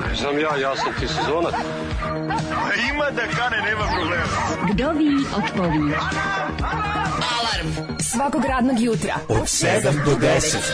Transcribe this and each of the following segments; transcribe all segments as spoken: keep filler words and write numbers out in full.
Ne znam ja, ja sam ti sezonac. Ima da kane, nema problema. Vdovi otpovi. Alarm svakog radnog jutra od sedam do deset.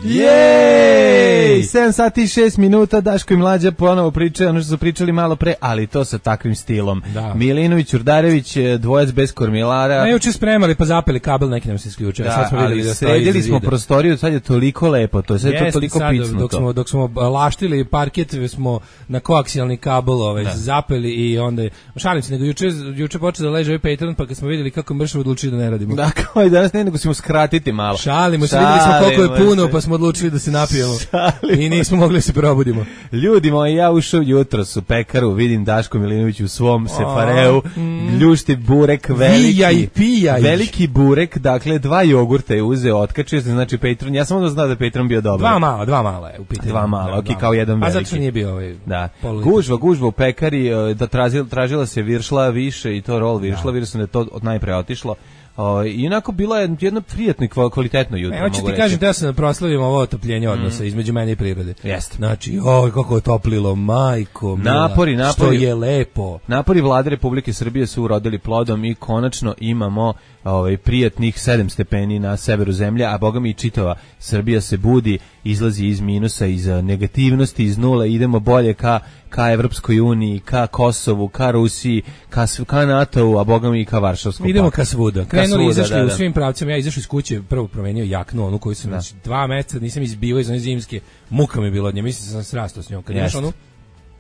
Jej! sedam sati i šest minuta, Daško i Mlađa ponovo pričaju ono što su pričali malo pre, ali to sa takvim stilom. Da. Milinović, Urdarević, dvojac bez kormilara. Ne, juče spremali pa zapeli kabel, neki nam se isključio. Da, sad smo videli da sredili smo prostoriju, sad je toliko lepo, to je sad to toliko sad, picnuto. Dok smo, dok smo laštili parket, smo na koaksijalni kabel ovaj, zapeli i onda, šalim se, nego juče, juče počeo da leže ovaj Patreon, pa kad smo videli kako mršavo odlučili da ne radimo. Da, kao i danas ne, nego ćemo skratiti malo. Šalimo se, videli smo koliko je puno, pa smo odlučili da se napijemo. Šalimo. I nismo mogli da se probudimo. Ljudi moji, ja ušao jutros u pekaru, vidim Daško Milinović u svom sefareu, mm. ljušti burek veliki. Vijaj, pijaj. Veliki burek, dakle dva jogurta je uzeo, otkačio se, znači Patreon, ja sam onda znao da je Patreon bio dobar. Dva mala, dva mala je u pitanju. Dva mala, okej, okay, kao jedan veliki. A zato što nije bio ovaj. Da. Gužva, gužva u pekari, da tražila, tražila se viršla više i to rol viršla, vidio sam da je to od najpre otišlo. O, i onako bilo je jedno prijatno i kvalitetno jutro. Evo ću ti kažem da ja sam proslavim ovo otopljenje odnosa mm. između mene i prirode. Jeste. Znači, oj, kako je toplilo, majko mila, napori, napori, što je lepo. Napori Vlade Republike Srbije su urodili plodom i konačno imamo ovaj, prijatnih sedam stepeni na severu zemlje, a boga mi i čitava Srbija se budi, izlazi iz minusa, iz negativnosti, iz nule, idemo bolje ka, ka Evropskoj uniji, ka Kosovu, ka Rusiji, ka, ka NATO-u, a boga mi i ka Varšavskom paktu. Idemo ka svuda. Krenuli, svuda, izašli da, da. u svim pravcima, ja izašao iz kuće, prvo promenio jaknu, onu koju sam znači, dva meseca nisam izbivao iz one zimske, muka mi je bilo od nje, mislim da sam srastao s njom. Kad imaš onu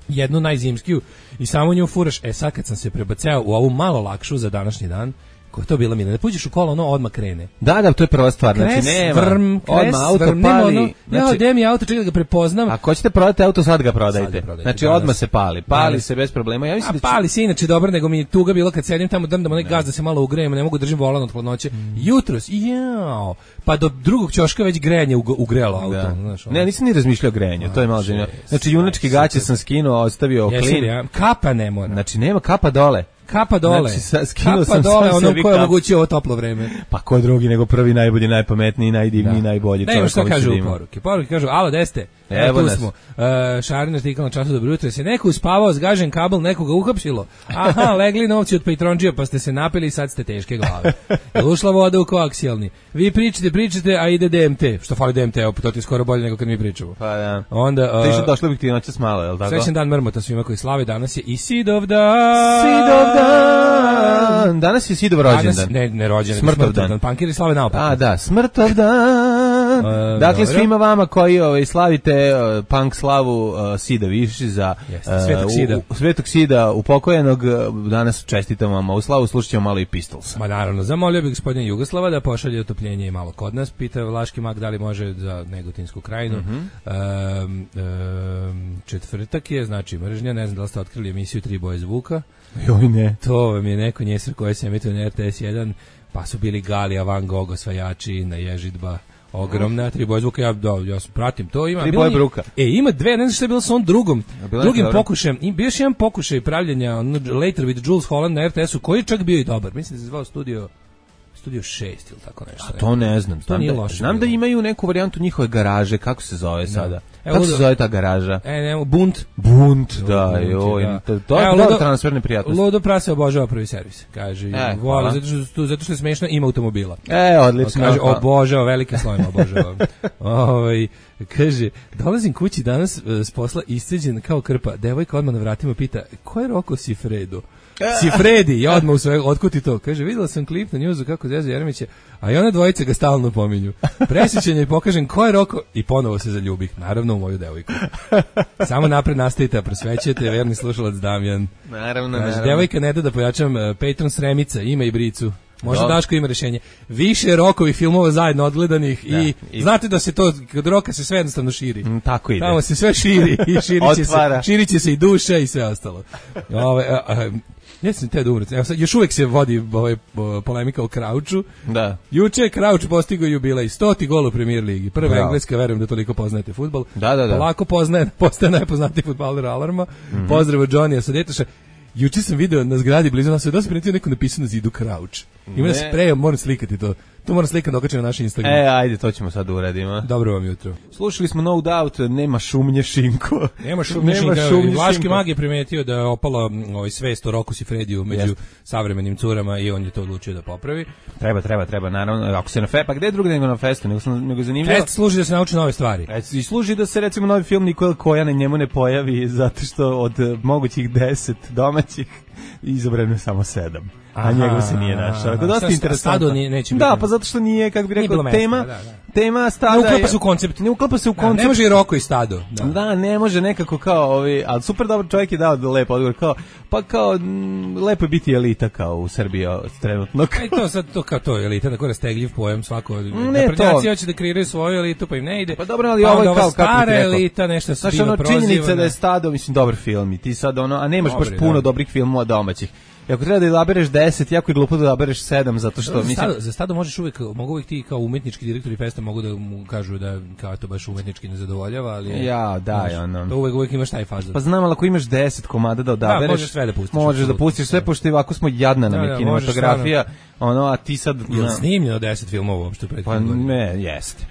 jednu najzimskiju i samo nju furaš, e sad kad sam se prebaceo u ovu malo lakšu za današnji dan, ko je to bila mina? Da puđeš u kolo, ono odmah krene. Da, da, to je prva stvar. Kres, znači, nema. Vrm, kres, odmah auto vrm, pali. Ono, znači, ja, gde mi auto, čekaj da ga prepoznam. Ako hoćete prodati auto, sad ga prodajte. Sad ga prodajte. Znači, danas. odmah se pali. Pali danas. se bez problema. Ja mislim A da će... pali se inače dobro, nego mi je tuga bilo kad sedim tamo, drndam onaj gaz da se malo ugrejem, ne mogu držim volan od hladnoće. Mm. Jutros, jao, pa do drugog ćoška već grejanje ugrelo auto. Da. Znaš, ne, nisam ni razmišljao o grejanju, to je malo zanimljivo. Znači, junački gaće sam skinuo, ostavio klin. Ja. Kapa ne mora. Znači, nema kapa dole. Kapa dole. Znači, sa, skinuo kapa sam dole, sam ono ko je omogućio ovo toplo vreme. Pa ko drugi nego prvi, najbolji, najpametniji, najdivniji, najbolji čovjek. Ne, šta kažu u poruke. Poruke kažu, alo, deste, evo tu smo. Uh, Šarin artikal na času, dobro jutro. Se neko uspavao, zgažen kabel, nekoga uhapsilo. Aha, legli novci od Patronđija, pa ste se napili i sad ste teške glave. Je ušla voda u koaksijalni. Vi pričate, pričate, a ide D M T. Što fali D M T, to ti je skoro bolje nego kad mi pričamo. Pa da. Onda, uh, Ti što došlo bih ti noćas malo, je li tako? Srećan dan mrmota svima koji slave, danas je i Sidovdan. Sidovdan. Danas je Sidov rođendan. Ne, ne rođendan, Smrtovdan. Pankiri slave naopako. A, da, Smrtovdan. Uh, dakle, dobro. Svima vama koji ovaj, slavite uh, punk slavu uh, Sida Viši za Jeste, Svetog Sida. Uh, u, Svetog Sida upokojenog, danas čestitam vam u slavu, slušat ćemo malo i Pistolsa. Ma naravno, zamolio bih gospodina Jugoslava da pošalje otopljenje i malo kod nas. Pita Vlaški mag da li može za Negotinsku krajinu. Uh-huh. um, um, četvrtak je, znači mržnja, ne znam da li ste otkrili emisiju Tri boje zvuka. Joj ne. To vam je neko njesar koje se emituje na R T S jedan, pa su bili Galija, Van Gogh, osvajači, na Ježidba. Ogromna, tri boje zvuka, ja, da, ja pratim to. Ima, tri boje bruka. E, ima dve, ne znam što je bilo sa on drugom, drugim pokušajem. Bio još jedan pokušaj pravljenja on, Later with Jules Holland na R T S-u, koji je čak bio i dobar. Mislim da se zvao studio Studio šest ili tako nešto. A to ne znam. To nije da, loše. Znam bilo. Da imaju neku varijantu njihove garaže, kako se zove sada? Da. Evo, kako se zove ta garaža? E, ne, Bunt. Bunt, da, joj. Da. To, to je dobro transferne prijatnosti. Ludo Prase obožava prvi servis. Kaže, e, voli, zato što, zato što je smešno, ima automobila. E, odlično. Kaže, obožava, velike slojima obožava. Ovaj, kaže, dolazim kući danas s posla isceđen kao krpa. Devojka odmah na vratima pita, ko je Roko Sifredo? Sifredi, ja odmah u sve, otkuti to. Kaže, videla sam klip na njuzu kako Zezo Jeremić je, a i ona dvojica ga stalno pominju. Presjećanje i pokažem ko je Roko i ponovo se zaljubih, naravno u moju devojku. Samo napred nastavite, a prosvećujete, verni slušalac Damjan. Naravno, kaže, naravno. Devojka ne da da pojačam uh, Patron Sremica, ima i bricu. Možda Daško ima rješenje. Više Rokovih filmova zajedno odgledanih da, i, i znate da se to, kod Roka se sve jednostavno širi. Mm, tako ide. Tamo se sve širi i širit će, se, širit će se i duša i sve ostalo. Ove, a, a, ja sam te da umreti. Evo sad, još uvijek se vodi ovaj, polemika o Krauču. Da. Juče je Krauč postigao jubilej, stoti gol u Premier ligi. Prva Bravo. Engleska, verujem da toliko poznajete fudbal. Da, da, da. Lako poznaje, postaje najpoznatiji fudbaler Alarma. Mm-hmm. Pozdrav od Johnny-a sa Detaša. juče sam video na zgradi blizu nas, da se primetio neko napisao na zidu Crouch. Ima na spreju, moram slikati to. To moram slikati dokače na naš Instagram. E, ajde, to ćemo sad uradimo. Dobro vam jutro. Slušali smo No Doubt, nema šumnje Šinko. Nema šumnje Šinko. Vlaški mag je primetio da je opala ovaj, svest o Roku Sifrediju među Jest. savremenim curama i on je to odlučio da popravi. Treba, treba, treba, naravno. Ako se na fe, pa gde drugo nego na festu, nego, sam, nego zanimljivo. Fest služi da se nauči nove stvari. I služi da se recimo novi film Nikola Kojana njemu ne pojavi zato što od mogućih deset domaćih izabrano je samo sedam. A aha, njegov se nije našao. To je dosta interesantno. Neće da, pa zato što nije, kako bi rekao, tema, mesta, da, da. tema stada. Ne uklapa se u koncept. Ne uklapa se u koncept. Da, ne može i Roko i stado. Da. da, ne može nekako kao ovi, ali super dobro čovjek je dao lep odgovor, kao, pa kao, m, lepo je biti elita kao u Srbiji trenutno. E to sad, to kao to, elita, tako rastegljiv pojam svako. Ne, naprednjaci hoće da kreiraju svoju elitu, pa im ne ide. Pa dobro, ali pa ovo je kao, kako ti rekao. Elita, nešto se bilo prozivano. Činjenica da je stado, mislim, dobar film i ti sad ono, a nemaš baš puno dobrih filmova domaćih. I ako treba da izabereš deset, jako je glupo da izabereš sedam, zato što... Mislim... Stado, za stado možeš uvijek, mogu uvijek ti kao umetnički direktori festa mogu da mu kažu da kao to baš umetnički ne zadovoljava, ali... Je, ja, da, znaš, ono... To uvijek, uvijek imaš taj fazon. Pa znam, ali ako imaš deset komada da odabereš... Da, možeš sve da pustiš. Možeš da pustiš sve, pošto i ovako smo jadna nam je kinematografija, ono, a ti sad... Je li snimljeno deset filmova uopšte pred Pa ne, jeste.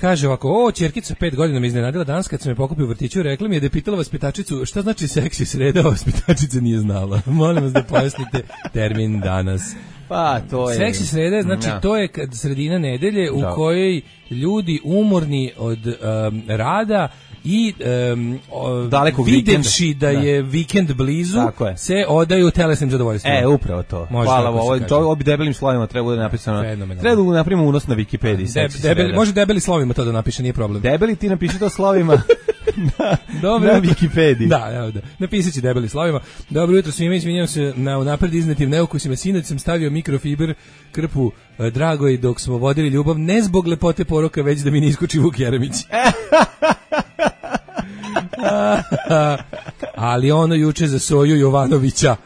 Kaže ovako, o, ćerkica pet godina me iznenadila danas kad sam je pokupio u vrtiću, rekla mi je da je pitala vaspitačicu šta znači seksi sreda, a vaspitačica nije znala. Molim vas da pojasnite termin danas. Pa, to je... Seksi sreda, znači ja. to je sredina nedelje u da. kojoj ljudi umorni od um, rada i um, videvši da, da je vikend blizu, je. se odaju telesnim zadovoljstvima. E, upravo to. Može Hvala, ovo, to, ovo bi debelim slovima treba da napisano. Treba da napravimo unos na Wikipediji. Deb, debeli, može debeli slovima to da napiše, nije problem. Debeli ti napiši to slovima na, Dobro, na Wikipediji. Da, evo da. Napisat ću debeli slovima. Dobro jutro svima, izvinjam se na unapred iznetim neukusima. Sinoć sam stavio mikrofiber krpu eh, Dragoj dok smo vodili ljubav, ne zbog lepote poroka, već da mi ne iskoči Vuk Jeremić. Ali ono juče za Soju Jovanovića.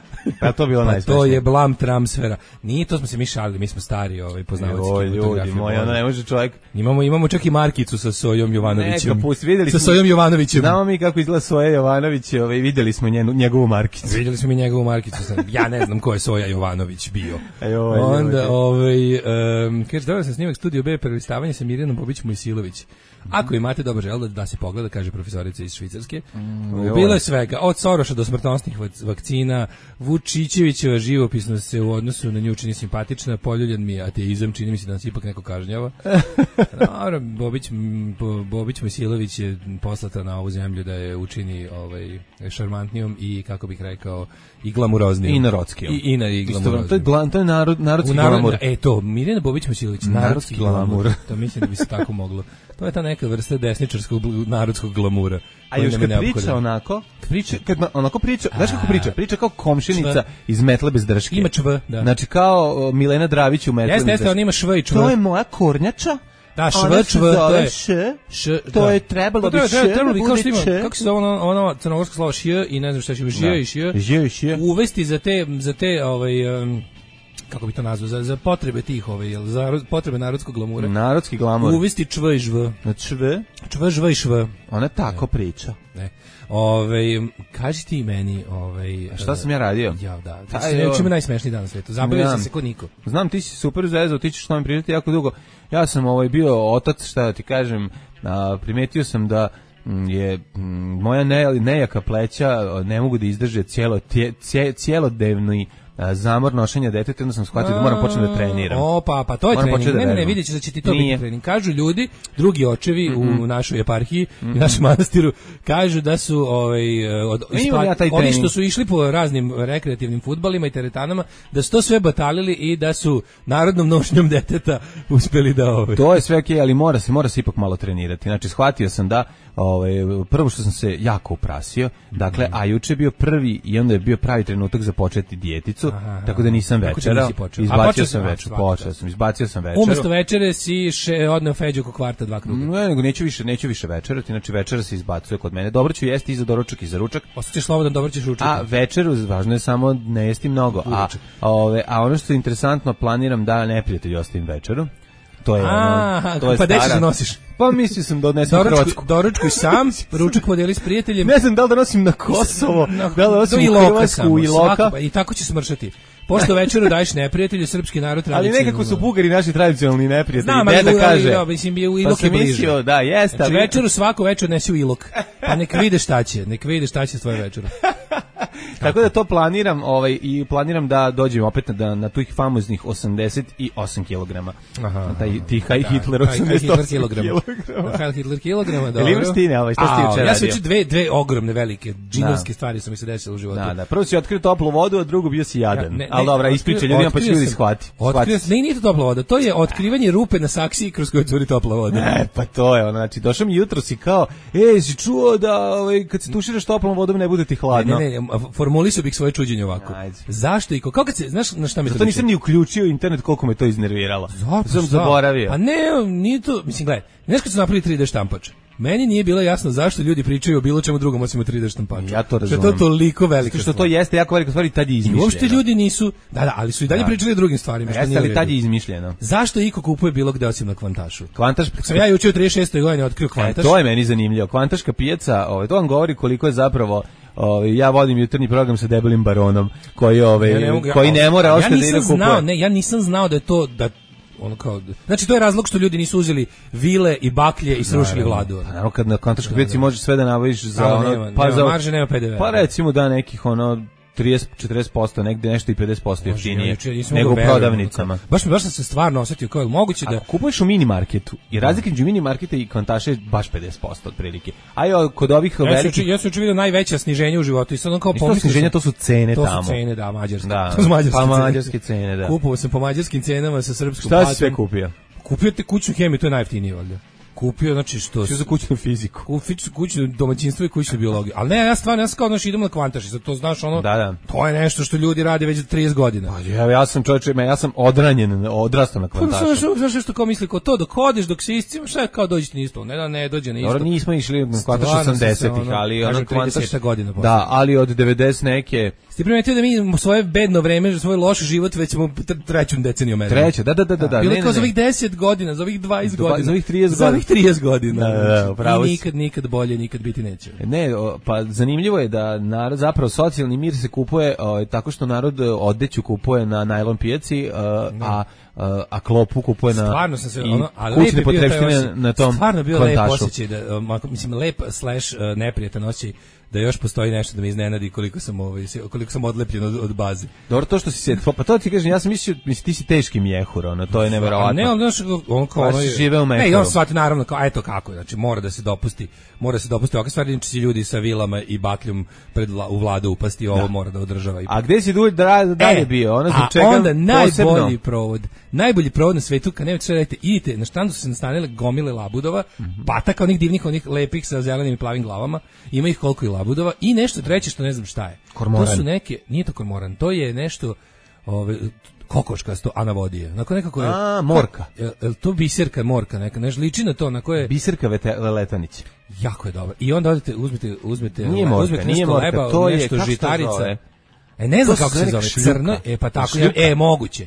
Pa to bilo najsmešnije. To je blam transfera. Nije, to smo se mi šalili, mi smo stari, ovaj poznavaoci kinematografije. Moji, ono ne može čovjek. Imamo imamo čak i markicu sa Sojom Jovanovićem. Neka pusti, videli sa Sojom Jovanovićem. Znamo mi kako izgleda Soja Jovanović, ovaj videli smo njenu, njegovu markicu. Videli smo mi njegovu markicu, ja ne znam ko je Soja Jovanović bio. Ajoj, onda ovaj um, kaže dobro sam snimak Studio B prelistavanje sa Mirjanom Bobić Mojsilović. Ako imate dobar žel da se pogleda, kaže profesorica iz Švicarske. Mm, bilo je svega, od Soroša do smrtonosnih vakcina, Vučićevićeva živopisnost se u odnosu na nju čini simpatična, poljuljan mi je ateizam, čini mi se da nas ipak neko kažnjava. Naravno, Bobić, Bobić Mojsilović je poslata na ovu zemlju da je učini ovaj, šarmantnijom i, kako bih rekao, i glamuroznijom. I narodskijom. I, i, na, i glamuroznijom. To je, glan, to je narod, narodski narod, glamur. E to, Mirjana Bobić Mojsilović, narodski, narodski glamur. glamur. To mislim da bi se tako moglo. To je ta neka vrsta desničarskog narodskog glamura. A još kad priča onako, priča, kad onako priča, znaš kako priča? Priča kao komšinica iz Metle bez drške. Ima čv, da. Znači kao Milena Dravić u Metle bez drške. Jeste, jeste, on ima šv i čv. To je moja kornjača. Da, šv, čv, to je š, š, to je trebalo bi š, trebalo bi, kao što ima, kako se zove ono, ono crnogorsko slovo š i ne znam šta će bi ž i š, uvesti za te, za te, ovaj, um, kako bi to nazvao, za, za potrebe tih, ovaj, za potrebe narodskog glamura. Narodski glamur. Uvesti čv i žv. Čv? Čv, žv i šv. Ona tako ne. priča. Ne. Ove, kaži ti meni, ovaj, a šta sam ja radio? Ja, da. Ti si neučimo najsmešniji dan na svetu. Zabavio sam se kod niko. Znam, ti si super zezao, ti ćeš s novim pričati jako dugo. Ja sam ovaj bio otac, šta da ti kažem, a, primetio sam da je m, moja ne, nejaka pleća ne mogu da izdrže cijelo, tje, cije, cijelodnevni zamor nošenja deteta, onda sam shvatio da moram početi da treniram. O, pa, pa to je moram trening. Da ne, ne, ne, vidjet ćeš da će ti to Nije. biti trening. Kažu ljudi, drugi očevi mm-hmm. u našoj eparhiji mm-hmm. i našem manastiru, kažu da su ovaj, od, ispa, ja oni što su išli po raznim rekreativnim fudbalima i teretanama, da su to sve batalili i da su narodnom nošnjom deteta uspeli da... Ovaj. To je sve okej, okay, ali mora se, mora se ipak malo trenirati. Znači, shvatio sam da ovaj, prvo što sam se jako uprasio, dakle, mm-hmm. a juče je bio prvi i onda je bio pravi trenutak za početi dijeticu. Aha, tako da nisam večerao, izbacio sam večer, počeo sam, izbacio sam večeru. Umesto večere si še, odneo Feđu oko kvarta dva kruga. Ne, nego neću više, neću više večerati, znači večera se izbacuje kod mene. Dobro ću jesti i za doručak i za ručak. Osjećaš slobodan, dobro ćeš ručati. A večeru, važno je samo ne jesti mnogo. A, ove, a ono što je interesantno, planiram da neprijatelju ostavim večeru. To je A, ono, to je pa gde ćeš stara. da nosiš? Pa mislio sam da odnesem u Hrvatsku. Doručkuj sam, ručak podijeli s prijateljem. Ne znam da li da nosim na Kosovo, Na, da li da nosim do u Iloka Hrvatsku samo, i Iloka. svako, I tako će smršati. Pošto večeru daješ neprijatelju, srpski narod Ali tradicionalno. nekako su Bugari naši tradicionalni neprijatelji. Znam, ne da ali, kaže. ali, mislim, je u Pa Ilok sam je bliže. mislio, da, jeste. Znači, ali- večeru svaku večer odnesi u Ilok. Pa nek vide šta će, nek vide šta će s tvoje večeru. Tako da to planiram, ovaj i planiram da dođem opet na na tih famoznih osamdeset osam kilograma. Aha. Na taj ti Heil Hitler Heil Hitler osamdeset osam kilograma. kilograma. Heil Hitler kilograma, Jel dobro. imaš ti, ne, ovaj, šta si ti A, juče Ja sam radio? juče dve, dve ogromne, velike, džinovske Da. stvari su mi se desile u životu. Da, da. Prvo si otkrio toplu vodu, a drugo bio si jadan. Ja, ne, Ali ne, dobra, otkrio- ispričaj ljudima pa će otkrio ljudi sam- shvati. Otkrio sam, ne, nije to topla voda, to je otkrivanje rupe na saksiji kroz koju curi topla voda. E, pa to je ono, znači, došao mi jutro si kao, ej, si čuo da ovaj, kad se tuširaš toplom vodom ne bude ti hladno. Ne, ne, ne, formulisao bih svoje čuđenje ovako. Ajde. Zašto i ko, kao kad se, znaš na šta me to Zato nisam liči? ni uključio internet koliko me to iznerviralo. Zato sam šta? zaboravio. Pa ne, nije to, mislim, gledaj, znaš kad su napravili tri D štampač, meni nije bilo jasno zašto ljudi pričaju o bilo čemu drugom osim o tri D štampaču. Ja to Što je razumem. to toliko velika Zato što to stvar. jeste jako velika stvar i tad je I izmišljeno. uopšte ljudi nisu, da, da, ali su i dalje Da. pričali o drugim stvarima. što Jeste, nije u ali redu. tad je izmišljeno. Zašto iko kupuje bilo gde osim na Kvantašu? Kvantaš, Sam ja juče u trideset šestoj godini otkrio e, Kvantaš. to je meni zanimljivo. Kvantaška pijaca, ovaj, to vam govori koliko je zapravo ovaj, ja vodim jutarnji program sa debelim baronom koji ovaj Ja ne mogu- koji ne mora ja ostati da ide nisam kupuje. znao, ne, ja nisam znao da je to da ono kao znači to je razlog što ljudi nisu uzeli vile i baklje i srušili vladu. Pa naravno kad na Kvantaškoj pijaci možeš sve da nabaviš za Da, ono nema- pa nema za marže, nema P D V. Pa recimo da nekih ono trideset četrdeset posto, negde nešto i pedeset posto jeftinije Juče nisam nego u mogao verujem, prodavnicama. ono kao- Baš mi baš sam se stvarno osetio kao je li moguće da Ako kupuješ u mini marketu i razlika između mini marketa i Kvantaša je baš pedeset posto otprilike. A i kod ovih ja sam velikih ja sam juče video najveća sniženje u životu i sad on kao Isto pomislio sniženja, sam- to su cene to tamo. su cene, da, mađarske. Da, To su mađarske pa cene. mađarske cene, da. Kupovao sam po mađarskim cenama sa srpskom Šta si platom. sve kupio? Kupio te kućnu hemiju, to je najjeftinije valjda. Kupio, znači što... Što za kućnu fiziku? Kućnu, kućnu domaćinstvo i kućnu biologiju. Ali ne, ja stvarno, ja sam kao, znaš, idem na Kvantaš, sad to znaš, ono, Da, da. to je nešto što ljudi rade već trideset godina. Pa ja, ja sam čovječe, ja sam odranjen, odrastao na Pa znaš, Kvantašu. znaš, znaš što kao misli, ko to, dok hodeš, dok se iscima, šta je kao dođete na isto, ne da ne dođe na isto. Dobro, nismo išli na Kvantaš Stvarno sam se, osamdesetih, ono, ali kažem, ono Kvantaš... trideset godina posle. Da, ali od devedeset neke... Ste primetio da mi svoje bedno vreme, svoj loš život već smo tr- treću deceniju merimo. Treće, da, da, da, da. da, Bilo ne, je kao ne, za ne. ovih deset godina, za ovih dvadeset Dva- godina. za ovih trideset Za godina. ovih trideset godina. Da, da, da, znači. upravo I si. nikad, nikad bolje, nikad biti neće. Ne, o, pa zanimljivo je da narod, zapravo socijalni mir se kupuje o, tako što narod e, odeću kupuje na najlon pijaci, e, a, a, a klopu kupuje na Stvarno sam se i ono, ali lep kućne je bio taj potrepštine osjećaj. na tom Stvarno bio lep Kvantašu. osjećaj da um, ako- mislim lep slash uh, neprijatan osjećaj da još postoji nešto da me iznenadi koliko sam ovaj se- koliko sam odlepljen od, od baze. Dobro, to što si se, pa to ti kažem, ja sam mislio, mislim, ti si teški mjehur, ono, to je neverovatno. A ne, ali znaš, on kao Pa ono si je- živeo u Ne, i Mehoru. on shvati naravno kao, a eto kako, znači mora da se dopusti, mora da se dopusti ovakve stvari, znači će ljudi sa vilama i bakljom pred vla, u vladu upasti, ovo mora da održava. I A gde si dulj da, dalje E, bio? Ono zbog a čega onda najbolji posebno? provod, najbolji provod na svetu, kad nemate šta radite, idite, na štandu su se nastanile gomile labudova, Mhm. pataka onih divnih, onih lepih sa zelenim i plavim glavama, ima ih koliko i labudova, i nešto treće što ne znam šta je. Kormoran. To su neke, nije to kormoran, to je nešto, ove, kokoškasto, a na vodi je. Onako nekako je... A, morka. Je, je to biserka morka, neka, nešto liči na to, na koje... Biserka Vete- Letanić. Jako je dobro. I onda odete, uzmete, uzmete, Nije ovaj, morka, uzmete nije nešto morka, leba, to je- nešto kako se to žitarica. zove? E, ne znam To kako se se neka zove, šljuka. crno, e, pa tako, Šljuka. e, moguće.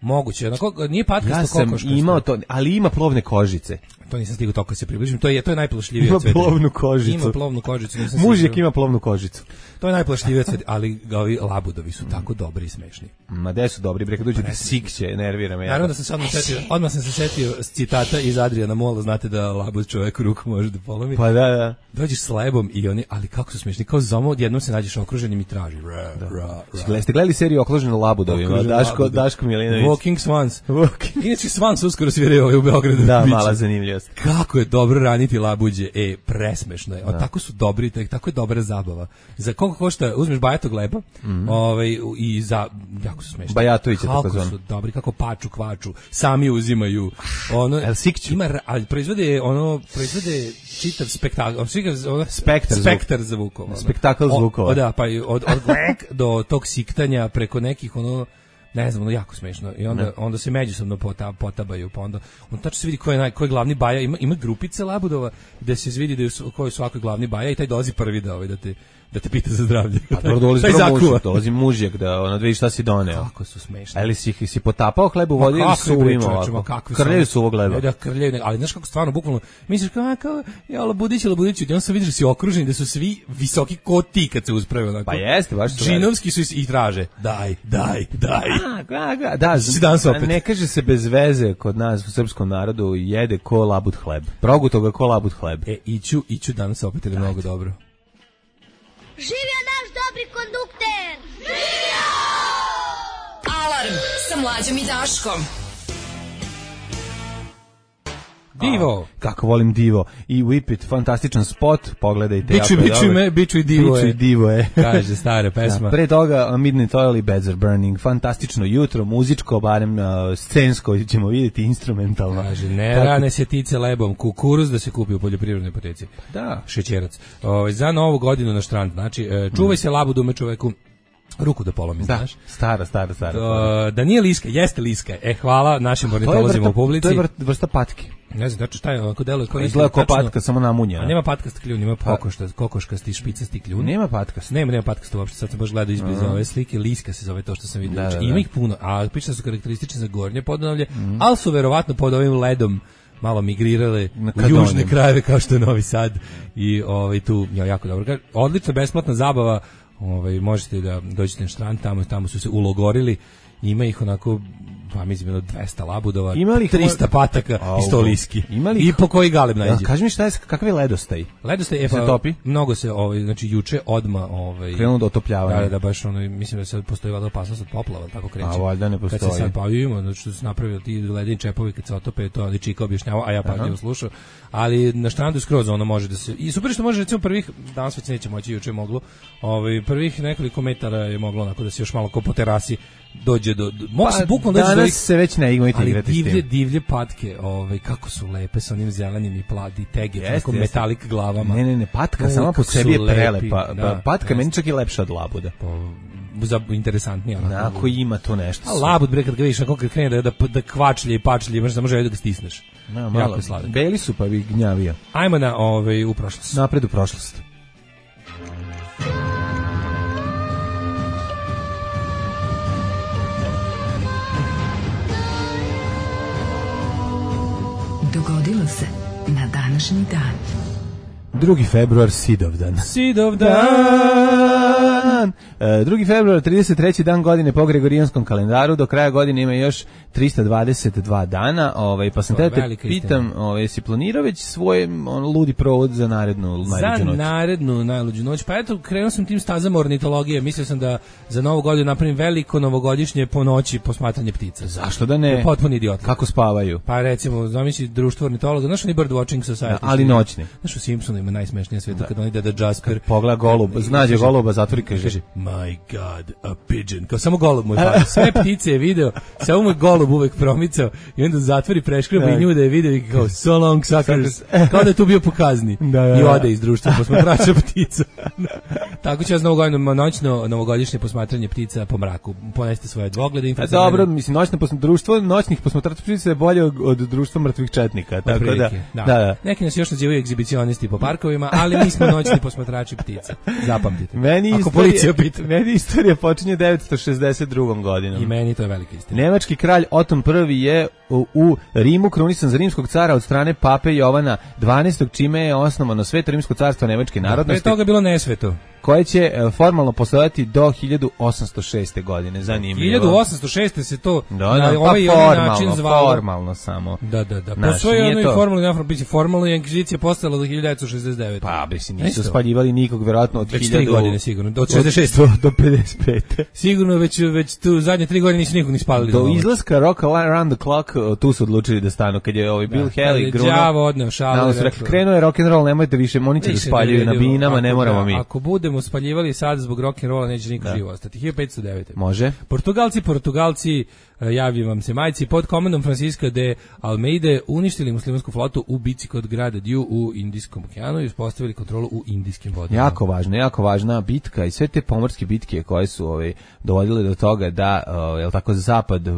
Moguće, onako, nije patkasto Ja sam kokoškasto. imao to, ali ima plovne kožice. To nisam stigao toliko se približim, to je, to je najplašljivije Ima od sveta. plovnu kožicu. Ima plovnu kožicu, nisam Mužjak stigao. ima plovnu kožicu. To je najplašljivije od sveta, ali ga ovi labudovi su tako dobri i smešni. Ma gde su dobri, bre, kad dođe ti sikće, nervira me. Naravno jako. da sam se odmah setio, odmah sam se setio s citata iz Adriana Mola, znate da labud čoveku ruku može da polomi. Pa da, da. Dođeš s lebom i oni, ali kako su smešni, kao zomo, odjednom se nađeš okruženim i traži. Ra, ra, ra. Gle- Ste gledali seriju Okloženo labudovima? Okružen Daško, labudovi. Daško Milinović. Walking Swans. Walking. Inače Swans uskoro sviraju ovaj u Beogradu. Da, Biće. mala zanimljivost. Kako je dobro raniti labuđe, e, presmešno je. O, tako su dobri, tak- tako je dobra zabava. Za koliko košta, uzmeš bajatog leba, ovaj, u- i za, jako su smešni. Bajatović je Kako takozvan. su dobri, kako paču, kvaču, sami uzimaju. Ono, El sikću? ima, ra- ali proizvode, ono, proizvode čitav spektakl, ono, ono, Spektar zvuk. spektar zvukova. ono. Spektakl O- zvukova. o, da, pa i od, od grek do tog siktanja preko nekih, ono, ne znam, ono jako smešno. I onda, onda se međusobno pota, potabaju, pa onda, on tačno se vidi ko je, naj, ko je glavni baja. Ima, ima grupice labudova gde se vidi da je, su- ko je svakoj glavni baja i taj dolazi prvi da, ovaj, da te da te pita za zdravlje. Pa dobro, dolazi mužjak, dolazi mužjak da ono vidi šta si doneo. Kako su smešni. Ali si ih si potapao hleb u vodi ili su imao ovako? Krljaju su ovog hleba. Da, krljaju, ali znaš kako stvarno, bukvalno, misliš kao, kao ja Labudić, Labudić, i on se vidi da si okruženi, da su svi visoki ko ti kad se usprave. Onako. Pa jeste, baš su. Džinovski su i traže, daj, daj, daj. A, ga, ga, da, ne kaže se bez veze kod nas u srpskom narodu jede ko labud hleb. Proguto ga ko labud hleb. E, iću, iću danas opet je mnogo dobro. Živio naš dobri kondukter! Živio! Alarm sa Mlađom i Daškom. Divo. A, kako volim Divo. I Whip It, fantastičan spot, pogledajte. Biću, biću, me, biću i Divo biću je. i Divo je. Kaže, stara pesma. Da, pre toga Midnight Oil i Beds Are Burning. Fantastično jutro, muzičko, barem uh, scensko, ćemo vidjeti, instrumentalno. Kaže, ne Tako... rane se tice lebom, kukuruz da se kupi u poljoprivrednoj apoteci. Da. Šećerac. O, za novu godinu na štrand. Znači, čuvaj se labudume čoveku. Ruku da polomi, da, znaš? Stara, stara, stara. Da, da nije liska, jeste liska. E, hvala našim ornitolozima u publici. To je vrsta, vrsta patke. Ne znam, znači šta je, ako deluje kao izgleda kao patka, samo namunja. A nema patkast kljun, ima kokošta, kokoškasti, špicasti kljun. Nema patkast. Nema, nema patkasta uopšte, sad sam baš gledao izbliza ove slike, liska se zove to što sam vidio. Da, da, da. Ima ih puno, a piše su karakteristični za gornje Podunavlje, mm. ali su verovatno pod ovim ledom malo migrirale u južne krajeve kao što je Novi Sad i ovaj tu ja jako dobro. Odlična besplatna zabava. Ovaj možete da dođete na štrand, tamo tamo su se ulogorili, ima ih onako pa mislim bilo dvesta labudova, trista pataka i sto liski. I po koji galeb nađe. Ja, kaži mi šta je, kakav je ledostaj? Ledostaj je pa, topi. Mnogo se ovaj znači juče odma ovaj krenulo do otopljavanja. Da, da baš ono mislim da sad postoji valjda opasnost od poplava, tako kreće. A valjda ne postoji. Kad se sad pa ima, znači što se napravili ti ledeni čepovi kad se otope, to ali Čika objašnjava, a ja pažljivo slušao. Ali na štrandu skroz ono može da se i super što može recimo prvih danas već neće moći, juče moglo. Ovaj prvih nekoliko metara je moglo onako da se još malo ko po terasi dođe do, do mogu pa, se bukvalno danas doći se već ne igrati igrati divlje, s tim. Divlje patke, ovaj kako su lepe sa onim zelenim i pladi tege, tako metalik glavama. Ne, ne, ne, patka sama po sebi je prelepa. Da, patka meni čak i lepša od labuda. Za interesantnije. Ako ima to nešto. A labud bre kad ga vidiš kako krene da da, da kvačlje i pačlje, možeš samo želiti da ga stisneš. No, malo sladak. Beli su pa bi gnjavio. Ajmo na ovaj u prošlost. Napred u prošlost. Dogodilo se na današnji dan. drugi februar, Sidovdan. Sidovdan! E, drugi februar, trideset treći dan godine po Gregorijanskom kalendaru, do kraja godine ima još trista dvadeset dva dana, ovaj, pa sam te te pitam, ovaj, si planirao već svoj on, ludi provod za narednu najluđu noć? Za narednu najluđu noć, pa eto, krenuo sam tim stazama ornitologije, mislio sam da za novu godinu napravim veliko novogodišnje po noći posmatranje ptica. Zašto da ne? Potpuni idiot. Kako spavaju? Pa recimo, zamisli društvo ornitologa, znaš oni Bird Watching Society? Da, ali noćni. Znaš u Simpsonu ima najsmešnije svetu da. Kad oni ide da Jasper pogleda golub, znađe goluba, zatvori kaže, kaže my god, a pigeon. Kao samo golub mu je pao. Sve ptice je video, samo mu je golub uvek promicao i onda zatvori preškreba i nju da je video i kao so long suckers. Kao da je tu bio po kazni. Da, da, i ode iz društva posmatrača ptica. Tako će ja novu godinu noćno novogodišnje posmatranje ptica po mraku. Poneste svoje dvoglede infracrvene. Dobro, mislim noćno društvo noćnih posmatrača ptica je bolje od, od društva mrtvih četnika, tako da, da, da, da. Neki nas još nazivaju egzibicionisti po parkovima, ali mi smo noćni posmatrači ptica. Zapamtite. Meni Ako istorija, policija pita. Meni istorija počinje devetsto šezdeset drugom godinom. I meni to je velika istina. Nemački kralj Oton prvi je u, u Rimu krunisan za rimskog cara od strane pape Jovana dvanaestog, čime je osnovano Sveto rimsko carstvo nemačke narodnosti. Pre toga bilo nesveto. Koje će e, formalno postojati do hiljadu osamsto šeste. godine. Zanimljivo. hiljadu osamsto šeste se to da, na da, ovaj pa formalno, način zvalo. Formalno samo. Da, da, da. Po svojoj onoj formalnoj informaciji, formalno je inkvizicija postojala do hiljadu devetsto šezdeset devete. Pa, mislim, nisu spaljivali nikog, verovatno od hiljadu... Već tri godine sigurno, od šezdeset šeste. Do, do pedeset pete. Sigurno već, već tu zadnje tri godine nisu nikog ni spalili. Do izlaska Rock Around the Clock, tu su odlučili da stanu, kad je ovaj Bill Haley, Gruno... Đavo odneo šalu. Krenuo je rock'n'roll, nemojte više, oni će da spaljuju na binama, ne moramo mi. Ako budemo spaljivali sad zbog rock'n'rolla neće niko živo ostati. hiljadu petsto devete. Može. Portugalci, Portugalci, javljaju vam se majci, pod komandom Francisca de Almeide uništili muslimansku flotu u bici kod grada Diu u Indijskom okeanu i uspostavili kontrolu u indijskim vodama. Jako važna, jako važna bitka i sve te pomorske bitke koje su ovaj, dovodile do toga da, uh, jel tako, zapad uh,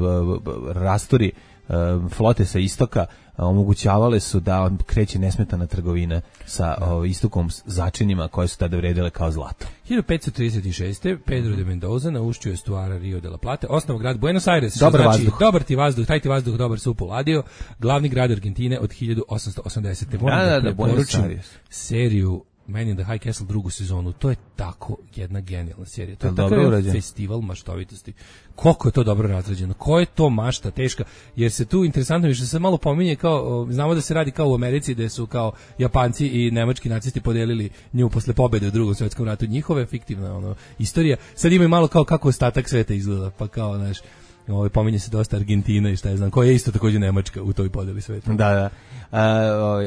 rastori uh, flote sa istoka, omogućavale su da kreće nesmetana trgovina sa o, istokom začinima koje su tada vredile kao zlato. hiljadu petsto trideset šeste. Pedro de Mendoza na ušću estuara Rio de la Plata, osnovao grad Buenos Aires, dobar znači vazduh. Dobar ti vazduh, taj ti vazduh, dobar su upoladio, glavni grad Argentine od hiljadu osamsto osamdesete. Moram da, da, da da, Buenos preporučim Aires. seriju Man in the High Castle drugu sezonu. To je tako jedna genijalna serija. To je Dobro takav urađen. festival maštovitosti. Koliko je to dobro razrađeno. Ko je to mašta teška. Jer se tu interesantno više se malo pominje kao, znamo da se radi kao u Americi gde su kao Japanci i nemački nacisti podelili nju posle pobede u Drugom svetskom ratu. Njihove fiktivna ono, istorija. Sad imaju malo kao kako ostatak sveta izgleda. Pa kao, znaš, ovaj pominje se dosta Argentina i šta je znam, koja je isto takođe Nemačka u toj podeli sveta. Da, da. Uh,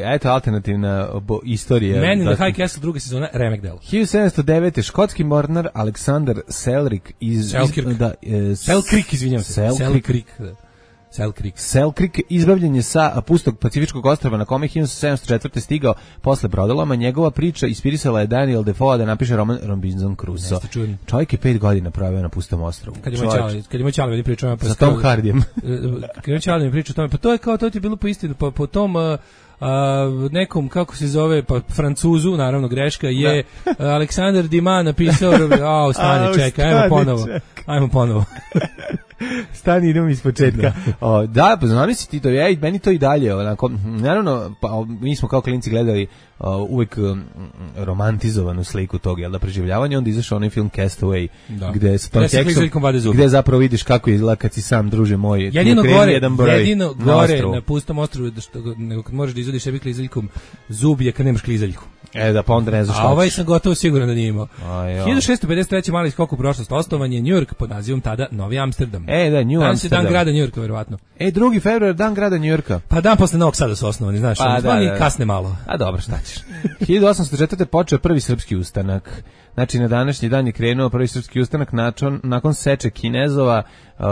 eto alternativna bo, istorija. Man in da, the High Castle druga sezona, remek delo. hiljadu sedamsto devete. škotski mornar Aleksandar Selkirk iz Selkirk. iz, da, e, Selkirk, izvinjavam se. Selkirk. Selkirk. da. Selkirk. Selkirk izbavljen je sa pustog Pacifičkog ostrva na kome hiljadu sedamsto četvrte. stigao posle brodoloma. Njegova priča ispirisala je Daniel Defoe da napiše roman Robinson Crusoe. Jeste čudno. Čovjek je pet godina proveo na pustom ostrvu. Kad ima Čale, kad ima Čale, vidi pričamo pa sa Tom Hardijem. Kad ima Čale mi priča o tome, pa to je kao to ti je bilo po istinu, pa po tom uh, Uh, nekom, kako se zove, pa Francuzu, naravno greška, je uh, Aleksandar Dima napisao, a, stani, čekaj, ajmo ponovo, ajmo ponovo. Stani, idemo iz početka. O, da, pa zamisli ti to, ej, meni to i dalje, onako, naravno, pa, mi smo kao klinci gledali o, uvek um, romantizovanu sliku tog, jel da, preživljavanja, onda izašao onaj film Castaway, da. gde sa Tom Hanks-om, gde zapravo vidiš kako izgleda kad si sam, druže moj, jedino gore, jedan broj jedino na gore ostrovu. na pustom ostrvu, da što, nego kad možeš da izvadiš sebi klizaljkom zub je kad nemaš klizaljku. E, da, pa onda ne znaš šta. A ovaj sam gotovo siguran da nije imao. A, hiljadu šessto pedeset treće. mali skok u prošlost, osnovan je New York pod nazivom tada Novi Amsterdam. E, da, New Danas Amsterdam. je dan grada New Yorka, verovatno. E, drugi februar, dan grada New Yorka. Pa dan posle Novog Sada su osnovani, znaš, Pa, da, da, da. kasne malo. A dobro, šta ćeš. hiljadu osamsto četvrte. počeo prvi srpski ustanak. Znači, na današnji dan je krenuo prvi srpski ustanak nakon, nakon seče Kinezova. Uh,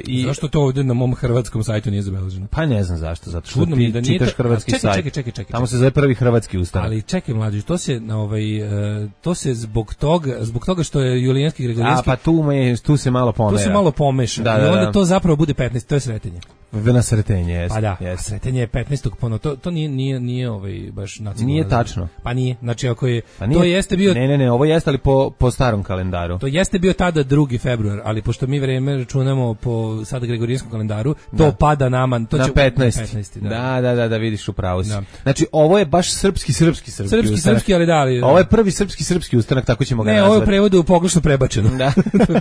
i zašto to ovdje na mom hrvatskom sajtu nije zabeleženo? Pa ne znam zašto, zato što Čudno ti mi da nije čitaš ta... hrvatski čekaj, sajt. Čekaj, čekaj, čekaj. Tamo se zove prvi hrvatski ustanak. Ali čekaj, mlađi, to se na ovaj uh, to se zbog toga, zbog toga što je Julijanski Gregorijanski. A pa tu me tu se malo pomera. Tu se malo pomeša. Da, I da, onda da. to zapravo bude petnaest, to je Sretenje. Na Sretenje, jeste. Pa da, jest. Sretenje je petnaestog ponovo. To to nije nije nije ovaj baš nacionalno. Nije tačno. Pa nije. Znači ako je pa nije, to jeste bio Ne, ne, ne, ovo jeste ali po po starom kalendaru. To jeste bio tada drugi februar, ali pošto mi vreme računamo po sada Gregorijanskom kalendaru, to da. pada nama, to na će petnaesti. petnaesti, da. da, da, da, da, vidiš upravo si. Da. Znači, ovo je baš srpski, srpski, srpski Srpski, ustanak. srpski, ali da, ali... Ovo je prvi srpski, srpski ustanak, tako ćemo ga ne, nazvati. Ne, ovo je u prevodu pogrešno prebačeno. Da.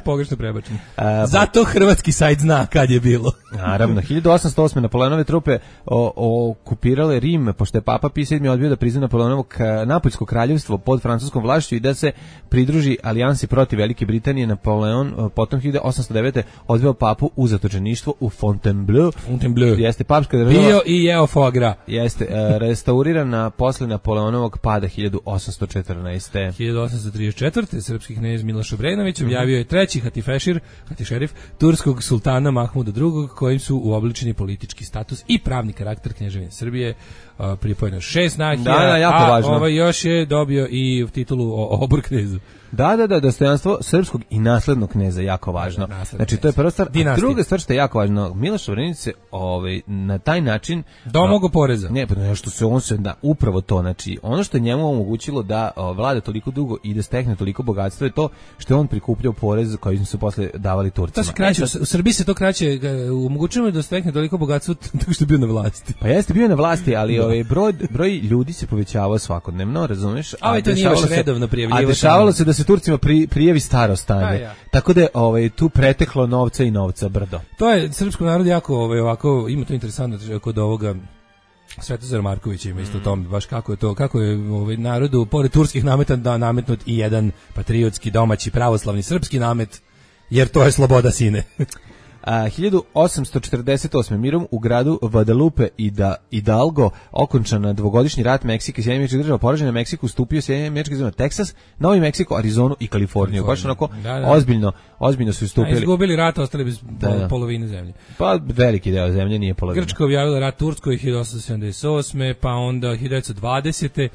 pogrešno prebačeno. A, Zato hrvatski sajt zna kad je bilo. Naravno, hiljadu osamsto osme. Napoleonove trupe o, o, okupirale Rim, pošto je Papa Pije sedmi odbio da prizna Napoleonovo Napoljsko kraljevstvo pod francuskom vlašću i da se pridruži alijansi protiv Velike Britanije. Napoleon potom hiljadu osamsto devete. odveo papu u zatočeništvo u Fontainebleau. Fontainebleau. Jeste papska država. Bio i jeo foie gras. Jeste, e, restaurirana posle Napoleonovog pada hiljadu osamsto četrnaeste. hiljadu osamsto trideset četvrte. srpski knez Miloš Obrenović objavio je treći hatifešir, hatifešerif turskog sultana Mahmuda drugog, kojim su uobličeni politički status i pravni karakter Kneževine Srbije. Uh, pripojeno šest nahija, da, da, jako a važno. ovaj još je dobio i titulu o obor knezu. Da, da, da, dostojanstvo srpskog i naslednog kneza jako važno. Da, znači to je prva stvar. Druga stvar što je jako važno, Miloš Obrenović se ovaj na taj način domogao poreza. Ne, pa nešto se on se da upravo to, znači ono što je njemu omogućilo da o, vlada toliko dugo i da stekne toliko bogatstvo je to što je on prikupljao porez koji su posle davali Turcima. To se kraće, u Srbiji se to kraće omogućilo da stekne toliko bogatstvo tako što je bio na vlasti. Pa jeste bio na vlasti, ali ovaj broj broj ljudi se povećavao svakodnevno, razumeš? A, a to nije baš redovno prijavljivanje. A dešavalo se da se Turcima pri, prijavi staro stanje. Ja. Tako da je ovaj, tu preteklo novca i novca brdo. To je srpskom narodu jako ovaj, ovako, ima to interesantno kod ovoga Svetozar Marković ima isto mm. tome, baš kako je to, kako je ovaj, narodu, pored turskih nameta, da nametnut i jedan patriotski, domaći, pravoslavni, srpski namet, jer to je sloboda sine. A, hiljadu osamsto četrdeset osme. mirom u gradu Guadalupe i da Hidalgo okončana dvogodišnji rat Meksika i Sjedinjenih Američkih Država. Poražen na Meksiku stupio Sjedinjene Američke Države, Teksas, Novi Meksiko, Arizonu i Kaliforniju. Baš onako da, da. ozbiljno, ozbiljno su istupili. A izgubili rat, ostali bez da, da. polovine zemlje. Pa veliki deo zemlje nije polovina. Grčka objavila rat Turskoj hiljadu osamsto sedamdeset osme. pa onda hiljadu devetsto dvadesete.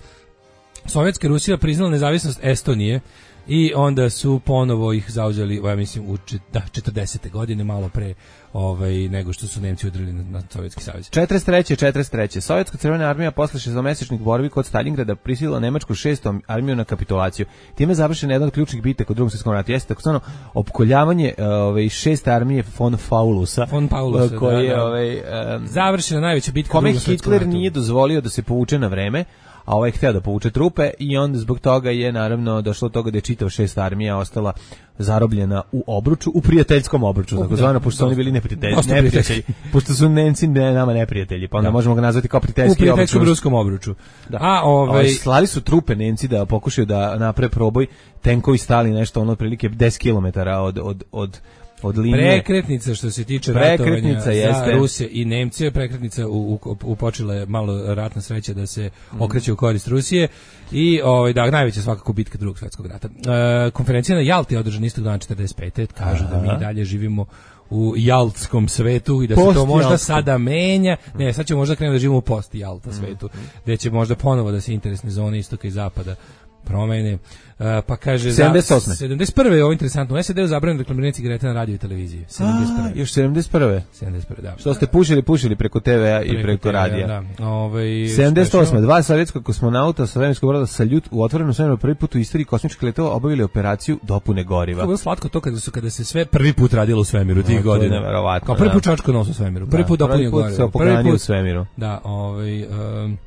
Sovjetska Rusija priznala nezavisnost Estonije. I onda su ponovo ih zauzeli, ja mislim, u da, četrdesete godine, malo pre ovaj, nego što su Nemci udarili na, na Sovjetski savez. četrdeset treće četrdeset treće Sovjetska crvena armija posle šestomesečnih borbi kod Stalingrada prisilila nemačku šestom armiju na kapitulaciju. Time je završena jedna od ključnih bitaka u Drugom svjetskom ratu. Jeste takozvano opkoljavanje ove šeste armije von Paulusa, von Paulusa koji je da, da. ovaj um, završena najveća bitka kome u Drugom svjetskom ratu. Hitler nije dozvolio da se povuče na vreme, a ovaj je hteo da povuče trupe i onda zbog toga je naravno došlo do toga da je čitava šesta armija ostala zarobljena u obruču, u prijateljskom obruču, takozvano, pošto su oni bili neprijatelji, neprijatelji, pošto su Nemci ne, nama neprijatelji, pa onda da. možemo ga nazvati kao prijateljski obruč. U prijateljskom ruskom obruču. Da. A ovaj slali su trupe Nemci da pokušaju da naprave proboj, tenkovi stali nešto ono otprilike deset kilometara od od od od linije. Prekretnica što se tiče ratovanja za Rusije i Nemce, prekretnica u, u, u počela je malo ratna sreća da se mm. okreće u korist Rusije i ovaj da najveća svakako bitka Drugog svjetskog rata. E, konferencija na Jalti je održana istog dana četrdeset pete Kažu Aha. da mi dalje živimo u jaltskom svetu i da post se to možda jaltskom. sada menja. Ne, sad ćemo možda krenuti da živimo u post Jalta svetu, mm. gde će možda ponovo da se interesne zone istoka i zapada promene. Uh, pa kaže sedamdeset osme sedamdeset prve je ovo interesantno. U S A D-u zabranjeno reklamiranje cigareta na radio i televiziji. sedamdeset prve A, još sedamdeset prve sedamdeset prve da. Što ste pušili, pušili preko te ve a i preko, preko radija. Da. Ovaj sedamdeset osme Dva sovjetska kosmonauta sa svemirskog broda Saljut u otvorenom svemiru prvi put u istoriji kosmičkih letova obavili operaciju dopune goriva. Kako je slatko to kada su kada se sve prvi put radilo u svemiru tih no, godina. Neverovatno. Kao prvi put čačko nos u svemiru. Prvi put dopunio goriva. Prvi put u svemiru. Da, ovaj um,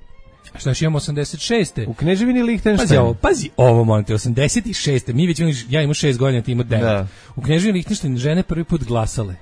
šta još imamo osamdeset šeste U Kneževini Lihtenštajn. Pazi ovo, pazi ovo, molim te, osamdeset šeste Mi već imamo, ja imam šest godina, ti imao devet Da. U Kneževini Lihtenštajn žene prvi put glasale.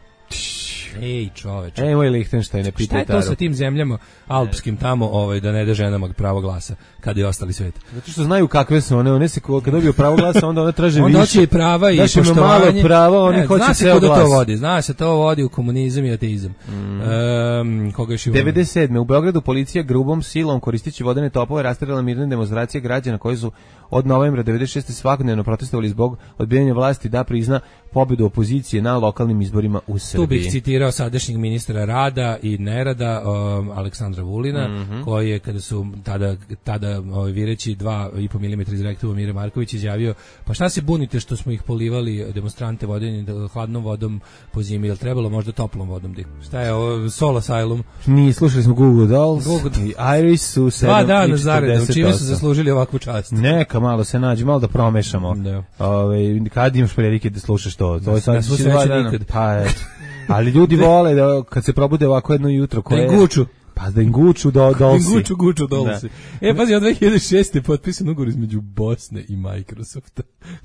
Ej, čoveče. Ej, moj Lihtenštajn, ne pitaj Taru. Šta je to sa tim zemljama alpskim tamo, ovaj, da ne da ženama pravo glasa, kada je ostali svet? Zato što znaju kakve su one, one se kad dobiju pravo glasa, onda one traže više. Onda hoće i prava i Daš poštovanje. Malo prava, oni ne, hoće zna ceo se glas. To vodi, zna se to vodi u komunizam i ateizam. Mm. Um, koga još imamo? devedeset sedme U Beogradu policija grubom silom koristeći vodene topove rasterala mirne demonstracije građana koji su od novembra devedeset šeste svakodnevno protestovali zbog odbijanja vlasti da prizna pobedu opozicije na lokalnim izborima u Srbiji. Tu bih citirao sadašnjeg ministra rada i nerada um, Aleksandra Vulina, mm-hmm. koji je kada su tada tada ovaj vireći dva i po milimetra iz rektuva Mire Marković izjavio: "Pa šta se bunite što smo ih polivali demonstrante vodenim hladnom vodom po zimi, jel trebalo možda toplom vodom di?" Šta je ovo Soul Asylum? Mi slušali smo Google Dolls Google i Iris su sedam Dva dana zaredom, čime su zaslužili ovakvu čast. Neka malo se nađe, malo da promešamo. Da. Ovaj kad imaš prilike da slušaš to, to je sad nikad. Pa eto. Ali ljudi vole da kad se probude ovako jedno jutro koje da im guču. Pa da im guču do dolsi. Da im guču, guču dolsi. E, pazi, od dve hiljade šeste potpisan ugovor između Bosne i Microsofta.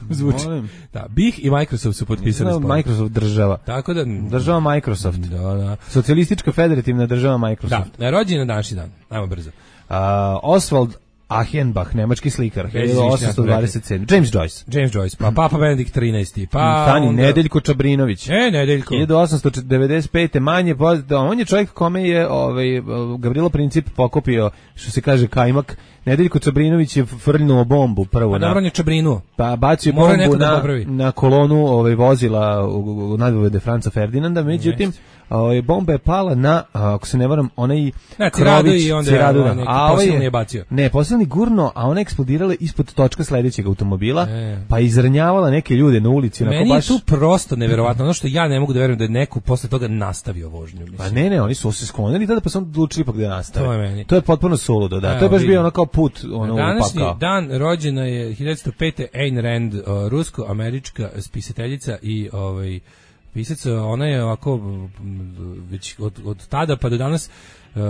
Zvuči. Da, B I H i Microsoft su potpisali sporazum. Microsoft država. Tako da država Microsoft. Da, da. Socijalistička federativna država Microsoft. Da, rođen na današnji dan. Ajmo brzo. Uh, Oswald Achenbach, nemački slikar, hiljadu osamsto dvadeset sedme James Joyce. James Joyce, pa Papa Benedikt trinaesti Pa Tani, onda... Nedeljko Čabrinović. E, Nedeljko. hiljadu osamsto devedeset pete Manje poznat, on je čovjek kome je ovaj, Gavrilo Princip pokopio, što se kaže, kajmak. Nedeljko Čabrinović je frljnuo bombu prvo. Pa dobro, on je Čabrinuo. Pa bacio bombu na, na kolonu ovaj, vozila u, u nadvojvode Franca Ferdinanda, međutim, ovaj, bomba je pala na, ako se ne varam, onaj Krović, i onda Ciradu, je neki posilni je bacio. Ne, posilni gurno, a ona eksplodirala ispod točka sledećeg automobila, e. pa izranjavala neke ljude na ulici. Meni baš... je tu prosto neverovatno, ono što ja ne mogu da verujem da je neko posle toga nastavio vožnju. Mislim. Pa ne, ne, oni su se sklonili tada, pa su odlučili ipak da nastave. To je meni. To je potpuno suludo, da. Evo, to je baš vidim. bio ono kao put, ono današnji upakao. Dan rođena je hiljadu devetsto pete Ayn Rand, rusko-američka spisateljica i ovaj pisac. Ona je ovako već od, od tada pa do danas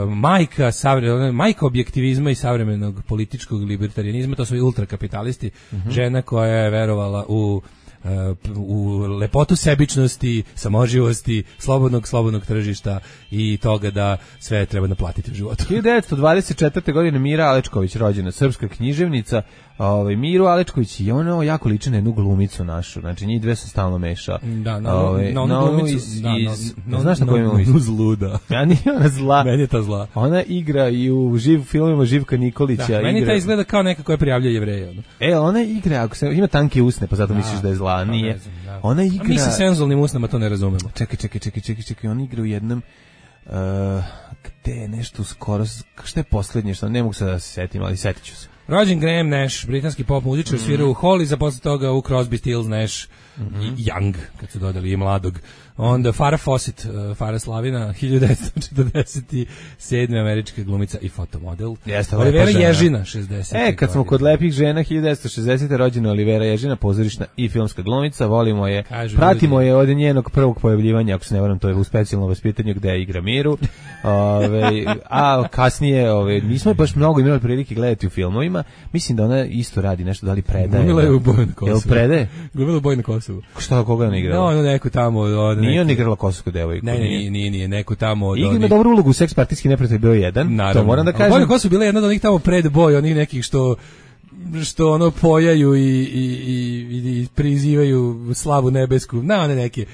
majka savre, majka objektivizma i savremenog političkog libertarijanizma. To su i ultrakapitalisti. Mm-hmm. Žena koja je verovala u u lepotu sebičnosti, samoživosti, slobodnog slobodnog tržišta i toga da sve treba naplatiti u životu. hiljadu devetsto dvadeset četvrte godine Mira Alečković rođena, srpska književnica. Ovaj Miru Alečković je ono jako liči na jednu glumicu našu. Znači njih dve se stalno meša. Da, na, ovaj, na, na onu glumicu, iz, da, iz, no, no, znaš na koju ima zluda. Ja nije ona zla. Meni je ta zla. Ona igra i u živ filmovima Živka Nikolića. Da, meni igra... ta izgleda kao neka koja prijavljuje Jevreje. Ono. E, ona igra, ako se ima tanke usne, pa zato da, misliš da je zla, nije. Znam, da. Ona igra. A mi sa senzualnim usnama to ne razumemo. Čekaj, čekaj, čekaj, čekaj, čekaj, ona igra u jednom uh, gde je nešto skoro, šta je poslednje, što ne mogu se da se setim, ali setit ću se. Rođen Graham Nash, britanski pop muzičar, mm. svirao u Hollies, a posle toga u Crosby, Stills, Nash mm-hmm. i Young, kad su dodali i mladog. Onda Farrah Fawcett, uh, Farrah Slavina, hiljadu devetsto četrdeset sedme američka glumica i fotomodel. Jeste, Olivera Ježina, šezdeset. E, kad smo kod lepih žena, hiljadu devetsto šezdesete. rođena Olivera Ježina, pozorišna i filmska glumica, volimo je, Kažu pratimo ljudi. je od njenog prvog pojavljivanja, ako se ne varam, to je u specijalnom vaspitanju gde igra Miru. Ove, a kasnije, ove, nismo baš mnogo imali prilike gledati u filmovima, mislim da ona isto radi nešto, da li predaje. Glumila je u Boju na Kosovu. Jel predaje? Glumila u Boju na Kosovu. Šta, koga ona igrala? No, ono neku tamo... Od Nije on igrala kosovsku devojku. Ne, ne, nije, nije, nije, neku tamo od onih... Ima dobru ulogu u Seks partijski neprijatelj bio jedan, naravno. To moram da kažem. Bojna Kosovo bila jedna od onih tamo pred boj, onih nekih što što ono pojaju i, i, i, i prizivaju slavu nebesku, na one neke...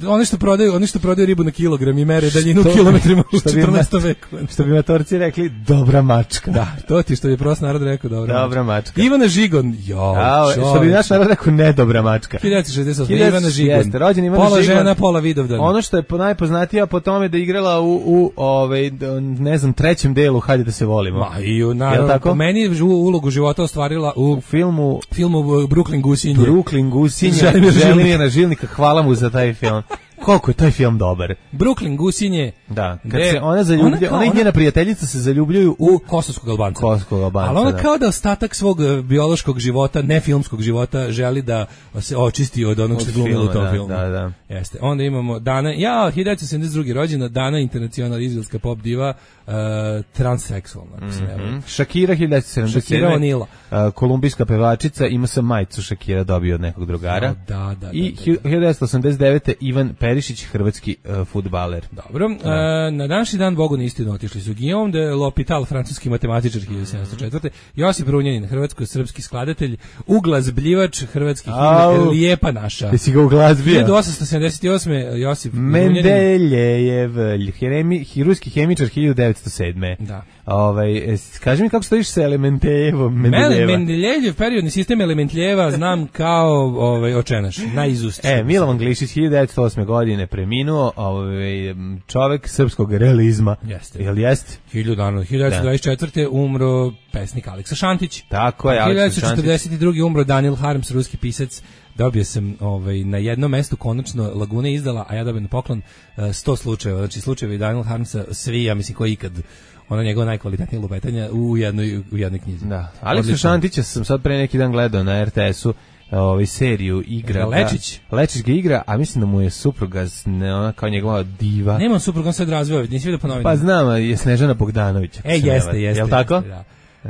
Oni što prodaju, oni što prodaju ribu na kilogram i mere daljinu u kilometrima u četrnaestom veku. Što bi matorci rekli, dobra mačka. Da, to ti što bi prost narod rekao, dobra, dobra mačka. mačka. Ivana Žigon, jo, A, što bi naš narod rekao, ne dobra mačka. hiljadu devetsto šezdeset osme. Ivana Žigon. Jeste, rođen Ivana pola Žigon. žena, pola Vidovdan. Ono što je najpoznatija po tome da igrala u, u ovaj, ne znam, trećem delu Hajde da se volimo. Ma, i u, naravno, po meni ulogu života ostvarila u, u filmu, filmu Brooklyn Gusinje. Brooklyn Gusinje. Želimira Žilnika, hvala mu za taj film. Koliko je taj film dobar. Brooklyn Gusinje. Da, kad se ona zaljublja, ona, ona i njena prijateljica se zaljubljuju u, u kosovskog Albanca. Kosovskog Albanca. Ali ona da. kao da ostatak svog biološkog života, ne filmskog života, želi da se očisti od onog što glumila u tom da, filmu. Da, da. Jeste. Onda imamo Dana, ja, hiljadu devetsto sedamdeset druge. rođena, Dana Internacional, izraelska pop diva, uh, transseksualna. Mm-hmm. Shakira, hiljadu devetsto sedamdeset sedme. Shakira O'Neal. Uh, kolumbijska pevačica, ima sam majicu Shakira dobio od nekog drugara. Da, da, da. I da, da. hiljadu devetsto osamdeset devete. Ivan Perišić, hrvatski uh, fudbaler. Dobro. Uh, na današnji dan Bogu na istinu otišli su Guillaume de l'Hôpital, francuski matematičar, hiljadu sedamsto četvrte. Josip Runjanin, hrvatsko-srpski skladatelj, uglazbljivač, hrvatski himne, Lijepa naša. Jesi ga uglazbio? hiljadu osamsto sedamdeset osme. Josip Mendeljejev, ruski hemičar, hiljadu devetsto sedme. Da. Ovaj, kaži mi kako stojiš sa Elementeljevom, Mendeljeva. Mendeljev periodni sistem Elementljeva znam kao ovaj, očenaš, na izust. E, Milovan Glišić, hiljadu devetsto osme. godine preminuo, ovaj, čovek srpskog realizma. Jeste. Jel jeste? hiljadu devetsto dvadeset četvrte. umro pesnik Aleksa Šantić. Tako je, Aleksa Šantić. hiljadu devetsto četrdeset druge. umro Daniel Harms, ruski pisac. Dobio sam ovaj, na jednom mestu konačno Laguna izdala, a ja dobio na poklon sto slučajeva. Znači slučajevi Daniel Harmsa, svi, ja mislim, koji ikad ono njegova najkvalitetnija lupetanja u jednoj, u jednoj knjizi. Da. Aleksa Šantića sam sad pre neki dan gledao na er te esu, ovaj seriju igra. Lečić. Da, Lečić ga igra, a mislim da mu je supruga ne, ona kao njegova diva. Nema supruga, on sad razveo, nisi vidio po novinama. Pa znam, je Snežana Bogdanović. E, jeste, jeste. Jel tako? Da.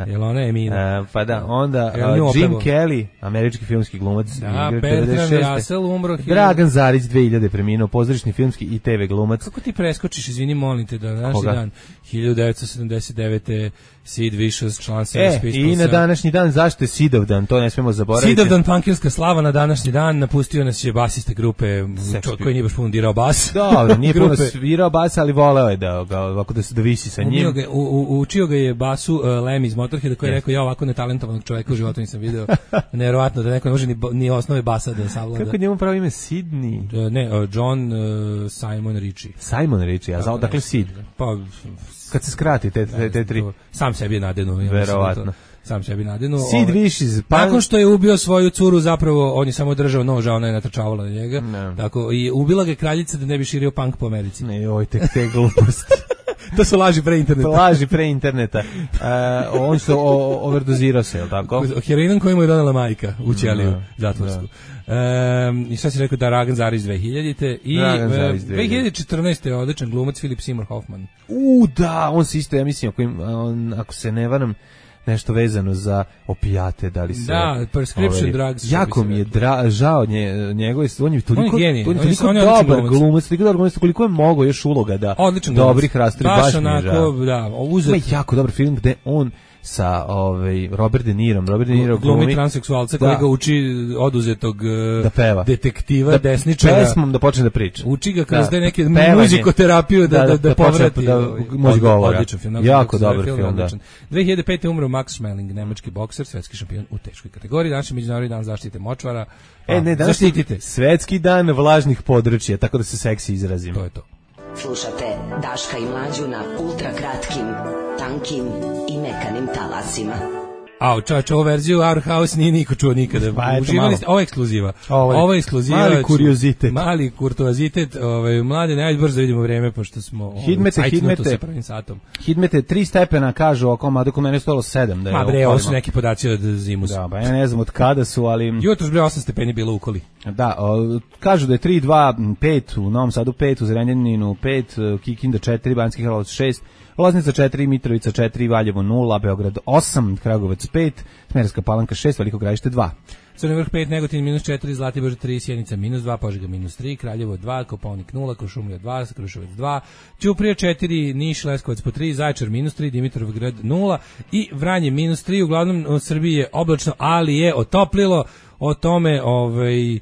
Jel ona je Emina? Uh, pa da, onda uh, Jim Kelly, američki filmski glumac. Da, Bertrand Russell umro. Dragan Zarić, dve hiljade. preminuo, pozorišni filmski i te ve glumac. Kako ti preskočiš, izvini, molim te, da današnji dan, hiljadu devetsto sedamdeset devete. Sid Vicious, član Sex Pistols. E, i na današnji dan, zašto je Sidovdan, to ne smemo zaboraviti. Sidovdan, punkirska slava na današnji dan, napustio nas je basiste grupe, čo, koji nije baš puno dirao bas. Dobro, nije puno svirao bas, ali voleo je da, ga, ovako da se dovisi sa njim. Ga, u, u, učio ga je basu uh, Lem iz Motorheada, koji je rekao, ja ovako netalentovanog čoveka u životu nisam video. Nevjerovatno da neko ne može ni, ni osnove basa da savlada. Kako njemu pravo ime Sidney? Uh, ne, uh, John uh, Simon Ritchie. Simon Ritchie, a znao, dakle Sid? Pa... Kad se skrati te, te, te tri. Sam sebi je nadenu. Ja verovatno. Sam sebi nadenu. Sid Vicious. Pa... Nakon što je ubio svoju curu, zapravo on je samo držao nož, a ona je natrčavala na njega. Ne. Tako, i ubila ga kraljica da ne bi širio punk po Americi. Ne, oj, tek te gluposti. To su laži pre interneta. Laži pre interneta. Uh, on se overdozirao se, je li tako? Heroinom koji mu je donala majka u ćeliju no, zatvorsku. Da. Um, I šta si rekao da Dragan Zarić dve hiljadite. I uh, dve hiljade četrnaeste. je odličan glumac Philip Seymour Hoffman. U, da, on se isto, ja mislim, ako, im, on, ako se ne varam, nešto vezano za opijate, da li se... Da, prescription drugs. Jako mi je dra, žao nje, njegove, on je toliko, on je on je toliko on je dobar glumac, toliko dobar glumac, koliko je mogo još uloga da odličan dobrih rastri, baš, baš mi je žao. Da, uzet... Ima jako dobar film gde on sa ovaj Robert De Nirom, Robert De Niro glumi, glumi transseksualca koji ga uči oduzetog da peva. detektiva, da, desničara. Pesmom da počne da priča. Uči ga kroz da, neke muzikoterapiju da, da, da, da, da povrati. Da, moć govora. Odličan film. Jako dobar film, film da. dve hiljade pete. umro Max Schmeling, nemački bokser, svetski šampion u teškoj kategoriji. Danas je Međunarodni dan zaštite močvara. Pa, e, ne, danas zaštitite. Svetski dan vlažnih područja, tako da se seksi izrazim. To je to. Slušate Daška i Mlađu na ultra kratkim, tankim i mekanim talasima. A, čovječ, ovu verziju Our House nije niko čuo nikada. Pa, Uživali ste, ovo je ekskluziva. Ovo je, ovo je ekskluziva. Mali kuriozitet. Mali kurtoazitet. Ovaj, mlade, najbolje brzo vidimo vreme, pošto smo ovaj, hidmete, hidmete, sa prvim satom. Hidmete, tri stepena, kažu oko mada kod mene je stojalo sedam. Da je Ma bre, ovo su neki podaci od zimus. Da, ba ja ne znam od kada su, ali... Jutros bre osam stepeni bilo u Koli. Da, o, kažu da je tri, dva, pet, u Novom Sadu pet, u Zrenjaninu pet, Kikinda četiri, Banjski Karlovac šest, Loznica četiri, Mitrovica četiri, Valjevo nula, Beograd osam, Kragujevac pet, Smederevska Palanka šest, Veliko Gradište dva. Crni Vrh pet, Negotin minus četiri, Zlatibor tri, Sjenica minus dva, Požega minus tri, Kraljevo dva, Kopaonik nula, Kuršumlija dva, Kruševac dva, Ćuprija četiri, Niš, Leskovac po tri, Zaječar minus tri, Dimitrovgrad nula i Vranje minus tri. Uglavnom u Srbiji je oblačno, ali je otoplilo. O tome ovaj, uh,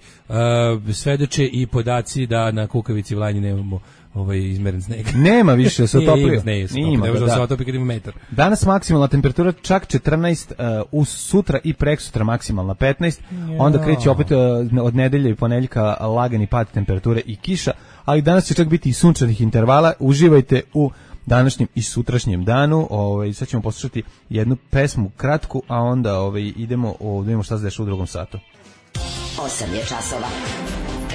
svedoče i podaci da na Kukavici Vlajnji nemamo ovaj izmeren sneg. Nema više da se otoplio. Ne, ne može da se otopi kad ima metar. Danas maksimalna temperatura čak četrnaest, uh, uz sutra i preksutra maksimalna petnaest, ja. Onda kreće opet uh, od nedelje i ponedeljka lagani pad temperature i kiša, ali danas će čak biti i sunčanih intervala. Uživajte u današnjem i sutrašnjem danu. Ovaj sad ćemo poslušati jednu pesmu kratku, a onda ovaj idemo o vidimo šta se dešava u drugom satu. osam je časova.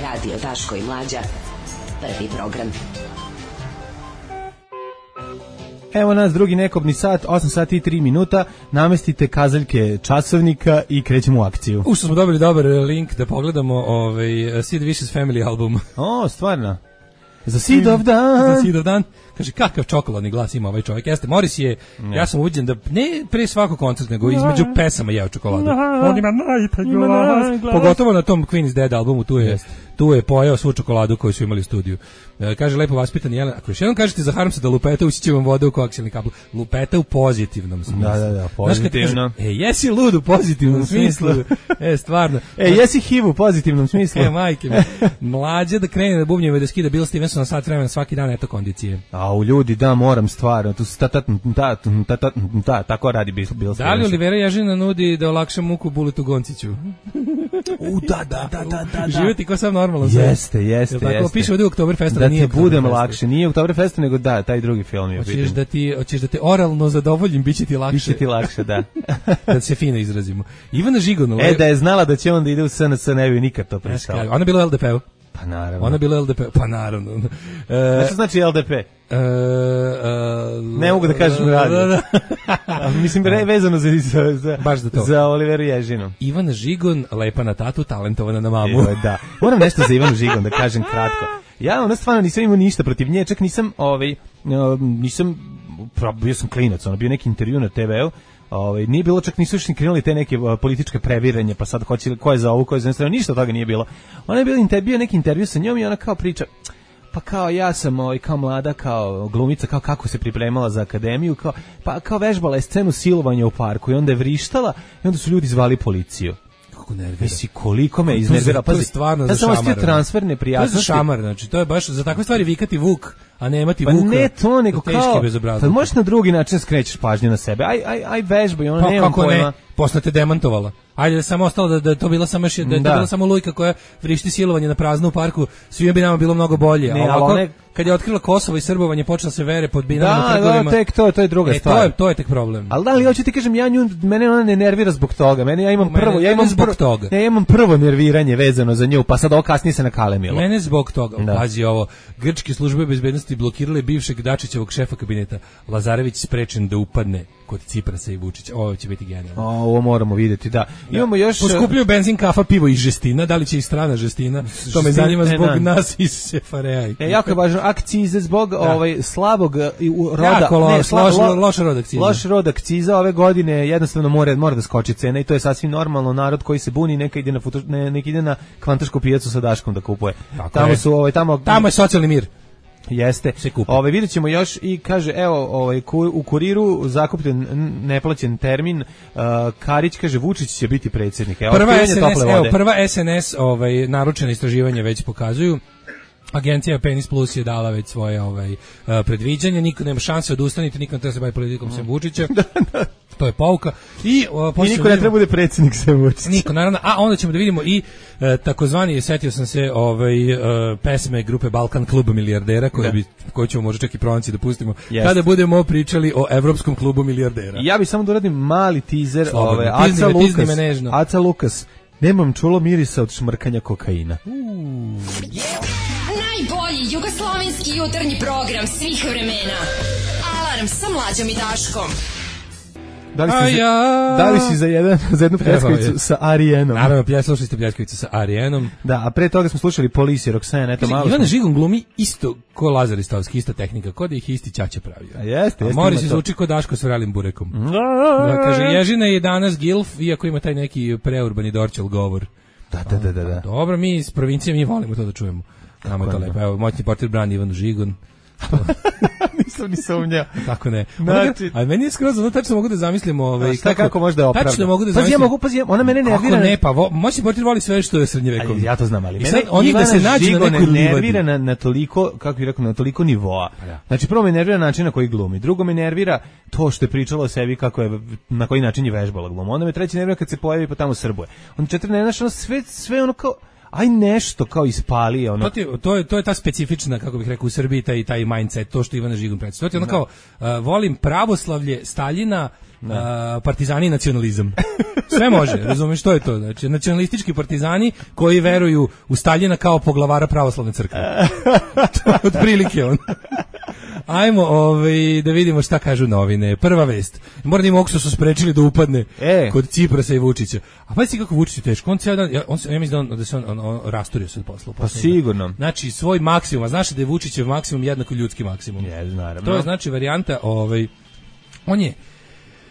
Radio Daško i Mlađa. Prvi program. Evo nas drugi nekobni sat, osam sati i tri minuta. Namestite kazaljke časovnika i krećemo u akciju. Ušto smo dobili dobar link da pogledamo ovaj Sid Vicious Family album. O, stvarno. Za Sidov dan. Za Sidov dan. Kaže, kakav čokoladni glas ima ovaj čovjek. Jeste, Morris je, ne. Ja sam uviđen da ne pre svakog koncerta, nego između pesama jeo čokoladu. On ima najbolji glas. Pogotovo na tom Queen is Dead albumu, tu je, tu je pojeo svu čokoladu koju su imali u studiju. E, kaže, lepo vaspitan Jelen, ako još jednom kažete za Harmsa da lupeta, usiće vam vode u koaksijalni kabel. Lupeta u pozitivnom smislu. Da, da, da, pozitivno. Kaže, e, jesi lud u pozitivnom smislu. E, stvarno. E, jesi H I V u pozitivnom smislu. E, majke mi. Mlađe da krene da bubnjeva i da skida Bill Stevenson na sat vremena svaki dan, eto kondicije. A u ljudi, da, moram stvarno, tu ta ta ta ta ta ta tako radi Bill Stevenson. Da li Olivera Ježina nudi da olakša muku Buletu Gonciću? U, da, da, da, da, da. Živjeti kao sam normalno. Jeste, jeste, tako, jeste. Piše ovdje u Oktoberfestu da nije ti budem lakše, nije Oktoberfestu, nego da, taj drugi film je. Hoćeš da ti, hoćeš da te oralno zadovoljim, biće ti lakše. Biće ti lakše, da. Da se fino izrazimo. Ivana Žigon. E, da je znala da će on da ide u S N S, ne bi nikad to pristala. Ona je bila u L D P-u. Pa naravno. Ona je bila u L D P-u, pa naravno. E, što znači L D P? E, e, ne mogu da kažem radio. Da, da. Mislim, vezano za, za, za, baš za, to. za Oliveru Ježinu. Ivana Žigon, lepa na tatu, talentovana na mamu. E, da. Moram nešto za Ivanu Žigon da kažem kratko. Ja ona stvarno nisam imao ništa protiv nje, čak nisam, ovaj, nisam, bio sam klinac, ono bio neki intervju na te ve u, ovaj, nije bilo, čak nisu još ni krenuli te neke uh, političke previranje, pa sad hoće, ko je za ovu, ko je za stranu, ništa od toga nije bilo. Ona je bila inter, bio neki intervju sa njom i ona kao priča, pa kao ja sam ovaj, kao mlada, kao glumica, kao kako se pripremala za akademiju, kao, pa kao vežbala je scenu silovanja u parku i onda je vrištala i onda su ljudi zvali policiju. Vesi koliko me iznervira, pa stvarno za šamar. Ja sam transfer neprijatnosti. To je za šamar, znači to je baš za takve stvari vikati Vuk, a ne imati pa Vuka. Pa ne to, nego kao, pa možeš na drugi način skrećeš pažnju na sebe, aj, aj, aj vežbaj, ona pa, nema pojma. Ne? Posle te demantovala. Ajde da samo ostalo da, da to bila samo da je da. to bila samo lujka koja vrišti silovanje na praznu u parku, svima bi nama bilo mnogo bolje. Ne, a ovako, ne, kad je otkrila Kosovo i srbovanje, počela se vere pod binarnim da, trgovima. Da, tek to, to je druga e, stvar. To je, to je tek problem. Ali da li hoću ti kažem, ja nju, mene ona ne nervira zbog toga. Mene ja imam mene, prvo, ja imam zbog prvo, toga. Ja imam prvo nerviranje vezano za nju, pa sad ovo kasnije se nakalemilo. Mene zbog toga. Da. Pazi ovo, grčke službe bezbednosti blokirale bivšeg Dačićevog šefa kabineta. Lazarević sprečen da upadne kod Ciprasa i Vučića. Ovo će biti genijalno. Ovo moramo vidjeti, da. da. Imamo još poskupljuju benzin, kafa, pivo i žestina. Da li će i strana žestina? To me zanima zbog ne, nas iz Sefareja. E, jako je važno, akcize zbog da. ovaj slabog roda, jako lo, ne, sla, loš, lo, loš rod akciza. Loš rod akciza ove godine jednostavno mora mora da skoči cena i to je sasvim normalno. Narod koji se buni neka ide na futu, ne, neka ide na kvantašku pijacu sa Daškom da kupuje. Tako tamo je. su ovaj tamo tamo je socijalni mir. Jeste. Ovaj videćemo još i kaže evo ovaj u Kuriru zakupljen neplaćen termin, uh, Karić kaže Vučić će biti predsjednik. Evo prva S N S, evo prva S N S ovaj naručena istraživanja već pokazuju. Agencija Penis Plus je dala već svoje ovaj uh, predviđanje, niko nema šanse odustaniti, niko ne treba se baviti politikom sem Vučića. To je pouka. I, uh, I niko ne treba bude predsjednik sve Vučić. Niko, naravno. A onda ćemo da vidimo i uh, takozvani, setio sam se ovaj, uh, pesme grupe Balkan kluba milijardera, koje, bi, koje ćemo možda čak i pronaći da pustimo, yes. kada budemo pričali o Evropskom klubu milijardera. Ja bih samo da uradim mali teaser. Ove, Aca Lukas, Aca Lukas, nemam čulo mirisa od šmrkanja kokaina. Uh. Yeah. Najbolji jugoslovenski jutarnji program svih vremena. Alarm sa Mlađom i Daškom. Da li, si za, da li si za, jedan, za jednu pljeskavicu sa Arijenom? Naravno, plje, slušali ste pljeskavicu sa Arijenom. Da, a pre toga smo slušali Policije, Roxanne, eto malo. Ivana Žigon glumi isto ko Lazar Ristovski, ista tehnika, ko da ih isti ćaća pravio. A jeste, jeste. A Moris zvuči ko Daško s vrelim burekom. Da, kaže, Ježina je danas gilf, iako ima taj neki preurbani Dorčel govor. Da, da, da, da. da. Dobro, mi iz provincije, mi volimo to da čujemo. Nama je to lepo. Evo, moćni portir brani Ivanu Žigon. Nisam ni sumnjao. Tako ne. Znači, a meni je skroz ono tačno mogu da zamislim ovaj šta kako, kako može da opravda. Tačno mogu da zamislim. Pa ja mogu, pazi, ona mene nervira. Kako ne, pa vo, moćni portir voli sve što je srednjevekovno. Ja to znam, ali mene oni da se nađu na nekoj nervira na, na toliko, kako bih rekao, na toliko nivoa. Ja. Znači prvo me nervira način na koji glumi, drugo me nervira to što je pričala o sebi kako je na koji način je vežbala glum. Onda me treći nervira kad se pojavi pa tamo srbuje. Onda četiri ne znaš, ono sve sve ono kao aj nešto kao ispali ono. To, ti, to je to je ta specifična, kako bih rekao, u Srbiji taj taj mindset, to što Ivana Žigon predstavlja. To je ono kao uh, volim pravoslavlje, Staljina, uh, partizani i nacionalizam. Sve može, razumiješ što je to? Znači nacionalistički partizani koji veruju u Staljina kao poglavara pravoslavne crkve. Otprilike on. Ajmo ovaj, da vidimo šta kažu novine. Prva vest. Mornim Oksu su sprečili da upadne e. kod Ciprasa i Vučića. A pa si kako Vučić je teško. On cijel dan, ja, on, ja mislim da, on, da se on, on, on rasturio se od posla. Pa sigurno. Znači svoj maksimum. A znaš da je Vučićev maksimum jednako ljudski maksimum. Je, naravno. To je znači varijanta, ovaj, on je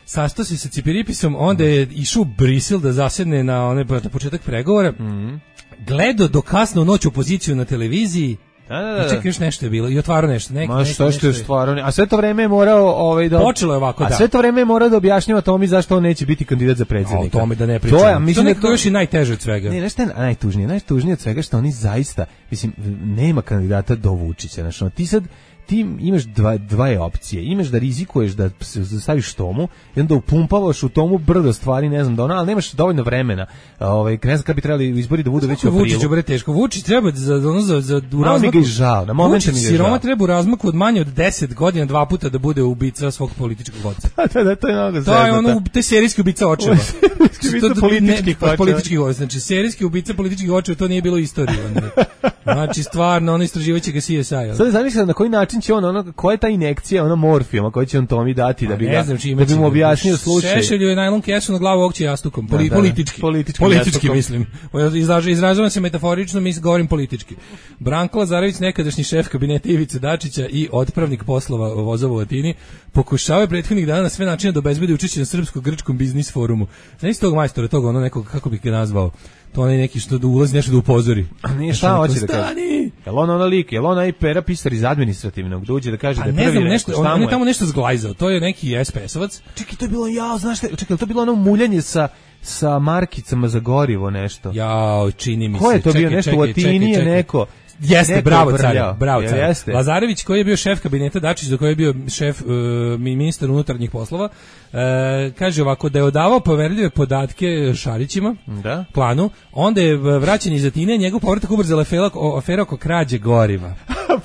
sastao se sa Cipiripisom, onda je išao u Brisel da zasedne na, one, na početak pregovora. Mm. Gledao do kasno u noć opoziciju na televiziji. Da, da, da. I čekaj, još nešto je bilo. I otvarao nešto. Nek, Ma što što je stvarno. A sve to vreme je morao ovaj da počelo je ovako, a da. A sve to vreme je morao da objašnjava Tomi zašto on neće biti kandidat za predsjednika. O tome da ne pričam. To je, mislim to da to još i najteže od svega. Ne, nešto je najtužnije, najtužnije od svega što oni zaista, mislim, nema kandidata do Vučića, znači ti sad ti imaš dva, dvaje opcije. Imaš da rizikuješ da staviš Tomu i onda upumpavaš u Tomu brdo stvari, ne znam da ona, ali nemaš dovoljno vremena. Ovaj, ne znam kad bi trebali izbori da budu već u aprilu. Vučić bre teško. Vučić treba za ono za za u razmaku. Mi ga žao, na momentu mi ga žao. Siroma treba u razmaku od manje od deset godina dva puta da bude ubica svog političkog vođa. Da, da, to je mnogo zeznuto. To je ono te serijski ubica očeva. Ubica političkih očeva. Političkih očeva. Znači serijski ubica političkih očeva, to nije bilo istorija. Znači stvarno ono istraživaće ga C S I. Sad zamislim na koji način će on, ono, koja je ta injekcija, ona morfijuma koju će on Tomi dati da bi ga, da bi mu objasnio slučaj. Šešelju je najlon kesu na glavu okće jastukom, Poli, da, da, politički. Politički, politički mislim. Izražavam izražavam se metaforično, mislim govorim politički. Branko Lazarević, nekadašnji šef kabineta Ivice Dačića i otpravnik poslova vozova u Atini, pokušavaju prethodnih dana na sve načine da obezbedi učešće na srpsko-grčkom biznis forumu. Znaš tog majstora, tog ono nekog, kako bih ga nazvao? To onaj neki što da ulazi nešto da upozori. A nije šta hoće da kaže? Jel on ona lik, jel on aj pera pisar iz administrativnog, da uđe da kaže pa da je prvi znam, nešto, on je tamo nešto zglajzao, to je neki es pe esovac. Čekaj, to je bilo, ja, znaš šta, čekaj, to je bilo ono muljanje sa sa markicama za gorivo nešto. Jao, čini mi se. Ko je to čekaj, bio nešto čekaj, u Atini je neko? Jeste, neko bravo car, bravo car. Jeste. Lazarević koji je bio šef kabineta Dačić, za koji je bio šef uh, ministar unutarnjih poslova, uh, kaže ovako da je odavao poverljive podatke Šarićima, da. Planu, onda je vraćen iz Atine, njegov povratak ubrzala afera, afera oko krađe goriva.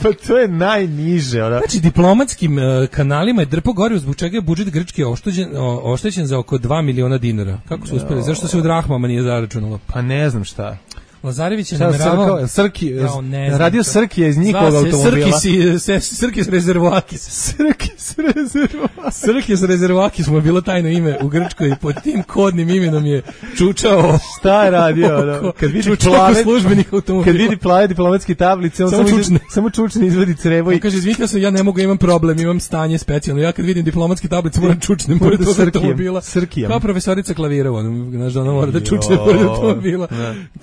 Pa to je najniže. Ona. Znači, diplomatskim uh, kanalima je drpo gorivo, zbog čega je budžet Grčke oštećen, oštećen za oko dva miliona dinara. Kako su uspeli? Zašto se u drahmama nije zaračunalo? Pa ne znam šta. Lazarević je nameravao Srki, radio Srki iz njihovog automobila. Srki se Srki s rezervoakis. Srki s rezervoakis. Srki s rezervoakis mu je bilo tajno ime u Grčkoj, pod tim kodnim imenom je čučao. Šta je radio? Ono? Kad vidi plave službenih automobila. Kad vidi plave diplomatske tablice, on samo čučne, samo čučne izvadi crevo i kaže izvinite se, ja ne mogu, imam problem, imam stanje specijalno. Ja kad vidim diplomatske tablice moram čučnem pored automobila. Kao profesorica klavira, ono, znaš, ona mora da čučne pored automobila.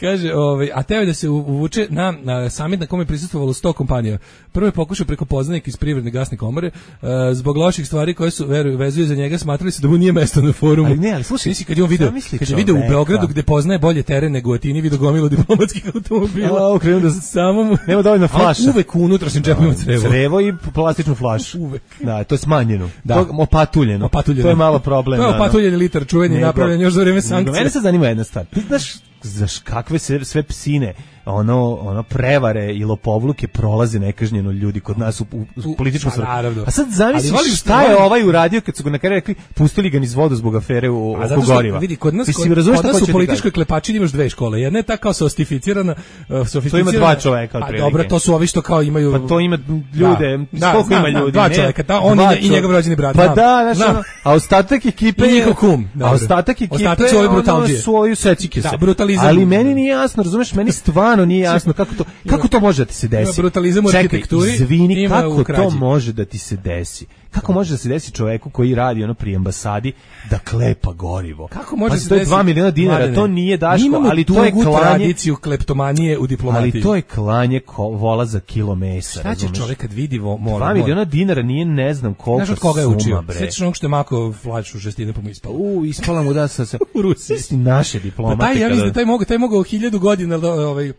Kaže, ovaj, a teo je da se uvuče na, na samit na kome je prisustvovalo sto kompanija. Prvo je pokušao preko poznanika iz Privredne gasne komore, uh, zbog loših stvari koje su veruju vezuju za njega, smatrali se da mu nije mesto na forumu. Ali ne, ali slušaj, misli kad je on video, kad je video u Beogradu gde poznaje bolje teren nego u Atini, video gomilu diplomatskih automobila. A, okrenuo da samo mu nema dovoljno flaša. Uvek u unutrašnjem džepu ima crevo. Crevo i plastičnu flašu. Uvek. Da, to je smanjeno. Da. To opatuljeno. opatuljeno. To je malo problem. To je opatuljeni litar čuveni nego, napravljen još za vreme sankcija. Mene se zanima jedna stvar. Ti znaš zaš kakve sve, sve psine, ono, ono prevare i lopovluke prolaze nekažnjeno ljudi kod nas u, u, u političkom svrhu. A sad zamisli šta je ovaj uradio kad su ga na kraju rekli, pustili ga niz vodu zbog afere u oko goriva. Vidi, kod nas, kod, kod nas u političkoj klepačini imaš dve škole. Jedna je ta kao sostificirana, uh, sofisticirana. To ima dva čoveka otprilike. A dobro, to su ovi što kao imaju. Pa to ima ljude, da, koliko da, ima ljudi? Dva čoveka, ta, on i, i njegov rođeni brat. Pa da, znači, ono, a ostatak ekipe je njihov kum. A ostatak ekipe ostatak su ovi brutalđije. Svoju secike se. Da, brutalizam. Ali meni nije jasno, razumeš, meni stvarno nije jasno kako to, kako to može da ti se desi. Ima brutalizam u arhitekturi. Izvini, kako to može da ti se desi? Kako može da se desi čoveku koji radi ono pri ambasadi da klepa gorivo? Kako može pa se to je desi? dva miliona dinara, Mladene, to nije Daško, ali to je klanje tradiciju kleptomanije u diplomatiji. Ali to je klanje ko, vola za kilo mesa. Šta će čovjek kad vidi vo, mora? dva miliona dinara nije ne znam koliko. Znaš od koga je učio? Sećaš onog što je mako flašu šestine pa mu ispalo. U, ispala mu da sa sa u Rusiji. Naše diplomate. Pa taj, ja mislim da taj mogu, taj mogao hiljadu godina ovaj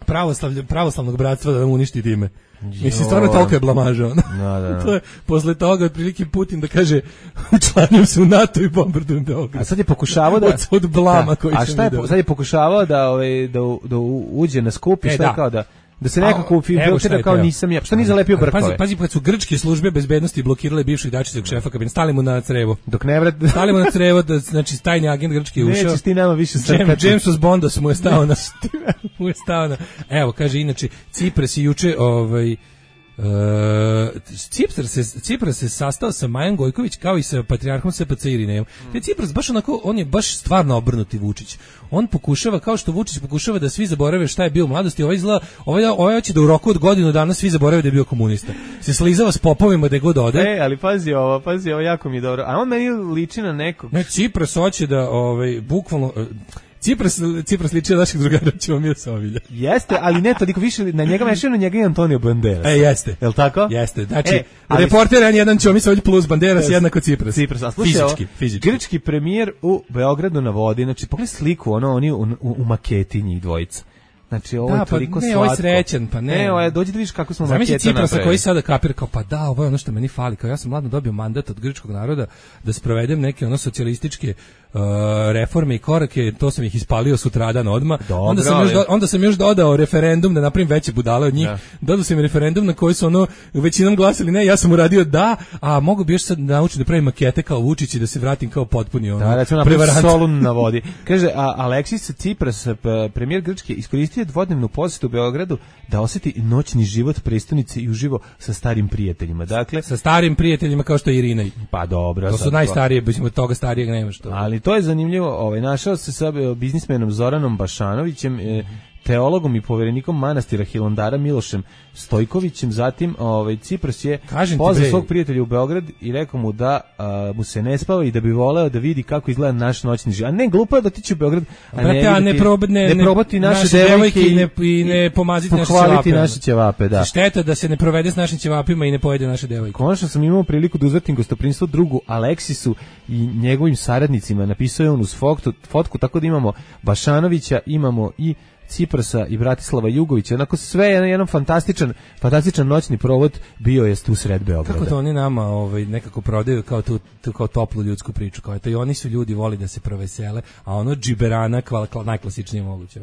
pravoslavlje, pravoslavnog bratstva da nam uništi time. Mislim, stvarno toliko je blamaža. Da, da, da. To je, posle toga, otprilike Putin da kaže učlanjujem se u NATO i bombardujem Beograd. A sad je pokušavao da... Od, od blama da, koji a sam šta je, vidio. sad je pokušavao da, ovaj, da, da uđe na skup i šta je kao da... Da se nekako filtira kao nisam ja. Što nije zalepio brkove? Pazi, pazi, kad su grčke službe bezbednosti blokirale bivšeg Dačićevog šefa kabineta, stali mu na crevo. Dok ne vrat, stali mu na crevo da znači tajni agent grčki je ušao. Nećeš ti nama više srkati. James James Bondos mu je stao na mu je stao na. Evo, kaže inače Cipras je juče ovaj Uh, Cipras se, Cipras se sastao sa Majom Gojković kao i sa patrijarhom S P C Irinejom. Te Cipras baš onako, on je baš stvarno obrnuti Vučić. On pokušava, kao što Vučić pokušava da svi zaborave šta je bio u mladosti, ovaj izgleda, ovaj, ovaj hoće da u roku od godinu dana svi zaborave da je bio komunista. Se slizava s popovima da god ode. E, ali pazi ovo, pazi ovo, jako mi je dobro. A on meni liči na nekog. Ne, Cipras hoće da, ovaj, bukvalno... Cipras, Cipras liči na našeg drugara Ćomila Sovilja. Jeste, ali ne toliko više, na njega mešaju na njega i Antonio Banderas. E, jeste. Jel' tako? Jeste, znači, e, ali... reporter je jedan Ćomila Sovilj plus Banderas, jednako Cipras. Cipras, a slušaj, fizički, fizički. Grčki premijer u Beogradu na vodi, znači, pogledaj sliku, ono, oni u, u, u maketi njih dvojica. Znači, ovo da, je toliko pa ne, slatko. Ovo je srećan, pa ne. Ne, ovo je, dođi da vidiš kako smo Zamisli maketa napravili. Ciprasa koji sada kapira, kao pa da, ovo je ono što meni fali, kao ja sam mladno dobio mandat od grčkog naroda da sprovedem neke ono socijalističke uh, reforme i korake, to sam ih ispalio sutradan odmah. Dobro, onda, sam još do, onda sam još dodao referendum da napravim veće budale od njih. Da. Dodao sam referendum na koji su ono većinom glasili ne, ja sam uradio da, a mogu bi još sad naučiti da pravim makete kao Vučić i da se vratim kao potpuni ono. Da, recimo napravim Solun na vodi. Kaže, a Aleksis Cipras, premijer Grčke, iskoristio dvodnevnu posjetu u Beogradu da osjeti noćni život prestonice i uživo sa starim prijateljima. Dakle, sa starim prijateljima kao što je Irina. Pa dobro. To su najstarije, bez toga starijeg nema što. Ali to je zanimljivo, ovaj našao se sa biznismenom Zoranom Bašanovićem, e, teologom i poverenikom manastira Hilandara Milošem Stojkovićem, zatim ovaj Cipras je pozvao svog prijatelja u Beograd i rekao mu da a, mu se ne spava i da bi voleo da vidi kako izgleda naš noćni život. A ne, glupo je da otići u Beograd, a Brate, ne, a ne, prob, ne, ne probati naše, naše devojke i ne, i ne pomaziti naše ćevape. naše ćevape, da. Šteta da se ne provede s našim ćevapima i ne pojede naše devojke. Konačno sam imao priliku da uzvrtim gostoprinstvo drugu Aleksisu i njegovim saradnicima. Napisao je on uz fotku, fotku tako da imamo Bašanovića, imamo i Ciprasa i Bratislava Jugovića, onako sve je jedan fantastičan, fantastičan noćni provod bio je tu sred Beograda. Kako to oni nama ovaj, nekako prodaju kao tu, tu kao toplu ljudsku priču, kao to i oni su ljudi voli da se provesele, a ono džiberana kval, kval, najklasičnije moguće.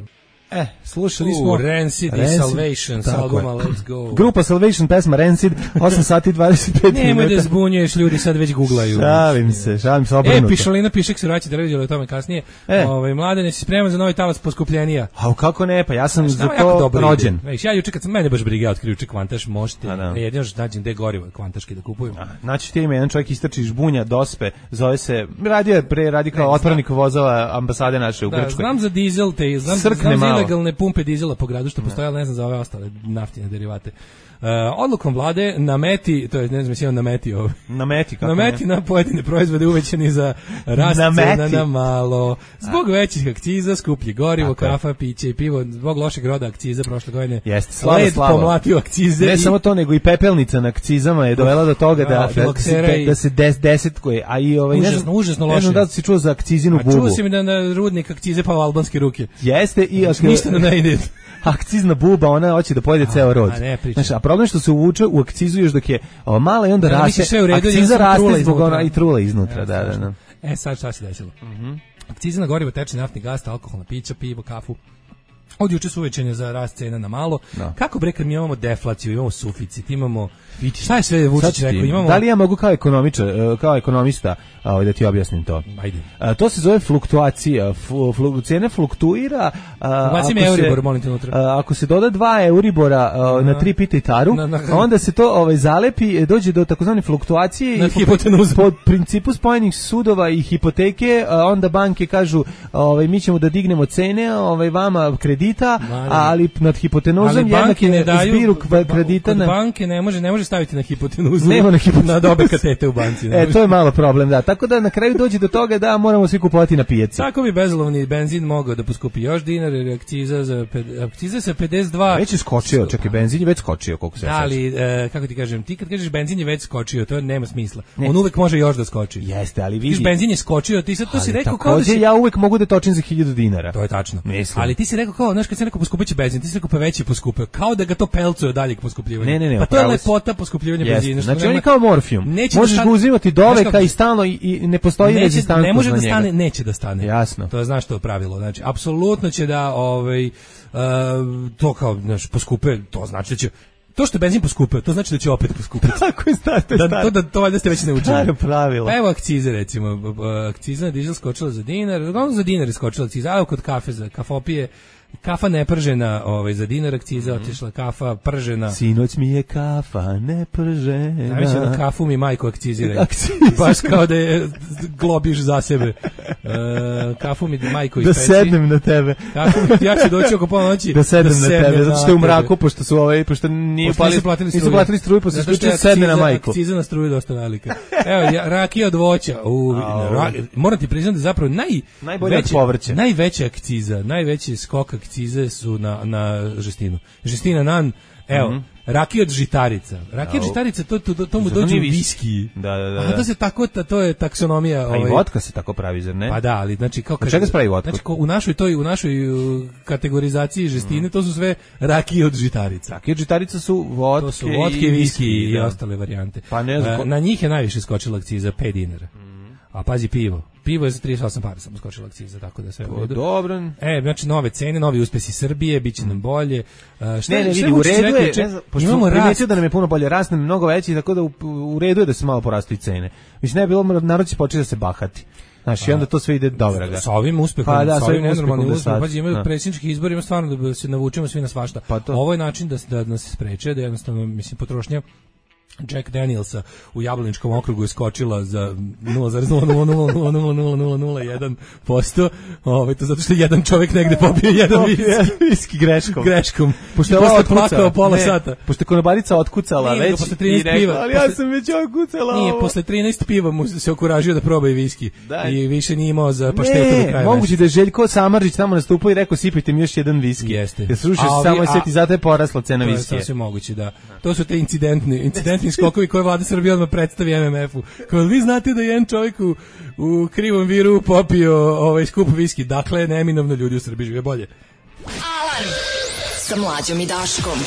Eh, slušali smo uh, Rancid i Salvation s albuma Let's Go. Grupa Salvation, pesma Rancid, osam sati i dvadeset pet minuta. Nemoj da zbunjuješ, ljudi sad već googlaju. Šalim se, šalim se obrnuto. E, Pišalina piše se vraća televiziju, o tome kasnije. E. Ovaj Mladene, si spreman za novi talas poskupljenija? A kako ne, pa ja sam za to rođen. Već ja juče kad sam mene baš briga ja otkrio juče Kvantaš, možete. Jedino što nađem gde gorivo Kvantaški da kupujem. Znači ti ima jedan čovjek istrči žbunja dospe, zove se radio je pre radi kao otpravnik vozova ambasade naše u Grčkoj. Znam za dizel te, znam, znam za ilegalne pumpe dizela po gradu što postoje, ali ne znam za ove ostale naftine derivate. odlukom vlade nameti, to je ne znam sjeo nameti ovo. Nameti kako? Nameti na pojedine proizvode uvećani za rast cena na malo. Zbog A. većih akciza, skuplje gorivo, tako kafa, piće i pivo, zbog lošeg roda akciza prošle godine. Jeste, slava, slava. Pomlatio akcize. Ne i... samo to, nego i pepelnica na akcizama je dovela do toga da, da, da, se, da se des, deset koje, a i ovaj, užasno, ne znam, užasno loše. Ne znam da si čuo za akcizinu bubu. Čuo si mi da na rudnik akcize pa u albanske ruke. Jeste i... Znači, ništa ne ide. Akcizna buba, ona hoće da pojede ceo rod. A, znači, a problem je što se uvuče u akcizu još dok je o, mala i onda ja, raste. Sve u redu, akciza ja raste zbog ona i trula iznutra. Ja, da, da, da. E, sad šta se desilo? Mm-hmm. Akciza na gorivo, tečni naftni gas, alkoholna pića, pivo, kafu. Od juče su uvećanje za rast cena na malo. No. Kako bre kad mi imamo deflaciju, imamo suficit, imamo šta je sve Vučić rekao, imamo. Da li ja mogu kao ekonomičar, kao ekonomista, ovaj da ti objasnim to? Ajde. A, to se zove fluktuacija. Flu, flu, cena fluktuira. Ubacim Euribor, molim te unutra. A, ako se doda dva Euribora a, na tri pita i taru, na, na, onda se to ovaj zalepi, dođe do takozvane fluktuacije na i hipotenuzu. Po principu spojenih sudova i hipoteke, a, onda banke kažu, ovaj mi ćemo da dignemo cene, ovaj vama kredita, ali nad hipotenuzom jednak je zbiru kredita. Na banke ne može ne može staviti na hipotenuzu. Nema na hipotenuzu. Na dobe katete u banci. E, to je malo problem, da. Tako da na kraju dođe do toga da moramo svi kupovati na pijaci. Tako bi bezolovni benzin mogao da poskupi još dinar, jer akciza za akciza sa pedeset dva. Već je skočio, čekaj, benzin je već skočio, koliko se sećam. Ali e, kako ti kažem, ti kad kažeš benzin je već skočio, to nema smisla. Ne. On uvek može još da skoči. Jeste, ali vidi. Ti benzin je skočio, ti sad to si rekao kao da si... ja uvek mogu da točim za hiljadu dinara. To je tačno. Mislim. Ali ti si rekao kao, znaš, kad si rekao poskupiće benzin, ti si rekao pa veći poskupio, kao da ga to pelcuje dalje k poskupljivanju. Ne, ne, ne, pa to je lepota poskupljivanja benzina. Znači on je kao morfijum. Možeš ga uzimati do veka i stalno i, i ne postoji rezistancija. Ne može da stane, neće da stane. Jasno. To je znaš što je pravilo. Znači apsolutno će da ovaj uh, to kao znaš poskupe, to znači da će to što je benzin poskupio, to znači da će opet poskupiti. Tako je staro, da, to da to valjda ste već naučili. Staro pravilo. Pa evo akcize recimo, akciza na dizel skočila za dinar, uglavnom za dinar je skočila akciza, a kod kafe za kafopije kafa nepržena, ovaj za dinar akciza mm-hmm. otišla, kafa pržena. Sinoć mi je kafa nepržena. Najveće na kafu mi majku akcizira. Baš kao da je globiš za sebe. E, kafu mi majko da sednem na tebe. Kafu mi, ja ću doći oko pola noći da sednem da na tebe, zato što je u mraku, pošto su ovaj, pošto nije pošto nisu platili struju. Nisu platili struju, pa se isključio sedne na majku. Akciza na struju dosta velika. Evo, ja, rakija od voća. U, ra, moram ti priznati da zapravo naj, najbolje od povrća. Najveća akciza, najveći skok akcize su na, na žestinu. Žestina nan, evo, mm-hmm. rakija od žitarica. Rakija od žitarica, to, to, to, to mu dođe u viski. Da, da, da. A to se tako, to je taksonomija. A ovaj, i vodka se tako pravi, zar ne? Pa da, ali znači kao od čega se pravi vodka? Znači, u našoj toj, u našoj uh, kategorizaciji žestine, mm. to su sve rakije od žitarica. Rakije od žitarica su vodke, to su vodke i viski i, da. ostale varijante. Pa ne znam. Uh, na njih je najviše skočila akciza pet dinara. Mm. A pazi pivo. Pivo je za trideset osam para samo skočila akciza, tako da sve u redu. Dobro. E, znači nove cene, novi uspesi Srbije, biće nam bolje. Uh, šta ne, ne, šta vidi, u redu je, če, ne znam, pošto imamo primetio da nam je puno bolje, rast nam je mnogo veći, tako da u, u redu je da se malo porastu i cene. Mislim, ne je bilo, narod će početi da se bahati. Znači, i onda to sve ide dobro ga. Sa ovim uspehom, pa, da, sa ovim nenormalnim da uspehom, pazi, imaju predsjednički izbori, ima stvarno da se navučemo svi na svašta. Pa ovo je način da, da nas se spreče, da jednostavno, mislim, potrošnja Jack Danielsa u Jablaničkom okrugu je skočila za nula zarez nula nula nula nula nula nula nula nula jedan posto. Ovaj to zato što jedan čovjek negde popio jedan viski greškom. Greškom. Pošto je posle plakao pola ne, sata. Pošto je konobarica otkucala nije, već posle trinaest i piva. Ali ja sam već otkucala. Nije, posle trinaest piva mu se okuražio da proba i viski. Daj. I više nije imao za paštetu do kraja. Moguće da je Željko Samardžić tamo nastupao i rekao sipajte mi još jedan viski. Jeste. Jer sruši samo set i zato je porasla cena viskija. To je sve moguće, da. To su te incidentni, incidentni skokovi koje vlada Srbije odmah predstavi em em ef-u. Kao vi znate da je jedan čovjek u, u krivom viru popio ovaj skup viski. Dakle, neminovno ljudi u Srbiji žive bolje. Alarm sa Mlađom i Daškom.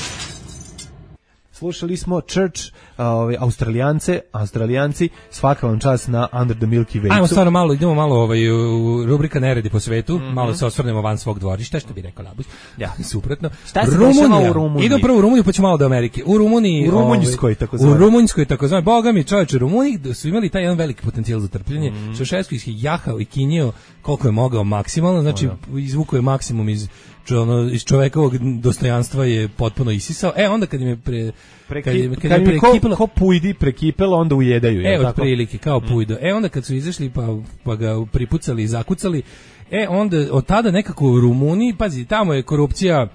Slušali smo Church, ovaj Australijance, Australijanci, svaka vam čast na Under the Milky Way. Ajmo stvarno malo, idemo malo ovaj u rubrika neredi po svetu, mm-hmm. malo se osvrnemo van svog dvorišta, što bi rekao Labus. Ja, suprotno. Šta se dešava u Rumuniji? Idemo prvo u Rumuniju, pa ćemo malo do Amerike. U Rumuniji, u Rumunjskoj tako zvano. U Rumunjskoj tako zvano. Boga mi, čoveče, Rumuni su imali taj jedan veliki potencijal za trpljenje. Mm-hmm. Šešelski ih je jahao i kinjio koliko je mogao maksimalno, znači oh, izvukao je maksimum iz ono, iz čovekovog dostojanstva je potpuno isisao. E, onda kad im je pre... Preki, kad im, kad kad im je prekipelo, ko, ko pujdi prekipelo, onda ujedaju. E, od prilike, kao pujdo. E, onda kad su izašli pa, pa ga pripucali i zakucali, e, onda od tada nekako u Rumuniji, pazi, tamo je korupcija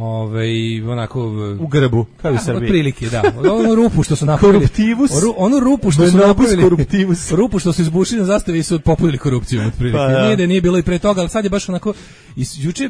Ovaj onako u grbu, kao u Srbiji. Otprilike, da. Onu rupu što su napravili. Koruptivus. Onu, onu rupu što su napravili. Koruptivus. Rupu što su izbušili na zastavi i su popunili korupcijom otprilike. Pa, ja. Nije da nije bilo i pre toga, ali sad je baš onako i juče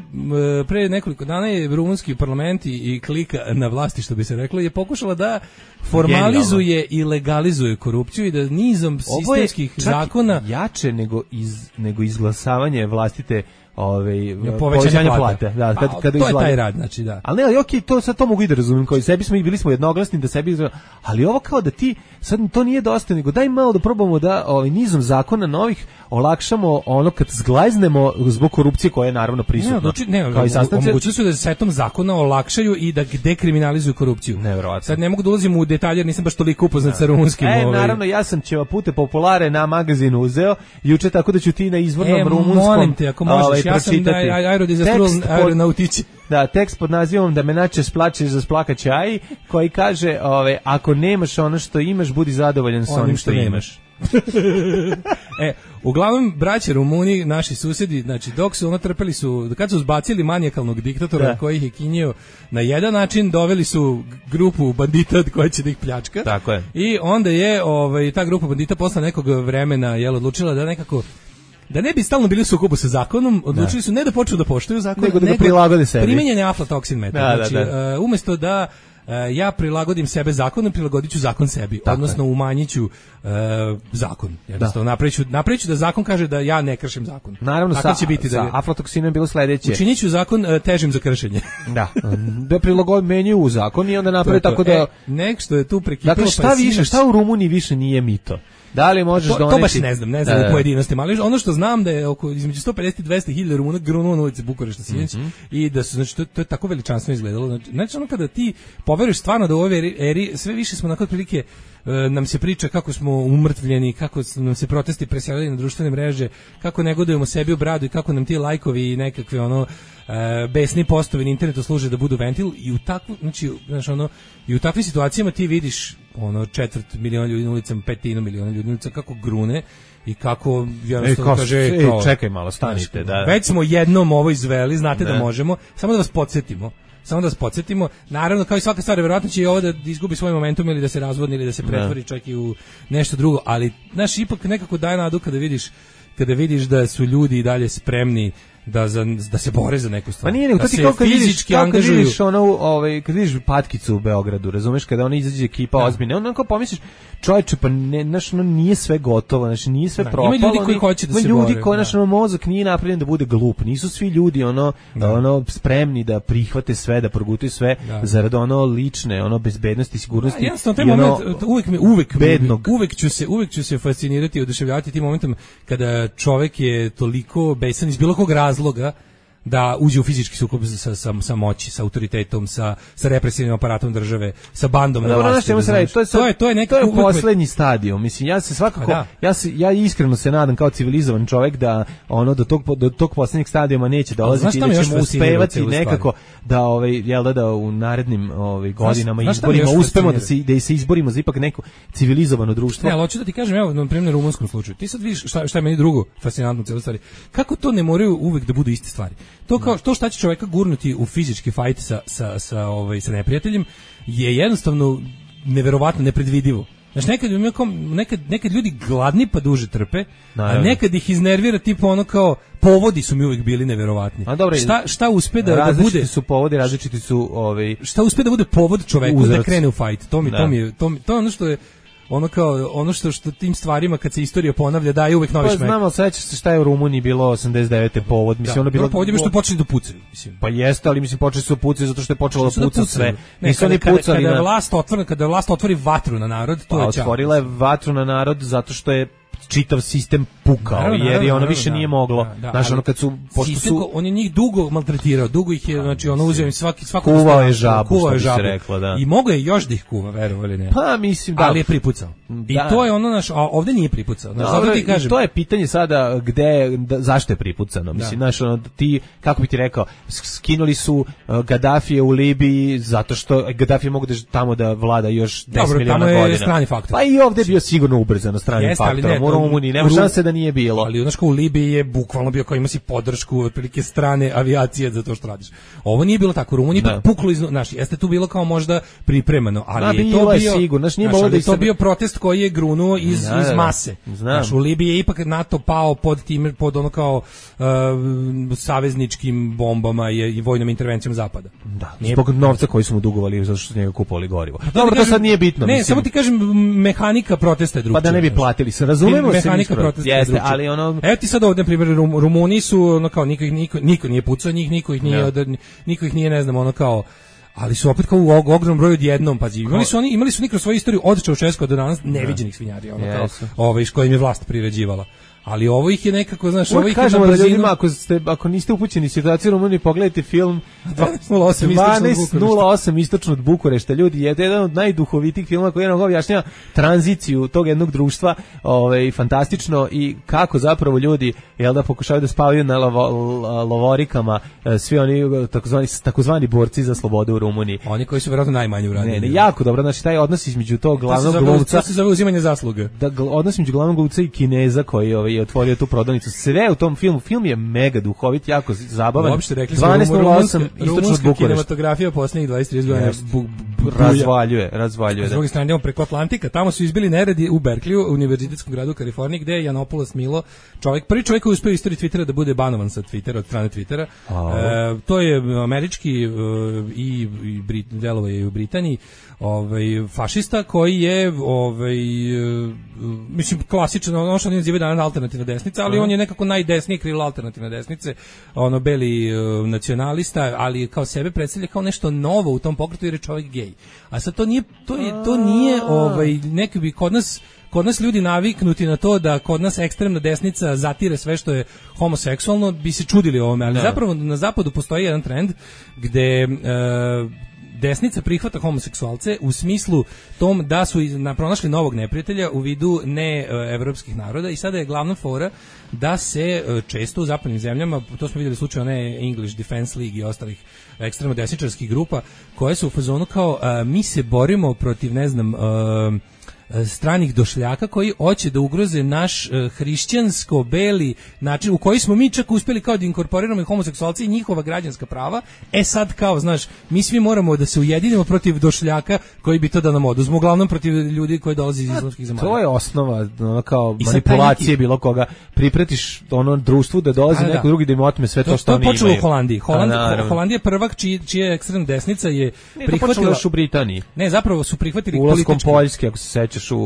pre nekoliko dana je rumunski parlament i klika na vlasti, što bi se reklo, je pokušala da formalizuje Genijalno. I legalizuje korupciju i da nizom sistemskih zakona jače nego iz nego izglasavanje vlastite Ove, povećanje plate. plate. Da, kad, pa, kad to izgleda. Je taj rad, znači da. Ali ne, ali okej, to sad to mogu i da razumem, kao i sebi smo i bili smo jednoglasni da sebi, ali ovo kao da ti sad to nije dosta, nego daj malo da probamo da ovaj nizom zakona novih olakšamo ono kad zglajznemo zbog korupcije koja je naravno prisutna. Ne, znači, ne, kao i sastavnice. Omogućili su da setom zakona olakšaju i da dekriminalizuju korupciju. Neverovatno. Sad ne mogu da ulazim u detalje, jer nisam baš toliko upoznat sa rumunskim. E, ovaj. naravno, ja sam ćeva pute populare na magazinu uzeo juče, tako da ću ti na izvornom e, rumunskom. Molim te, ako možeš, ovaj, ja sam da aerodizastral aeronautici. Da, tekst pod nazivom da me nače splačeš za splakaće aj, koji kaže, ove, ako nemaš ono što imaš, budi zadovoljan sa onim što, što imaš. E, uglavnom, braće Rumuni, naši susjedi, znači, dok su ono trpeli su, kad su zbacili manijakalnog diktatora da. Koji ih je kinjio na jedan način, doveli su grupu bandita koja će da ih pljačka. Tako je. I onda je ovaj, ta grupa bandita posle nekog vremena jel, odlučila da nekako da ne bi stalno bili u sukobu sa zakonom, odlučili da. Su ne da počnu da poštuju zakon, nego da ga prilagode sebi. Primenjen je aflatoksin metod. Da, znači, da, da. Uh, umjesto da uh, ja prilagodim sebe zakonu, prilagodit ću zakon sebi, tako odnosno je. Umanjit ću uh, zakon. Jednostavno, da. napraviću, napraviću da zakon kaže da ja ne kršim zakon. Naravno, tako sa, će biti sa da aflatoksinom je bilo sledeće. Učinit ću zakon uh, težim za kršenje. Da, da prilagod menju u zakon i onda napravi tako da... E, nek što je tu prekipilo... Dakle, šta više, sinac... šta u Rumuniji više nije mito? Da li možeš to, doneti? To baš ne znam, ne znam da, u pojedinostima, ali ono što znam da je oko između sto pedeset i dvesta hiljada Rumuna grunuo na ulici Bukurešta sinoć mm-hmm. i da su, znači, to, to je tako veličanstveno izgledalo. Znači, znači ono kada ti poveruješ stvarno da u ovoj eri, eri sve više smo nakon prilike e, nam se priča kako smo umrtvljeni, kako nam se protesti preselili na društvene mreže, kako negodujemo sebi u bradu i kako nam ti lajkovi i nekakve ono e, besni postovi na internetu služe da budu ventil i u takvu, znači, znači ono, i u takvim situacijama ti vidiš ono četvrt miliona ljudi na ulicama, petinu miliona ljudi na ulicama, kako grune i kako jednostavno kaže ej, kao, čekaj malo, stanite. Da. Već smo jednom ovo izveli, znate ne. Da možemo, samo da vas podsjetimo. Samo da vas podsjetimo, naravno kao i svaka stvar, verovatno će i ovo da izgubi svoj momentum ili da se razvodni ili da se pretvori čak i u nešto drugo, ali znaš, ipak nekako daje nadu kada vidiš, kada vidiš da su ljudi i dalje spremni da za, da se bore za neku stvar. Pa nije, nego da to ti kao kad vidiš, kao kad vidiš ono, ovaj, kad vidiš Patkicu u Beogradu, razumeš, kada ona izađe ekipa da. Ozbiljna, onda kao pomisliš, čovječe, pa ne, znaš, ono nije sve gotovo, znači nije sve da, propalo. Ima ljudi koji hoće da se bore. Ima ljudi koji, znaš, ono, mozak nije napravljen da bude glup, nisu svi ljudi, ono, da. ono, spremni da prihvate sve, da progutaju sve, da. Zarad ono lične, ono, bezbednosti, sigurnosti. Da, jasno, taj moment, uvek, mi, uvek, bednog. uvek, ću se, uvek ću se fascinirati i oduševljavati tim momentom kada čovjek je toliko besan iz bilo kog razloga da uđe u fizički sukob sa, sa, sa moći, sa autoritetom, sa, sa represivnim aparatom države, sa bandom na vlasti. Da, to, je to je to je neki to je poslednji stadijum. Mislim, ja se svakako da. ja se ja iskreno se nadam kao civilizovan čovjek da ono do tog do tog poslednjeg stadijuma neće dolaziti i da ćemo uspevati nekako da ovaj jel da, da u narednim ovaj godinama znaš, izborima uspemo da se da se izborimo za ipak neko civilizovano društvo. Ne, ali hoću da ti kažem, evo na primjer u rumunskom slučaju. Ti sad vidiš šta šta je meni drugo fascinantno u celoj stvari. Kako to ne moraju uvek da budu iste stvari. To kao to šta će čovjeka gurnuti u fizički fajt sa sa sa ovaj sa neprijateljem je jednostavno neverovatno nepredvidivo. Znači nekad, nekad, nekad ljudi gladni pa duže trpe, naravno. A nekad ih iznervira tipa ono kao povodi su mi uvijek bili neverovatni. A dobro, šta šta uspe da, da bude su povodi, različiti su ovaj šta uspe da bude povod čoveku uzrac. Da krene u fajt. To mi da. to mi je to mi, to je ono što je ono kao ono što što tim stvarima kad se istorija ponavlja daje uvek novi pa, šmek. Znamo sećaš se šta je u Rumuniji bilo osamdeset devete povod, mislim da, ono bilo povod je što počeli da pucaju, mislim. Pa jeste, ali mislim počeli su pucati zato što je počelo da puca sve. Nisu oni pucali kada, kada vlast otvori, kada vlast otvori vatru na narod, to pa, je otvorila je vatru na narod zato što je čitav sistem pukao, naravno, jer je ono više da, nije moglo. Da, da, znaš, ono kad su pošto sistem, su on je njih dugo maltretirao, dugo ih je, znači ono uzeo im svaki svako kuvao je žabu, kuvao je žabu. Rekla, da. I mogao je još da ih kuva, verovali ne. Pa mislim da. Ali je pripucao. I da. to je ono naš, a ovde nije pripucao. Znaš, zato ti kažem. To je pitanje sada gde, da, zašto je pripucano. Mislim, da. znaš, ono, ti, kako bi ti rekao, skinuli su uh, Gaddafije u Libiji zato što Gaddafi mogu da tamo da vlada još deset miliona godina. Dobro, strani faktor. Pa i ovde je bio sigurno ubrzano strani Jeste, faktor. Ne, u Rumuniji, nema šanse da nije bilo. Ali znaš, u Libiji je bukvalno bio kao ima si podršku otprilike strane avijacije za to što radiš. Ovo nije bilo tako. U Rumuniji pa puklo iz, znaš, jeste tu bilo kao možda pripremano, ali A, je to bio je sigurno, znaš, nije znaš, da je to bio protest koji je grunuo iz, da, iz mase. Znaš, u Libiji je ipak NATO pao pod tim, pod ono kao uh, savezničkim bombama i, i vojnom intervencijom zapada. Da, nije, zbog novca koji su mu dugovali zato što su njega kupovali gorivo. Dobro, kažem, to sad nije bitno. Ne, mislim. samo ti kažem, mehanika protesta je drugčija. Pa da ne bi platili, se razumemo Me, se. Mehanika protesta je jeste, drugčija. ali ono... Evo ti sad ovdje, na primjer, Rum, Rumuni su, ono kao, niko, niko, niko nije pucao njih, niko ih nije, od, niko ih nije, ne znam, ono kao, ali su opet kao u ogromnom broju odjednom, pazi. Imali su oni, imali su nikro svoju istoriju od Čaušesku do danas neviđenih svinjarija, ono kao, ovaj, s kojim je vlast priređivala. Ali ovo ih je nekako, znaš, ovo ih je na brzinu... da ljudima, ako, ste, ako niste upućeni situaciju u Rumuniji, pogledajte film dvanaest nula osam istočno od Bukurešta. Ljudi, je jedan od najduhovitijih filma koji jednog objašnjava tranziciju tog jednog društva, ovaj, fantastično, i kako zapravo ljudi, jel da, pokušavaju da spavaju na lovo, lovorikama, svi oni takozvani, takozvani borci za slobodu u Rumuniji. Oni koji su vjerojatno najmanje uradili. Ne, ne, jako dobro, znači taj odnos između tog glavnog glumca... To se zove uzimanje zasluge. Da, odnos između glavnog glumca i Kineza koji ovaj, je otvorio tu prodavnicu. Sve u tom filmu. Film je mega duhovit, jako zabavan. Uopšte rekli smo, dvanaest nula osam istočno od Bukurešta. Kinematografija posljednjih dvadeset trideset godina yes. bu, bu, razvaljuje, razvaljuje. S druge strane idemo preko Atlantika, tamo su izbili neredi u Berkliju, univerzitetskom gradu u Kaliforniji, gde je Janopoulos Milo, čovjek, prvi čovjek koji je uspio u istoriji Twittera da bude banovan sa Twittera, od strane Twittera. E, to je američki e, i, i Brit, delovo je u Britaniji, ovaj fašista koji je ovaj mislim klasično ono što oni nazivaju danas alternativna desnica, ali uh-huh. on je nekako najdesnije krilo alternativne desnice, ono beli uh, nacionalista, ali kao sebe predstavlja kao nešto novo u tom pokretu jer je čovjek gej. A sad to nije to je to nije ovaj neki bi kod nas Kod nas ljudi naviknuti na to da kod nas ekstremna desnica zatire sve što je homoseksualno, bi se čudili ovome, ali no. zapravo na zapadu postoji jedan trend gde uh, desnica prihvata homoseksualce u smislu tom da su pronašli novog neprijatelja u vidu ne evropskih naroda i sada je glavna fora da se često u zapadnim zemljama, to smo vidjeli slučaj one English Defense League i ostalih ekstremno desničarskih grupa koje su u fazonu kao a, mi se borimo protiv ne znam a, stranih došljaka koji hoće da ugroze naš uh, hrišćansko-beli način u koji smo mi čak uspjeli kao da inkorporiramo i homoseksualci i njihova građanska prava. E sad kao, znaš, mi svi moramo da se ujedinimo protiv došljaka koji bi to da nam oduzmu, uglavnom protiv ljudi koji dolaze iz islamskih zemalja. To je osnova, ono kao manipulacije neki... bilo koga. Pripretiš ono društvu da dolazi neko drugi da im otme sve to, to što oni imaju. To je počelo u Holandiji. Holand, A, Holandija prvak čiji, čija ekstremna desnica je ne, prihvatila... još u Britaniji. Ne, zapravo su prihvatili ulaskom politički... Poljske, ako se sećaš, U,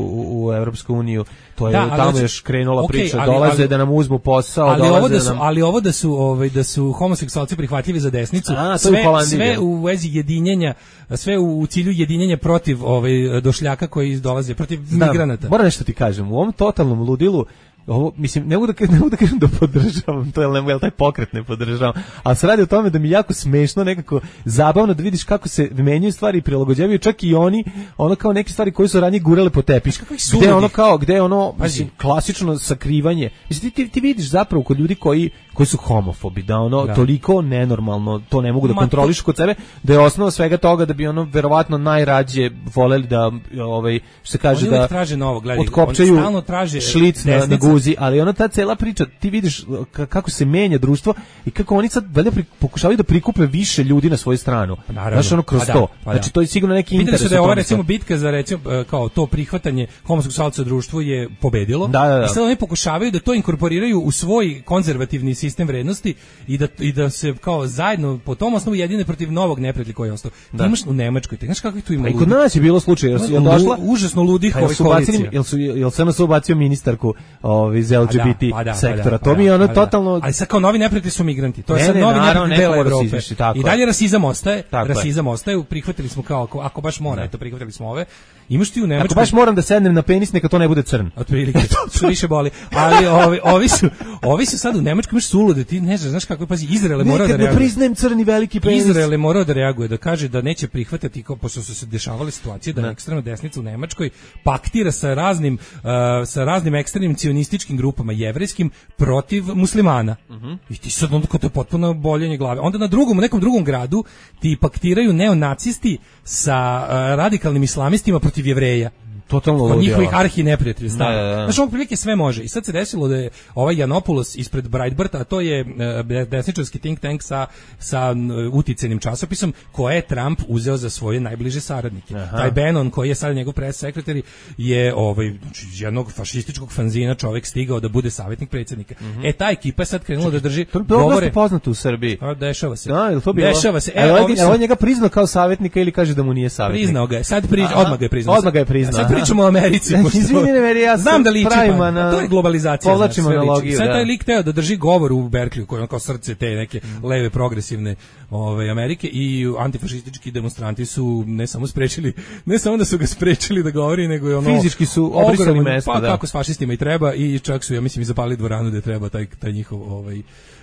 u Evropsku uniju, to je da, tamo znači, još krenula okay, priča, ali, dolaze ali, da nam uzmu posao, ali dolaze ovo da su, nam... ali ovo da su, ovaj, da su homoseksualci prihvatljivi za desnicu, A, sve, u sve u vezi jedinjenja, sve u, u cilju jedinjenja protiv ovaj, došljaka koji dolaze, protiv Znam, migranata. Moram nešto ti kažem, u ovom totalnom ludilu, ovo, mislim, ne mogu da, ne mogu da kažem da podržavam to, jel, jel taj pokret ne podržavam, ali se radi o tome da mi jako smešno, nekako zabavno da vidiš kako se menjaju stvari i prilagođavaju, čak i oni, ono kao neke stvari koje su ranije gurale po tepih, gde ono kao, gde ono, mislim, klasično sakrivanje, mislim, ti, ti, ti vidiš zapravo kod ljudi koji, koji su homofobi, da ono, da. toliko nenormalno, to ne mogu da kontrolišu kod sebe, da je osnova svega toga da bi ono, verovatno najrađe voleli da, ovaj, što se kaže, oni da traže novo, gledaj, otkopčaju traže šlic na, na guzi, ali ona ta cela priča, ti vidiš kako se menja društvo i kako oni sad valjda pokušavaju da prikupe više ljudi na svoju stranu. Znaš, ono kroz pa to. Da, pa znači, da. to je sigurno neki interes. Videli su da je ova, recimo, bitka za, recimo, kao to prihvatanje homoseksualca u društvu je pobedilo. Da, da, da. I sad oni pokušavaju da to inkorporiraju u svoj konzervativni sistem vrednosti i da, i da se kao zajedno po tom osnovu jedine protiv novog neprijatelja koji je ostao. Ti imaš u Nemačkoj, ti znaš kako tu ima ludi. I kod nas je bilo slučaj, jel, jel došla? Užasno ludih ovih koalicija. Jel su, jel se nas ubacio ministarku ovaj, iz L G B T pa da, sektora? Pa da, to mi je ono pa totalno... Ali sad kao novi neprijatelji su migranti. To je ne, sad ne, novi naravno, neprijatelj dela Evrope. Izviši, tako I dalje rasizam ostaje. Tako rasizam je. ostaje. Prihvatili smo kao, ako, ako baš mora, eto, prihvatili smo ove. Imaš ti u Nemačkoj... Ako baš moram da sednem na penis, neka to ne bude crn. Otprilike, to više boli. Ali ovi, ovi, su, ovi su sad u Nemačkoj, imaš sulude, ti ne znaš, znaš kako, pazi, Izrael je morao da reaguje. Nekad ne priznajem crni veliki penis. Izrael je morao da reaguje, da kaže da neće prihvatati, kao pošto su se dešavale situacije da ekstremna desnica u Nemačkoj paktira sa raznim, uh, sa raznim ekstremnim cionističkim grupama jevrejskim protiv muslimana. Uh-huh. I ti sad onda, kao to je potpuno boljenje glave. Onda na drugom, u nekom drugom gradu ti paktiraju neonacisti sa uh, radikalnim islamistima protiv Jevreja. Totalno od njihovih arhi neprijatelja stava. Da, da, da. Znači, ovo prilike sve može. I sad se desilo da je ovaj Janopoulos ispred Breitbarta, a to je uh, desničarski think tank sa, sa uh, uticenim časopisom, koje je Trump uzeo za svoje najbliže saradnike. Aha. Taj Bannon, koji je sad njegov press sekretari, je ovaj, jednog fašističkog fanzina čovjek stigao da bude savjetnik predsjednika. Mm-hmm. E, ta ekipa je sad krenula da drži to govore. To je poznato u Srbiji. A, dešava se. Da, ili to bilo? Dešava se. E, on, su... on njega priznao kao savjetnika ili kaže da mu nije savjetnik? Priznao ga je. Sad prič... odmah ga je priznao. Odmah ga je priznao. Sad pričamo o Americi. Izvini, ne, ja znam da liči, pa, na, to je globalizacija. Povlačimo analogiju. Sad taj lik teo da drži govor u Berkeliju, koji je kao srce te neke mm. leve progresivne ove, Amerike, i antifašistički demonstranti su ne samo sprečili, ne samo da su ga sprečili da govori, nego je ono... Fizički su obrisali mesto, pa, da. Kako s fašistima i treba, i čak su, ja mislim, i zapalili dvoranu da treba taj, taj njihov... Ovaj,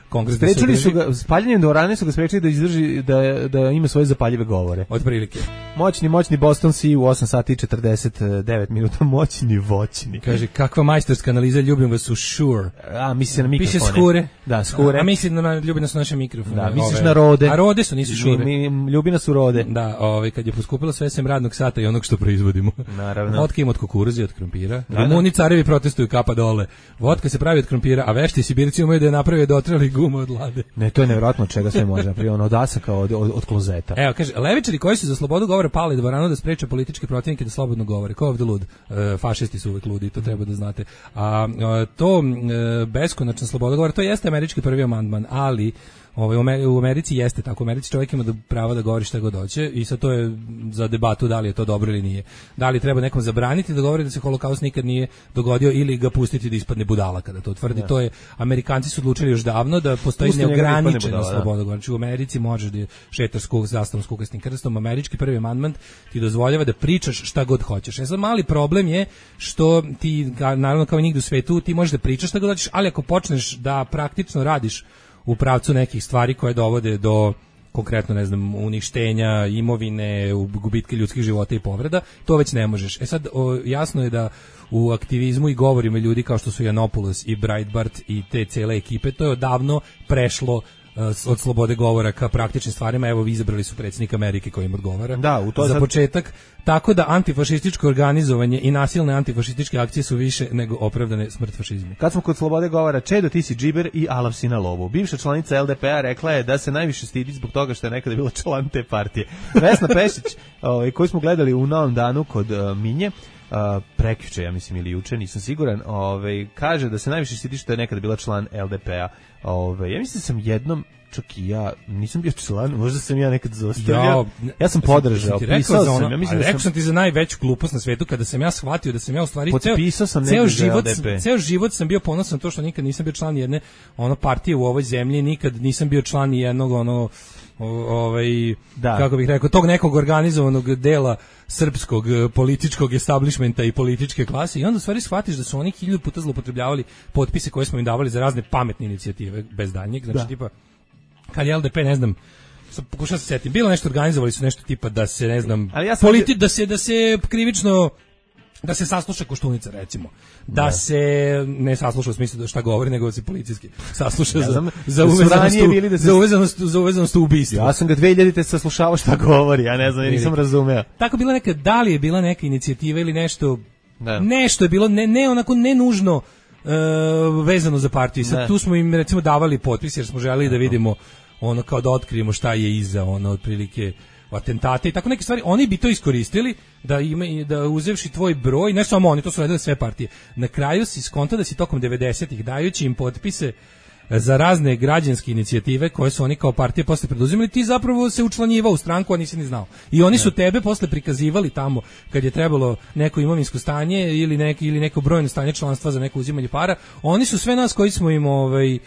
kongres. Sprečili su ga, spaljanjem dvorane su ga sprečili da izdrži, da, da ima svoje zapaljive govore. Od prilike. Moćni, moćni Boston Sea u osam sati i četrdeset devet minuta, moćni, voćni. Kaže, kakva majstorska analiza, ljubim vas u Shure. A, misli se na mikrofone. Piše Skure. Da, Skure. A misli na, ljubi nas u naše mikrofone. Da, misliš ove, na Rode. A Rode su, nisu Shure. Mi, mi, ljubi nas u Rode. Da, ove, kad je poskupilo sve sem radnog sata i onog što proizvodimo. Naravno. Vodka ima od kukuruza i od krompira. Rumuni carevi protestuju, kapa dole. Vodka se pravi od krompira, a vešti Sibirci umeju da je naprave dotrali gumu od lade. Ne, to je nevjerojatno čega sve može napraviti, ono od asaka, od, od, od klozeta. Evo, kaže, levičari koji su za slobodu govora pali dvoranu da spreče političke protivnike da slobodno govore. Ko je ovdje lud? E, fašisti su uvek ludi, to treba da znate. A, a to e, beskonačna sloboda govora, to jeste američki prvi amandman, ali ovaj, u Americi jeste tako. U Americi čovjek ima pravo da govori šta god hoće i sad to je za debatu da li je to dobro ili nije. Da li treba nekom zabraniti da govori da se holokaust nikad nije dogodio ili ga pustiti da ispadne budala kada to tvrdi. Ja. To je, Amerikanci su odlučili još davno da postoji Pusti neograničena sloboda govora. Znači u Americi možeš da šetaš skuk, zastavom s kukasnim krstom. Američki prvi amandman ti dozvoljava da pričaš šta god hoćeš. E sad mali problem je što ti, naravno kao i nigde u svetu, ti možeš da pričaš šta god hoćeš, ali ako počneš da praktično radiš u pravcu nekih stvari koje dovode do konkretno, ne znam, uništenja imovine, gubitke ljudskih života i povreda, to već ne možeš. E sad, o, jasno je da u aktivizmu i govorima ljudi kao što su Janopoulos i Breitbart i te cele ekipe, to je odavno prešlo od slobode govora ka praktičnim stvarima. Evo, izabrali su predsjednika Amerike koji im odgovara da, u to za sad... početak, tako da antifašističko organizovanje i nasilne antifašističke akcije su više nego opravdane smrt fašizmu. Kad smo kod slobode govora, Čedo, ti si džiber i Alav si na lovu. Bivša članica el de pe a rekla je da se najviše stidi zbog toga što je nekada bila član te partije. Vesna Pešić, ovaj, koju smo gledali u Novom danu kod uh, Minje, Uh, prekjuče, ja mislim, ili juče, nisam siguran, ovaj, kaže da se najviše stidi što je nekada bila član el de pe a. Ovaj, ja mislim da sam jednom, čak i ja, nisam bio član, možda sam ja nekad zostavljao. Ja, ja sam podržao, pisao sam. Ono, ja mislim da rekao sam ti za najveću glupost na svetu kada sam ja shvatio da sam ja u stvari ceo, sam ceo, život, ceo život sam bio ponosan to što nikad nisam bio član jedne ono partije u ovoj zemlji, nikad nisam bio član jednog ono ovaj da. Kako bih rekao, tog nekog organizovanog dela srpskog političkog establishmenta i političke klase, i onda u stvari shvatiš da su oni hiljadu puta zloupotrebljavali potpise koje smo im davali za razne pametne inicijative bez daljnjeg, znači da. Tipa kad je el de pe, ne znam, sad pokušam se setim, bilo nešto, organizovali su nešto tipa da se, ne znam, ja politi, da se da se krivično da se sasluša Koštunica, recimo. Da ne. se ne sasluša u smislu da šta govori, nego da se policijski sasluša ja za, za, uvezanost u, da se... za uvezanost za uvezanost u ubistvo. Ja sam ga dve hiljadite saslušavao šta govori, ja ne znam, ja nisam razumeo. Tako bila neka, da li je bila neka inicijativa ili nešto, ne. nešto je bilo, ne, ne onako ne nužno uh, vezano za partiju. Sad ne. Tu smo im recimo davali potpis jer smo želeli da vidimo ono kao da otkrijemo šta je iza ono otprilike atentate i tako neke stvari. Oni bi to iskoristili da ima da uzevši tvoj broj, ne samo oni, to su radile sve partije. Na kraju si skonto da si tokom devedesetih dajući im potpise za razne građanske inicijative koje su oni kao partije posle preduzimali, ti zapravo se učlanjivao u stranku, a nisi ni znao. I oni su tebe posle prikazivali tamo kad je trebalo neko imovinsko stanje ili neki ili neko brojno stanje članstva za neko uzimanje para. Oni su sve nas koji smo im ovaj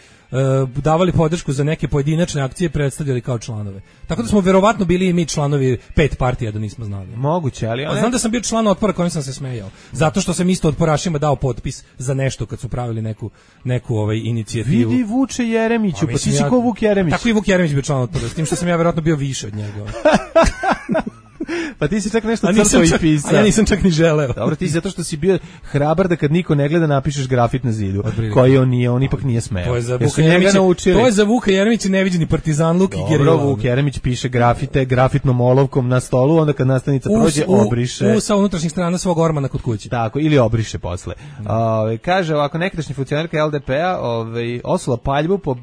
uh, davali podršku za neke pojedinačne akcije, predstavljali kao članove. Tako da smo verovatno bili i mi članovi pet partija da nismo znali. Moguće, ali... A znam da sam bio član Otpora kojim sam se smejao. Zato što sam isto otporašima dao potpis za nešto kad su pravili neku, neku ovaj, inicijativu. Vidi Vuče Jeremiću, pa ti si ko Vuk Jeremić. Tako i Vuk Jeremić bio član Otpora, s tim što sam ja verovatno bio više od njega. Pa ti si čak nešto crtao i pisao. A ja nisam čak ni želeo. Dobro, ti zato što si bio hrabar da kad niko ne gleda napišeš grafit na zidu, koji on nije, on ipak nije smeo. To je za Vuka Jeremića, to je za Vuka Jeremića neviđeni partizan Luk i Gerila. Dobro, Vuk Jeremić piše grafite grafitnom olovkom na stolu, onda kad nastavnica prođe, obriše. U, sa unutrašnjih strana svog ormana kod kuće. Tako, ili obriše posle. Mm. Ove, kaže ovako, nekadašnji funkcionerka L D P-a ove, osula paljbu po,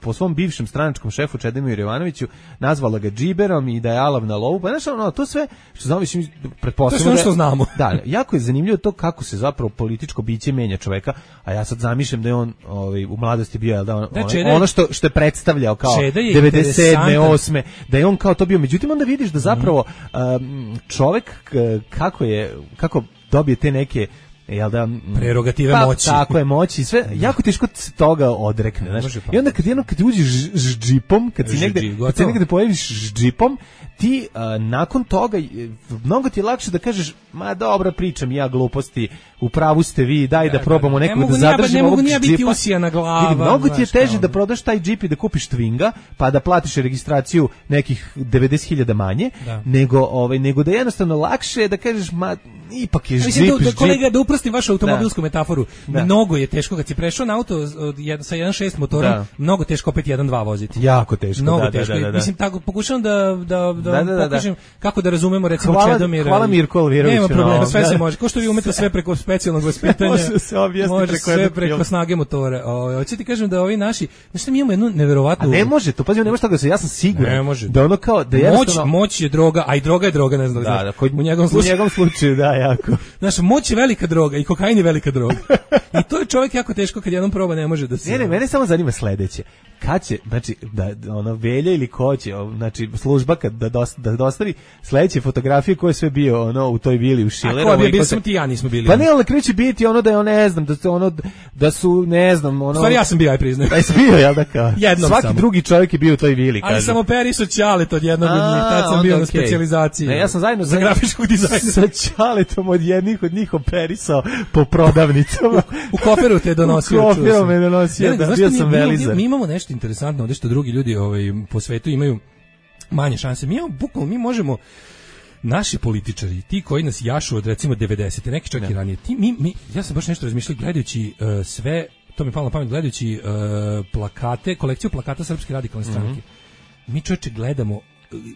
po svom bivšem stranačkom šefu Čedimiru Jovanoviću, nazvala ga džiberom i da je alav na lovu. Pa znaš, ono, to sve što znamo, mislim, pretpostavljamo. To je što znamo. Da, jako je zanimljivo to kako se zapravo političko biće menja čoveka, a ja sad zamišljam da je on ovaj, u mladosti bio, jel da, on, da ono, ono što, što je predstavljao kao devedeset sedme, osme da je on kao to bio. Međutim, onda vidiš da zapravo um, čovek kako je, kako dobije te neke jel da prerogative pa, moći. Tako je, moći i sve. Jako teško se toga odrekne, znaš. I onda kad jedno kad uđeš s džipom, kad si negde, kad se negde pojaviš s džipom, ti uh, nakon toga mnogo ti je lakše da kažeš, ma dobra, pričam ja gluposti, u pravu ste vi, daj da, da probamo nekog da zadržimo ovog džipa. Ne mogu biti usijana glava. Vidi, mnogo ti je teže da prodaš taj džip i da kupiš Twinga, pa da platiš registraciju nekih devedeset hiljada manje, da. nego ovaj nego da jednostavno lakše je da kažeš, ma ipak je džip. Da, kolega, da uprostim vašu automobilsku da. metaforu. Da. Mnogo je teško kad si prešao na auto sa jedan šest motorom, da. mnogo teško opet jedan dva voziti. Jako teško, mnogo da, teško. Da, da, da. Mislim, tako pokušavam da da da, da, da pokažem da. kako da razumemo recimo hvala, Čedomira. Hvala Mirko Alviroviću. Nema problema, sve se može. Ko što vi umete sve preko specijalnog vaspitanja. Može se objasniti preko sve preko snage motora. Ovaj hoćete ti kažem da ovi naši, znači mi imamo jednu neverovatnu. A ne može, to pazi, ne može tako da se, ja sam siguran. Ne da ono kao da jednostavno moć, moć je droga, a i droga je droga, ne znam da, da, da kod, u njegovom slučaju. U njegovom slučaju, da, jako. Znaš, moć je velika droga i kokain je velika droga. I to je čovjek jako teško kad jednom proba ne može da se. Ne, ne, mene samo zanima sledeće. Kad će, znači, da ono Velja ili ko će, znači služba kad da, dosta, da dostavi sledeće fotografije ko je sve bio ono u toj vili u Šilerovu. A ko je bio, sam ti ja nismo bili. Pa ne, ali kreće biti ono da je on ne znam, da su ono da su ne znam, ono. Stvari ja sam bio, aj priznajem. Aj bio, jel da kao. Jednom svaki samo. drugi čovjek je bio u toj vili, kaže. Ali samo Periso Ćalet od jednog od njih, tad sam bio okay. na specijalizaciji. Ne, ja sam zajedno za grafičkog dizajna sa Ćaletom od jednih od njih operisao po prodavnicama. U koferu te donosio. U koferu me donosio, da bio sam velizar. Mi imamo nešto interesantno, ovde što drugi ljudi ovaj po svetu imaju manje šanse. Mi imamo bukvalno, mi možemo naši političari, ti koji nas jašu od recimo devedesete, neki čak i ranije. Ti mi, mi ja sam baš nešto razmišljao gledajući uh, sve, to mi je palo na pamet gledajući uh, plakate, kolekciju plakata Srpske radikalne stranke. Mm-hmm. Mi čoveče gledamo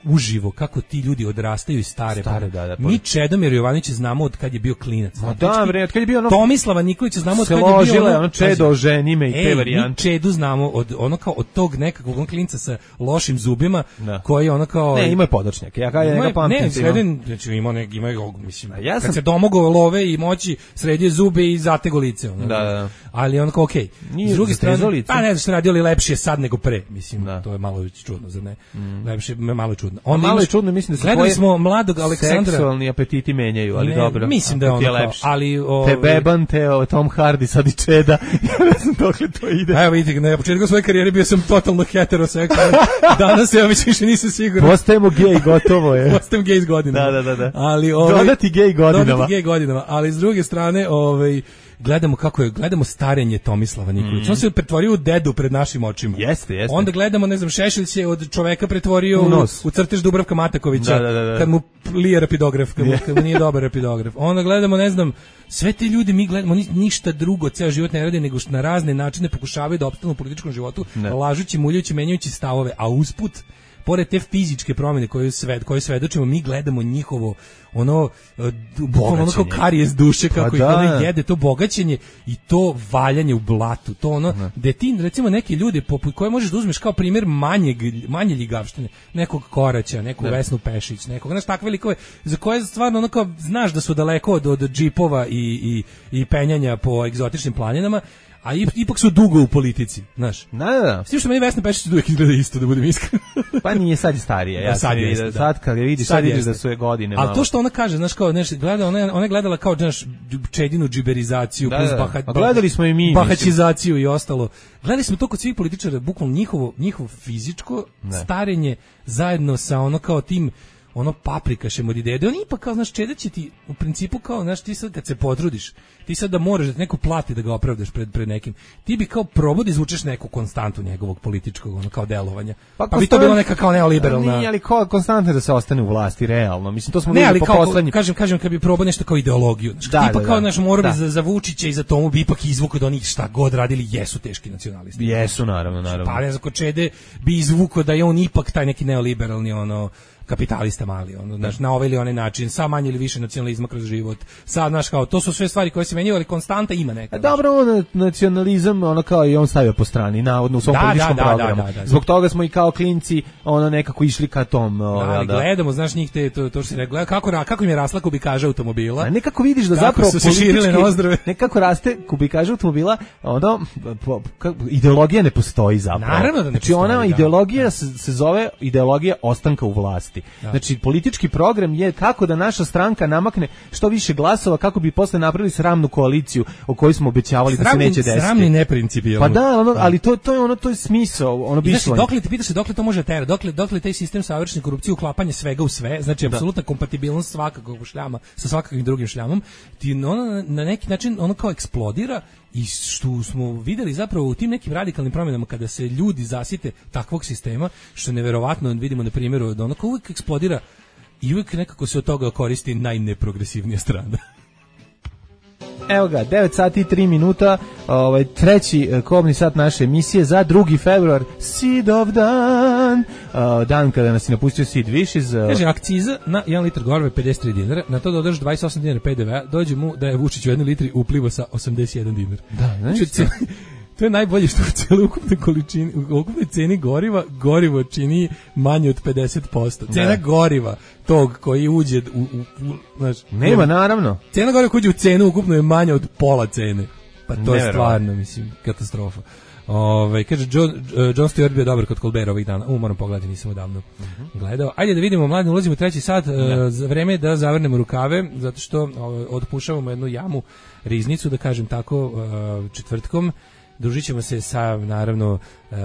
uživo kako ti ljudi odrastaju i stare. stare da, da, mi Čedomir Jovanović znamo od kad je bio klinac. Ma da, bre, od kad je bio ono Tomislava Nikolića znamo od kad je bio ložile, ono, ono Čedo ženime i te varijante. Mi Čedu znamo od ono kao od tog nekakvog on klinca sa lošim zubima, da. koji ono kao ne, ima je podočnjak. Ja kao ja ga pamtim. Ne, sreden, znači ima nek ima mislim. Ja sam kad se domogao love i moći sredio zube i zatego lice ono. Da, da. Ali on kao okej. Okay. S druge strane, pa ne znam što radili lepše sad nego pre, mislim. Da. To je malo čudno, zar ne? Mm. Lepše malo čudno. Onda malo je čudno, mislim da se gledali smo mladog Aleksandra. Seksualni apetiti menjaju, ali ne, dobro. Mislim da je ono kao, ali o, te Beban, te o, Tom Hardy, sad i Čeda. Ja ne znam dokle to ide. Evo vidite, na početku svoje karijere bio sam totalno heteroseksualan. Danas ja već više nisam siguran. Postajemo gej, gotovo je. Postajemo gej s godinama. Da, da, da, da. Ali ovaj dodati gej godinama. Dodati gej godinama, ali s druge strane, ovaj gledamo kako je, gledamo starenje Tomislava Nikolića. Mm. On se pretvorio u dedu pred našim očima. Jeste, jeste. Onda gledamo, ne znam, Šešelj se od čoveka pretvorio u, u crtež Dubravka Matakovića, da, da, da, da. kad mu lije rapidograf, kad mu, kad mu nije dobar rapidograf. Onda gledamo, ne znam, sve te ljudi mi gledamo, ni, ništa drugo, ceo život ne rade, nego što na razne načine pokušavaju da opstanu u političkom životu, ne. lažući, muljajući, menjajući stavove, a usput pored te fizičke promjene koje sved koje svedočimo, mi gledamo njihovo ono bukvalno ono kao karijes duše kako pa ih da. ono jede, to bogaćenje i to valjanje u blatu, to ono ne. gde ti recimo neki ljudi poput koje možeš da uzmeš kao primjer manjeg, manje ljigavštine, nekog Koraća, neku ne. Vesnu Pešić, nekog, znaš, takve likove za koje stvarno ono kao znaš da su daleko od, od džipova i, i, i penjanja po egzotičnim planinama, a ipak su dugo u politici, znaš. Da, da, da. S tim što meni Vesna Pešić uvijek izgleda isto, da budem iskren. Pa nije, sad je starija. Ja da, sad, je, vidio, da. sad kad je vidiš, sad, sad vidiš da su je godine malo. Ali to što ona kaže, znaš, kao, znaš, gleda, ona, ona je gledala kao, znaš, čedinu džiberizaciju, da, plus da. baha, A gledali smo i mi. bahačizaciju i ostalo. Gledali smo to kod svih političara, bukvalno njihovo, njihovo fizičko ne. starenje zajedno sa ono kao tim ono paprikašem od ideje, da on ipak kao, znaš, čeda će ti u principu kao, znaš, ti sad kad se potrudiš, ti sad da moraš da te neko plati da ga opravdaš pred, pred nekim, ti bi kao probao da izvučeš neku konstantu njegovog političkog, ono, kao delovanja. Pa, pa bi to bilo neka kao neoliberalna... Nije, ali ko, konstantno da se ostane u vlasti, realno. Mislim, to smo ne, ali po kao, poslednji... kažem, kažem, kad bi probao nešto kao ideologiju, znaš, da, tipa da, kao, da. znaš, morao da. bi za, za Vučića i za Tomu bi ipak izvukao da oni šta god radili jesu teški nacionalisti. Jesu, naravno, naravno. Pa ne znam, kod Čede bi izvukao da je on ipak taj neki neoliberalni, ono, kapitalista mali, ono, znaš, na ovaj ili onaj način, sa manje ili više nacionalizma kroz život. Sad, znaš, kao, to su sve stvari koje se menjaju, ali konstanta ima neka. A dobro, on nacionalizam, ono kao i on stavio po strani, navodno u svom da, političkom da, da, programu. da, da, da. Zbog toga smo i kao klinci, ono, nekako išli ka tom. Da, ove, ali da. gledamo, znaš, njih te, to, to što si rekao, kako, kako im je rasla kubikaža automobila. A nekako vidiš da kako zapravo su se širile nozdrave. Nekako raste kubikaža automobila, ono, po, ka, ideologija ne postoji zapravo. Naravno da ne postoji. Znači, ona da, ideologija da. Se, se zove ideologija ostanka u vlasti. Da. Znači, politički program je kako da naša stranka namakne što više glasova kako bi posle napravili sramnu koaliciju o kojoj smo obećavali sramni, da se neće desiti. Sramni neprincipijalno. Pa da, ono, ali to, to je ono, to je smisao, ono bi znači, dokle ti pitaš se dokle to može tera, dokle dokle taj sistem savršene korupcije, uklapanje svega u sve, znači apsolutna kompatibilnost svakakog šljama sa svakakvim drugim šljamom, ti ono na neki način ono kao eksplodira. I što smo videli zapravo u tim nekim radikalnim promjenama kada se ljudi zasite takvog sistema, što je neverovatno, vidimo na primjeru da ono kao uvijek eksplodira i uvijek nekako se od toga koristi najneprogresivnija strana. Evo ga, devet sati i tri minuta, ovaj, treći kobni sat naše emisije za drugi februar, Sidov dan, uh, dan kada nas je napustio Sid Wishes. Uh, Kaže, akciza na jedan litar goriva pedeset tri dinara, na to dodaš dvadeset osam dinara pe de ve a, dođe mu da je Vučić u jednoj litri uplivo sa osamdeset jedan dinar. Da, znači to. To je najbolje što u cijeloj ukupnoj količini, u ukupnoj ceni goriva, gorivo čini manje od pedeset posto. Cena ne. goriva tog koji uđe u, u, u znaš, nema, naravno. Cena goriva koji uđe u cenu ukupno je manja od pola cene. Pa to ne, je stvarno, mislim, katastrofa. Ove, kaže, John, uh, John Stewart bio dobar kod Colbera ovih dana. U, moram pogledati, nisam odavno uh-huh. gledao. Ajde da vidimo, mladi, ulazimo u treći sat. Uh, za vreme da zavrnemo rukave, zato što uh, otpušavamo jednu jamu, riznicu, da kažem tako, uh, četvrtkom. Družit ćemo se sa, naravno, um,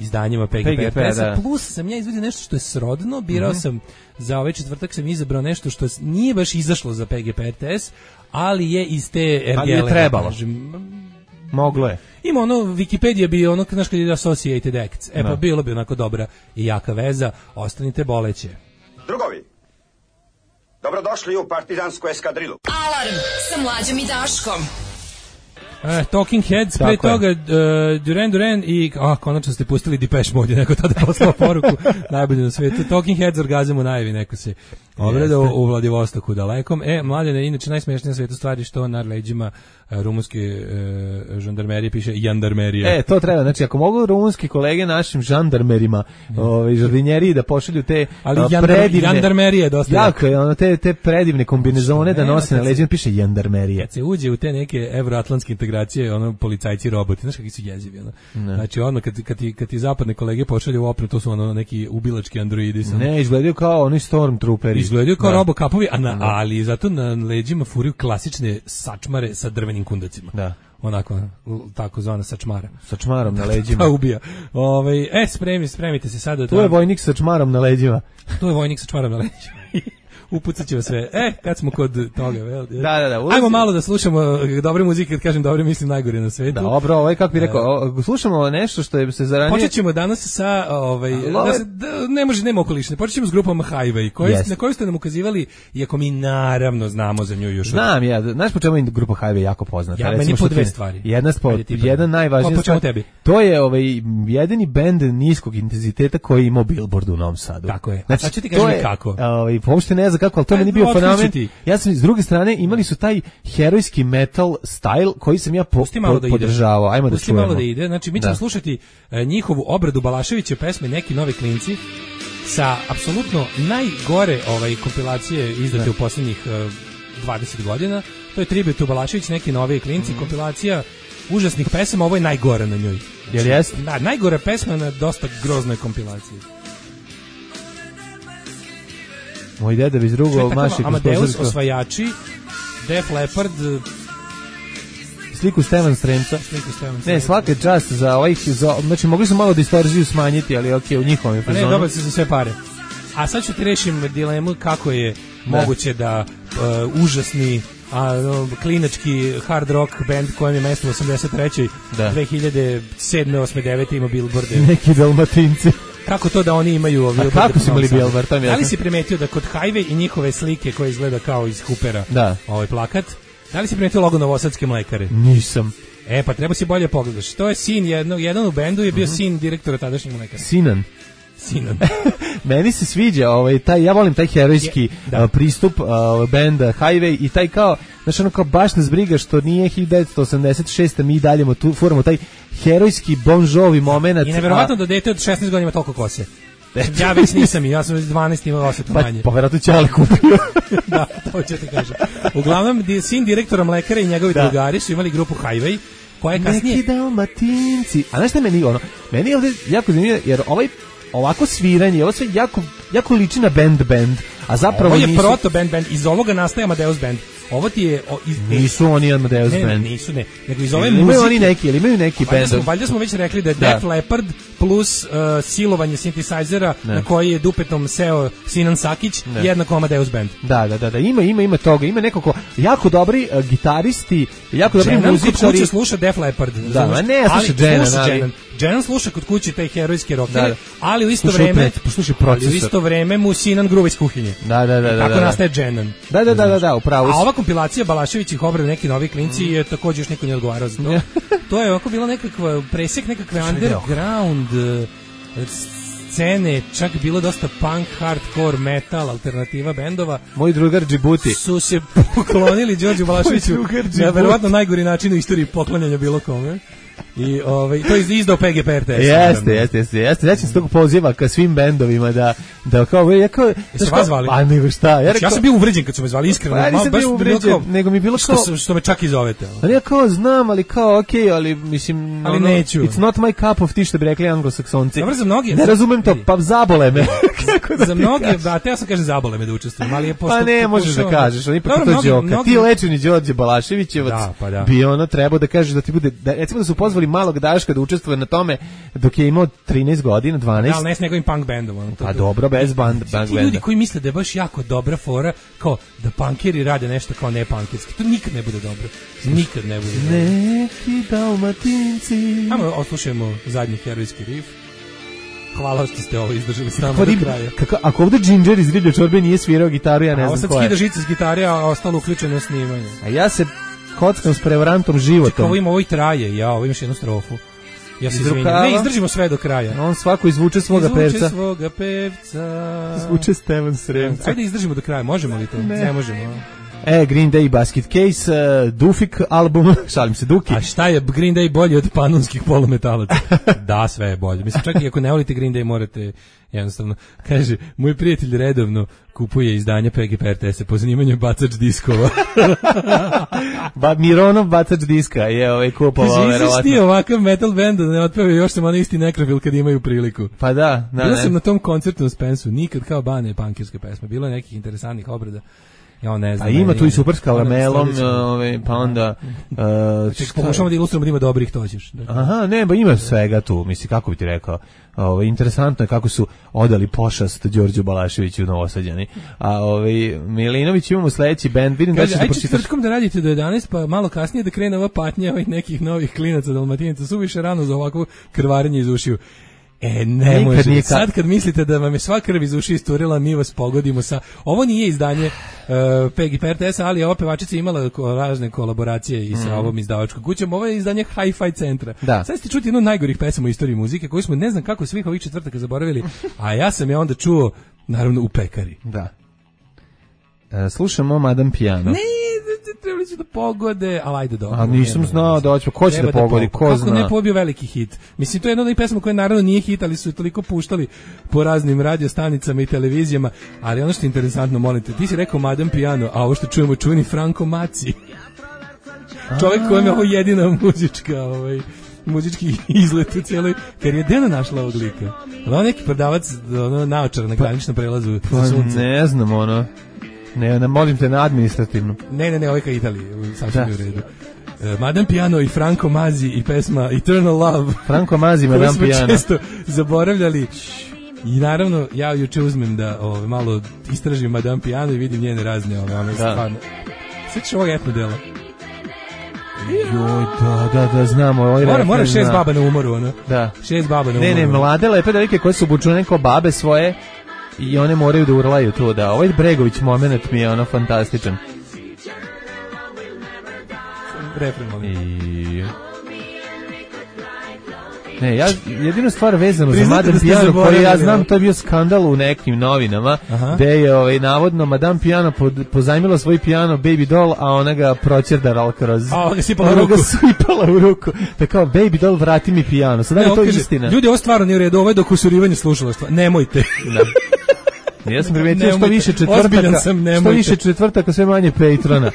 izdanjima P G P R T S-a, da. Plus sam ja izvadio nešto što je srodno, birao mm-hmm. sam, za ovaj četvrtak sam izabrao nešto što nije baš izašlo za P G P R T S, ali je iz te ergele. Ali je trebalo. Moglo je. Ima ono, Wikipedia bi ono, znaš kad je Associated Acts, e da. Pa bilo bi onako dobra i jaka veza, ostanite boleće. Drugovi, dobrodošli u partizansku eskadrilu. Alarm sa Mlađom i Daškom. Uh, Talking Heads, pre toga uh, Duran Duran i a, konačno ste pustili Depeche Mode, neko tada poslao poruku, najbolje na svijetu. Talking Heads, orgazam u najavi, neko se ogledao u, u Vladivostoku dalekom. E, Mladene, inače najsmešnija na svijetu stvari što na leđima uh, rumunske uh, žandarmerije piše jandarmerija. E, to treba, znači ako mogu rumunski kolege našim žandarmerima, mm. ovaj žardinjeriji da pošalju te ali uh, jandar, predivne, jandarmerija je dosta jako je, ono, te, te predivne kombinezone da nose na leđima, piše jandarmerija. Kad se uđe u te neke evroatlantske integracije, ono, policajci roboti, znaš kakvi su jezivi, ono. Ne. Znači, ono, kad, kad, ti, kad ti zapadne kolege pošalju u opnu, to su ono neki ubilački androidi. Sam. Ne, izgledaju kao oni Stormtrooperi. Izgledaju kao robokapovi, a na, ali zato na leđima furiju klasične sačmare sa drvenim kundacima. Da. Onako, tako zvana sačmara. Sačmarom na leđima. Pa ubija. Ove, e, spremi, spremite se sada. Tu je vojnik sa čmarom na leđima. Tu je vojnik sa čmarom na leđima. Upucat ćemo sve. E, kad smo kod toga, vel? Da, da, da. Ulazi. Ajmo malo da slušamo dobre muzike, kad kažem dobre, mislim najgore na svetu. Dobro, ovaj kako bih rekao, e, slušamo nešto što je se zaranije. Počet ćemo danas sa ovaj da se, da, ne može nema okolišne. Počet ćemo s grupom Highway, koji yes. na koju ste nam ukazivali, iako mi naravno znamo za nju još. Znam ja, znaš po čemu je grupa Highway jako poznata. Ja, meni po dve stvari. Jedna spod, jedan najvažniji stvar. To je ovaj jedini bend niskog intenziteta koji ima Billboard u Novom Sadu. Tako je. Znači, a ću ti kažem kako. Ovaj uopšte ne znam kako, al to meni bio fenomen. Ja sam s druge strane imali su taj herojski metal style koji sam ja po, po, da podržavao. Ajmo da čujemo. Malo da ide. Znači mi ćemo da. slušati uh, njihovu obradu Balaševića pesme Neki novi klinci sa apsolutno najgore ovaj kompilacije izdate da. u posljednjih uh, dvadeset godina. To je tribut u Balašević, Neki novi klinci, mm. kompilacija užasnih pesama, ovo je najgora na njoj. Jel jeste? Da, najgora pesma na dosta groznoj kompilaciji. Moj deda bez drugo maši Amadeus, Osvajači, Def Leppard, sliku Stevan Sremca. Sliku Stevan Ne, svaka čast za ovih, za, znači mogli su malo distorziju smanjiti, ali okej, okay, u njihovom fazonu. Pa ne, dobro se za sve pare. A sad ću ti rešim dilemu kako je da. moguće da uh, užasni a, klinački hard rock band kojem je mesto u osamdeset trećoj Da. dve hiljade sedme, osme, devete ima Billboarde. Neki Dalmatinci. Kako to da oni imaju A kako su imali Billboard? Da li si primetio da kod Highway i njihove slike koje izgleda kao iz Hoopera, da. ovaj plakat, da li si primetio logo Novosadske mlekare? Nisam. E, pa treba si bolje pogledaš. To je sin jednog, jedan u bendu je bio uh-huh. sin direktora tadašnjeg mlekara. Sinan. Sinan. Meni se sviđa, ovaj taj ja volim taj herojski je, uh, pristup uh, benda Highway i taj kao, znači ono kao baš nas briga što nije hiljadu devetsto osamdeset šeste mi dalje tu furamo taj herojski Bon Jovi momenat. I neverovatno a... da dete od šesnaest godina ima toliko kose. Ja već nisam, ja sam dvanaest imao osjetu manje. Pa, pa verovatno Ćale kupio. Da, to ću ti kažem. Uglavnom, sin direktora mlekara i njegovi da. drugari su imali grupu Highway, koja je kasnije... Neki Dalmatinci. A znaš šta meni ono? Meni je ovdje jako zanimljivo, jer ovaj ovako sviranje, ovo sve jako, jako liči na band band, a zapravo ovo je nisu... proto band band, iz ovoga nastaje Amadeus band. Ovo ti je o, iz, nisu oni Amadeus ne, band. Nisu, ne. Nego iz ove imaju muzike. Imaju oni neki, ili imaju neki band. Smo, valjda smo već rekli da je da. Def Leppard plus uh, silovanje synthesizera ne. na koji je dupetom seo Sinan Sakić ne. jednako Amadeus band. Da, da, da, da, ima, ima, ima toga. Ima nekako jako dobri uh, gitaristi, jako dobri Jenan muzičari. Kod kuće sluša Def Leppard. Da, ma ne, sluša Jenan, ali... Jenan sluša kod kuće taj herojski rock, da, da. ali u isto vreme, poslušaj procesor. Ali u isto vreme mu Sinan gruva iz kuhinje. Da, da, da, da. Tako da, da. nastaje Jenan. Da, da, da, da, da, upravo. A ova kompilacija Balaševićih obrada neki novi klinci je takođe još niko ne odgovarao za to. To je ovako bilo nekakva presek nekakve underground scene, čak bilo dosta punk, hardcore, metal, alternativa bendova. Moj drugar Džibuti su se poklonili Đorđu Balaševiću na verovatno najgori način u istoriji poklanjanja bilo kome. I ovaj to je izdao P G P R T S. Jeste, jeste, jeste. Jeste, znači se tog poziva ka svim bendovima da da kao ja kao da vas zvali. A nego šta? Ja, ja sam bio uvređen kad su me zvali iskreno, pa, malo baš uvređen, kao, nego mi bilo kao što, što me čak i zovete. Ali ja kao znam, ali kao okej, okay, ali mislim ali ono, neću. It's not my cup of tea, što bi rekli Anglosaksonci. Dobro, za mnogi. Ne razumem to, pa zabole me. Kako da za mnogi, da, te ja sam kažem zabole me da učestvujem, ali je postup. Pa ne, možeš da kažeš, oni pa to đoka. Ti lečeni Đorđe Balaševićevac bi ono trebao da kažeš da ti bude, recimo da su pozvali malog Daška da učestvuje na tome dok je imao trinaest godina, dvanaest. Da, ali ne s njegovim punk bandom. On, to, pa dobro, bez band, band banda. Ti ljudi koji misle da je baš jako dobra fora, kao da punkeri rade nešto kao ne punkirski, to nikad ne bude dobro. Nikad ne bude dobro. Neki Dalmatinci. Ajmo, oslušajmo zadnji herojski riff. Hvala što ste ovo izdržali s nama pa, do kraja. Kako, ako ovdje Ginger iz Riblje čorbe nije svirao gitaru, ja ne a, znam ko je. A ovo sad skida žice s gitare, a ostalo uključeno snimanje. A ja se kockam s prevarantom životom. Čekaj, ovo ima, ovo i traje, ja, ovo imaš jednu strofu. Ja se izvinjam. Ne, izdržimo sve do kraja. On svako izvuče svoga izvuče pevca. Izvuče svoga pevca. Izvuče Stevan Sremca. Ajde izdržimo do kraja, možemo li to? Ne, ne možemo. E, Green Day Basket Case, uh, Dufik album, šalim se, Duki. A šta je Green Day bolji od panonskih polumetalaca? Da, sve je bolje. Mislim, čak i ako ne volite Green Day, morate jednostavno. Kaže, moj prijatelj redovno kupuje izdanja P G P R T S po zanimanju bacač diskova. ba, Mironov bacač diska je ovaj kupovao, verovatno. Izviš ti ovakav metal band da ne otpeva još sam onaj isti nekrofil kad imaju priliku. Pa da. da Bila sam na tom koncertu u Spensu, nikad kao bane punkirske pesme. Bilo je nekih interesantnih obrada. Ja ne znam. A ima tu i super s karamelom, ovaj pa onda uh, pokušamo da ilustrujemo da ima dobrih, to ćeš. Aha, ne, ba ima svega tu, misli kako bi ti rekao. Ovaj interesantno je kako su odali pošast Đorđu Balaševiću u Novosađani. A ovaj Milinović imamo sledeći bend, vidim da ćeš da pročitaš. Ajde da radite do jedanaest, pa malo kasnije da krene ova patnja ovih nekih novih klinaca Dalmatinaca, suviše rano za ovako krvarenje iz ušiju. E, ne može. Sad kad mislite da vam je sva krv iz uši isturila, mi vas pogodimo sa... Ovo nije izdanje uh, P G P R T S, ali ova pevačica imala ko, razne kolaboracije i sa mm. ovom izdavačkom kućom. Ovo je izdanje Hi-Fi centra. Da. Sad ste čuti jednu od najgorih pesama u istoriji muzike, koju smo ne znam kako svih ovih četvrtaka zaboravili, a ja sam je onda čuo, naravno, u pekari. Da. E, slušamo Madame Piano. Ne, trebali su da pogode, ali ajde dobro. A nisam znao da hoće, ko će da pogodi, ko Kako zna. Kako ne pobio veliki hit? Mislim, to je jedna od pesama koja naravno nije hit, ali su je toliko puštali po raznim radiostanicama i televizijama, ali ono što je interesantno, molim te, ti si rekao Madame Piano, a ovo što čujemo čuveni Franco Maci. čovjek kojem je ovo jedina muzička, ovaj, muzički izlet u cijeloj karijeri. Gde ona našla ovog lika? Ono neki prodavac, ono, naočar na graničnom prelazu pa, za sunce. Ne znam, ono. Ne, ne, molim te na administrativnu. Ne, ne, ne, ovaj ka Italiji, sasvim u redu. Uh, Madame Piano i Franco Mazzi i pesma Eternal Love. Franco Mazzi, Madame Piano. Koju smo često zaboravljali. I naravno, ja juče uzmem da ove, malo istražim Madame Piano i vidim njene razne ove, one stvarno. Svećiš ovog etno dela? Joj, da, da, da, znamo. Ovaj mora, mora šest baba na umoru, ono. Da. Šest baba na ne, umoru. Ne, ne, mlade lepe devojke koje su obučene kao babe svoje i one moraju da urlaju to, da. Ovaj Bregović moment mi je ono fantastičan. Refren moment. I... Ne, ja jedinu stvar vezano za Madame Piano koju ja znam, to je bio skandal u nekim novinama, gde je ovaj, navodno Madame Piano pod, pozajmila svoj piano Baby Doll, a ona ga proćerdala kroz... A ona ga sipala u ruku. Ona ga sipala u ruku. Da kao, Baby Doll, vrati mi piano. Sada je to kaže, istina. Ljudi, ovo stvarno nije u redu, ovo je dokusurivanje slušalaštva. Nemojte. Da. Ja sam primetio što više četvrtaka, sam, što više četvrtaka, sve manje Patrona.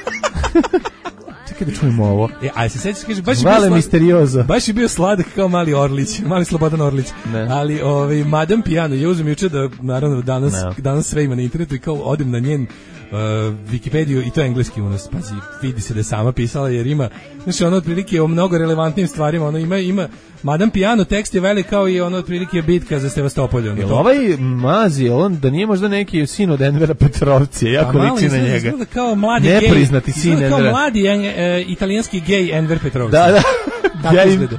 Čekaj da čujemo ovo. E, aj se sećaš, kaže, baš je Vale bio slad, misteriozo. Baš je bio sladak kao mali Orlić, mali Slobodan Orlić. Ne. Ali ovaj Madame Piano je uzem juče da naravno danas ne. danas sve ima na internetu i kao odem na njen uh, Wikipediju i to je engleski u nas. Pazi, vidi se da je sama pisala jer ima, znači ono otprilike o mnogo relevantnim stvarima, ono ima ima Madame Piano, tekst je velik kao i ono otprilike bitka za Sevastopolj. Ono, jel ovaj Mazi, on da nije možda neki sin od Envera Petrovcije, jako pa, liči na njega. Izgleda kao mladi nepriznati gej, sin Envera. Kao mladi e, italijanski gej Enver Petrovci. Da, da.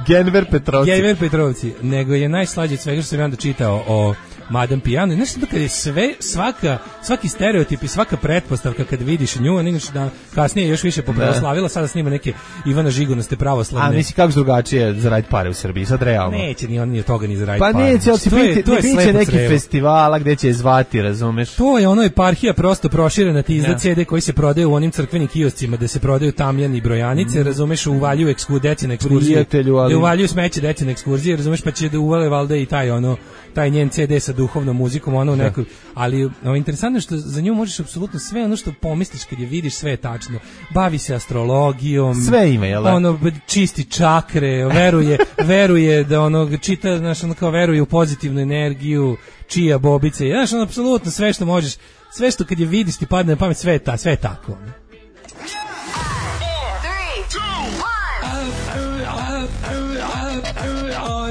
Genver Petrovci. Genver Petrovci. Nego je najslađe od svega što sam ja onda čitao o Madame Piano. Znaš da kad je sve, svaka, svaki stereotip i svaka pretpostavka kad vidiš nju, a inače da kasnije još više popravoslavila, sada snima neke Ivana Žigonaste pravoslavne. A misli kako drugačije zaraditi pare u Srbiji, sad realno. Neće ni on ni od toga ni zaraditi pa pare. Pa neće, ali to je, to je biće neki crevo. Festivala gde će je zvati, razumeš? To je ono eparhija prosto proširena, ti izda ce de koji se prodaju u onim crkvenim kioscima gde se prodaju tamjani i brojanice, mm. razumeš, uvaljuju eksku, deci na ekskurzije, ali... uvaljuju smeće deci na ekskurzije, razumeš, pa će da uvale valda i taj ono, taj njen ce de sa duhovnom muzikom, ono u nekoj, ali no, interesantno je što za nju možeš apsolutno sve ono što pomisliš kad je vidiš, sve je tačno. Bavi se astrologijom, sve ima, jel? Ono čisti čakre, veruje, veruje da ono čita, znaš, ono kao veruje u pozitivnu energiju, čija bobice, znaš, ono apsolutno sve što možeš, sve što kad je vidiš ti padne na pamet, sve je ta, sve je tako. Ono.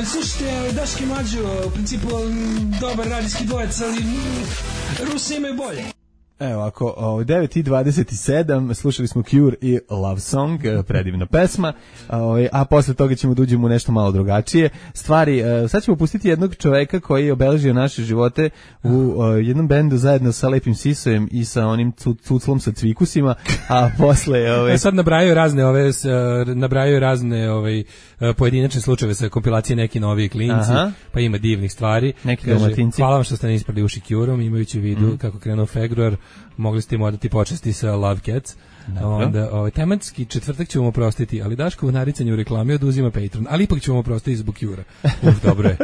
Slušajte, Daški Mlađo, u principu dobar radijski dvojec, ali Rusi imaju bolje. Evo ovako, devet i dvadeset sedam, slušali smo Cure i Love Song, predivna pesma, a posle toga ćemo da uđemo u nešto malo drugačije stvari. Sad ćemo pustiti jednog čoveka koji je obeležio naše živote u jednom bendu zajedno sa Lepim Sisojem i sa onim cuclom sa cvikusima, a posle... Ove... Sad nabrajaju razne ove, nabrajaju razne ove, pojedinačne slučajeve sa kompilacije neki novi klinci, aha, pa ima divnih stvari. Neki domatinci. Hvala vam što ste ne isprali uši Curom, imajući u vidu mm. kako krenuo februar, mogli ste im odati počasti sa Love Cats. Onda, ovaj, tematski četvrtak ćemo oprostiti, ali Daškovo naricanje u reklami oduzima Patreon, ali ipak ćemo oprostiti zbog Cura. Uf, dobro je.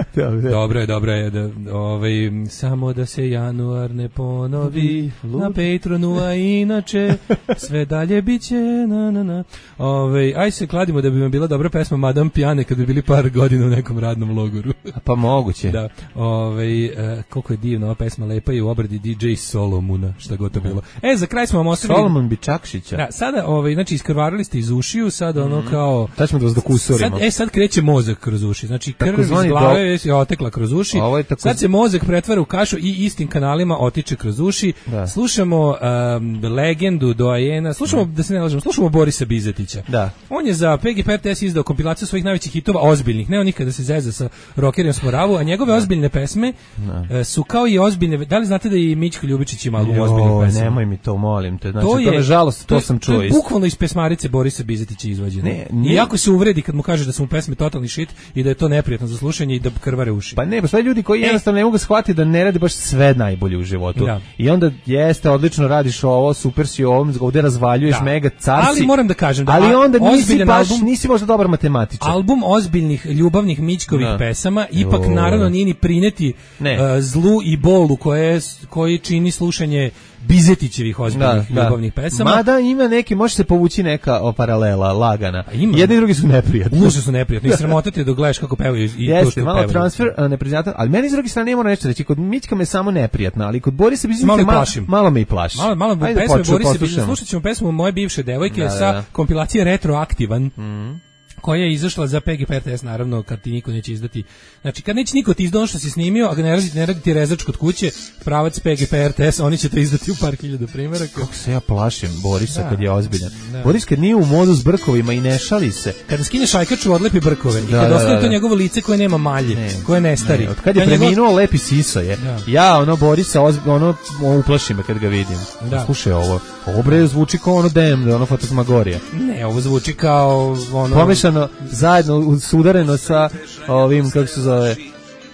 dobro je, dobro je. Da, ovaj, samo da se januar ne ponovi na Patronu, a inače sve dalje biće na na na. Ovaj, aj se kladimo da bi vam bila dobra pesma Madame Piano kad bi bili par godina u nekom radnom logoru. A pa moguće. Da. Ovaj, eh, koliko je divna ova pesma, lepa je u obradi D J Solomuna, šta god to bilo. E, za kraj smo vam ostavili Solomon Bičakšić. Da, sada, ovaj, znači, iskrvarili ste iz ušiju, sad ono kao... Sad ćemo da vas dokusurimo. Sad, e, sad kreće mozak kroz uši, znači krv iz glave do... je otekla kroz uši, tako... sad se mozak pretvara u kašu i istim kanalima otiče kroz uši. Da. Slušamo um, legendu doajena, slušamo, da. da se ne lažemo, slušamo Borisa Bizetića. Da. On je za P G P R T S izdao kompilaciju svojih najvećih hitova, ozbiljnih, ne onih kada se zeza sa rockerima Sporavu, a njegove da. ozbiljne pesme da. su kao i ozbiljne, da li znate da i Mićko Ljubičić ima album ozbiljnih pesama? Nemoj mi to, molim te, znači to, je, to nažalost, to, to sam čuo. To je bukvalno iz pesmarice Borisa Bizetića izvađeno. I jako se uvredi kad mu kaže da su mu pesme totalni shit i da je to neprijatno za slušanje i da krvare uši. Pa ne, pa sve ljudi koji e. jednostavno ne mogu shvatiti da ne radi baš sve najbolje u životu. Da. I onda jeste, odlično radiš ovo, super si ovom, ovdje razvaljuješ, da. mega car si. Ali moram da kažem da ali onda nisi baš, album, nisi možda dobar matematičar. Album ozbiljnih ljubavnih Mićkovih da. pesama ipak o. naravno nije ni prineti uh, zlu i bolu koje, koji čini slušanje Bizetićevih ozbiljnih da, ljubavnih da. pesama. Mada ima neki, može se povući neka o paralela, lagana. Ima. Jedni i drugi su neprijatni. Užasno su neprijatni. I sramotite dok gledaš kako pevaju i Jeste, to što malo pevaju. transfer neprijatan, ali meni s druge strane nema nešto reći. Kod Mićka me samo neprijatna, ali kod Borisa Bizića malo, malo, plašim. malo me i plaši. Malo, malo Ajde, pesme poču, Borisa poslušamo. Bizića. Slušat ćemo pesmu Moje bivše devojke Da, sa da. kompilacije Retroaktivan. Mhm. koja je izašla za P G P R T S, naravno, kad ti niko neće izdati. Znači, kad neće niko ti izdati ono što si snimio, a ga ne radi, ne radi ti rezač kod kuće, pravac P G P R T S, oni će to izdati u par hiljada primjeraka. Kako se ja plašim Borisa Da. kad je ozbiljan. Da. Boris kad nije u modu s brkovima i ne šali se. Kada skine šajkaču, odlepi brkove. I Da, kad da, ostane da, to da. njegovo lice koje nema malje, Ne, koje ne stari. Ne, od kad je To njegov- preminuo lepi siso je. Da. Ja ono Borisa ozb- ono uplaši me kad ga vidim. Da. Slušaj ovo. Ovo bre zvuči kao ono dem, ono Fantasmagorija. Ne, ovo zvuči kao ono... Pomešano zajedno sudareno sa ovim kako se zove.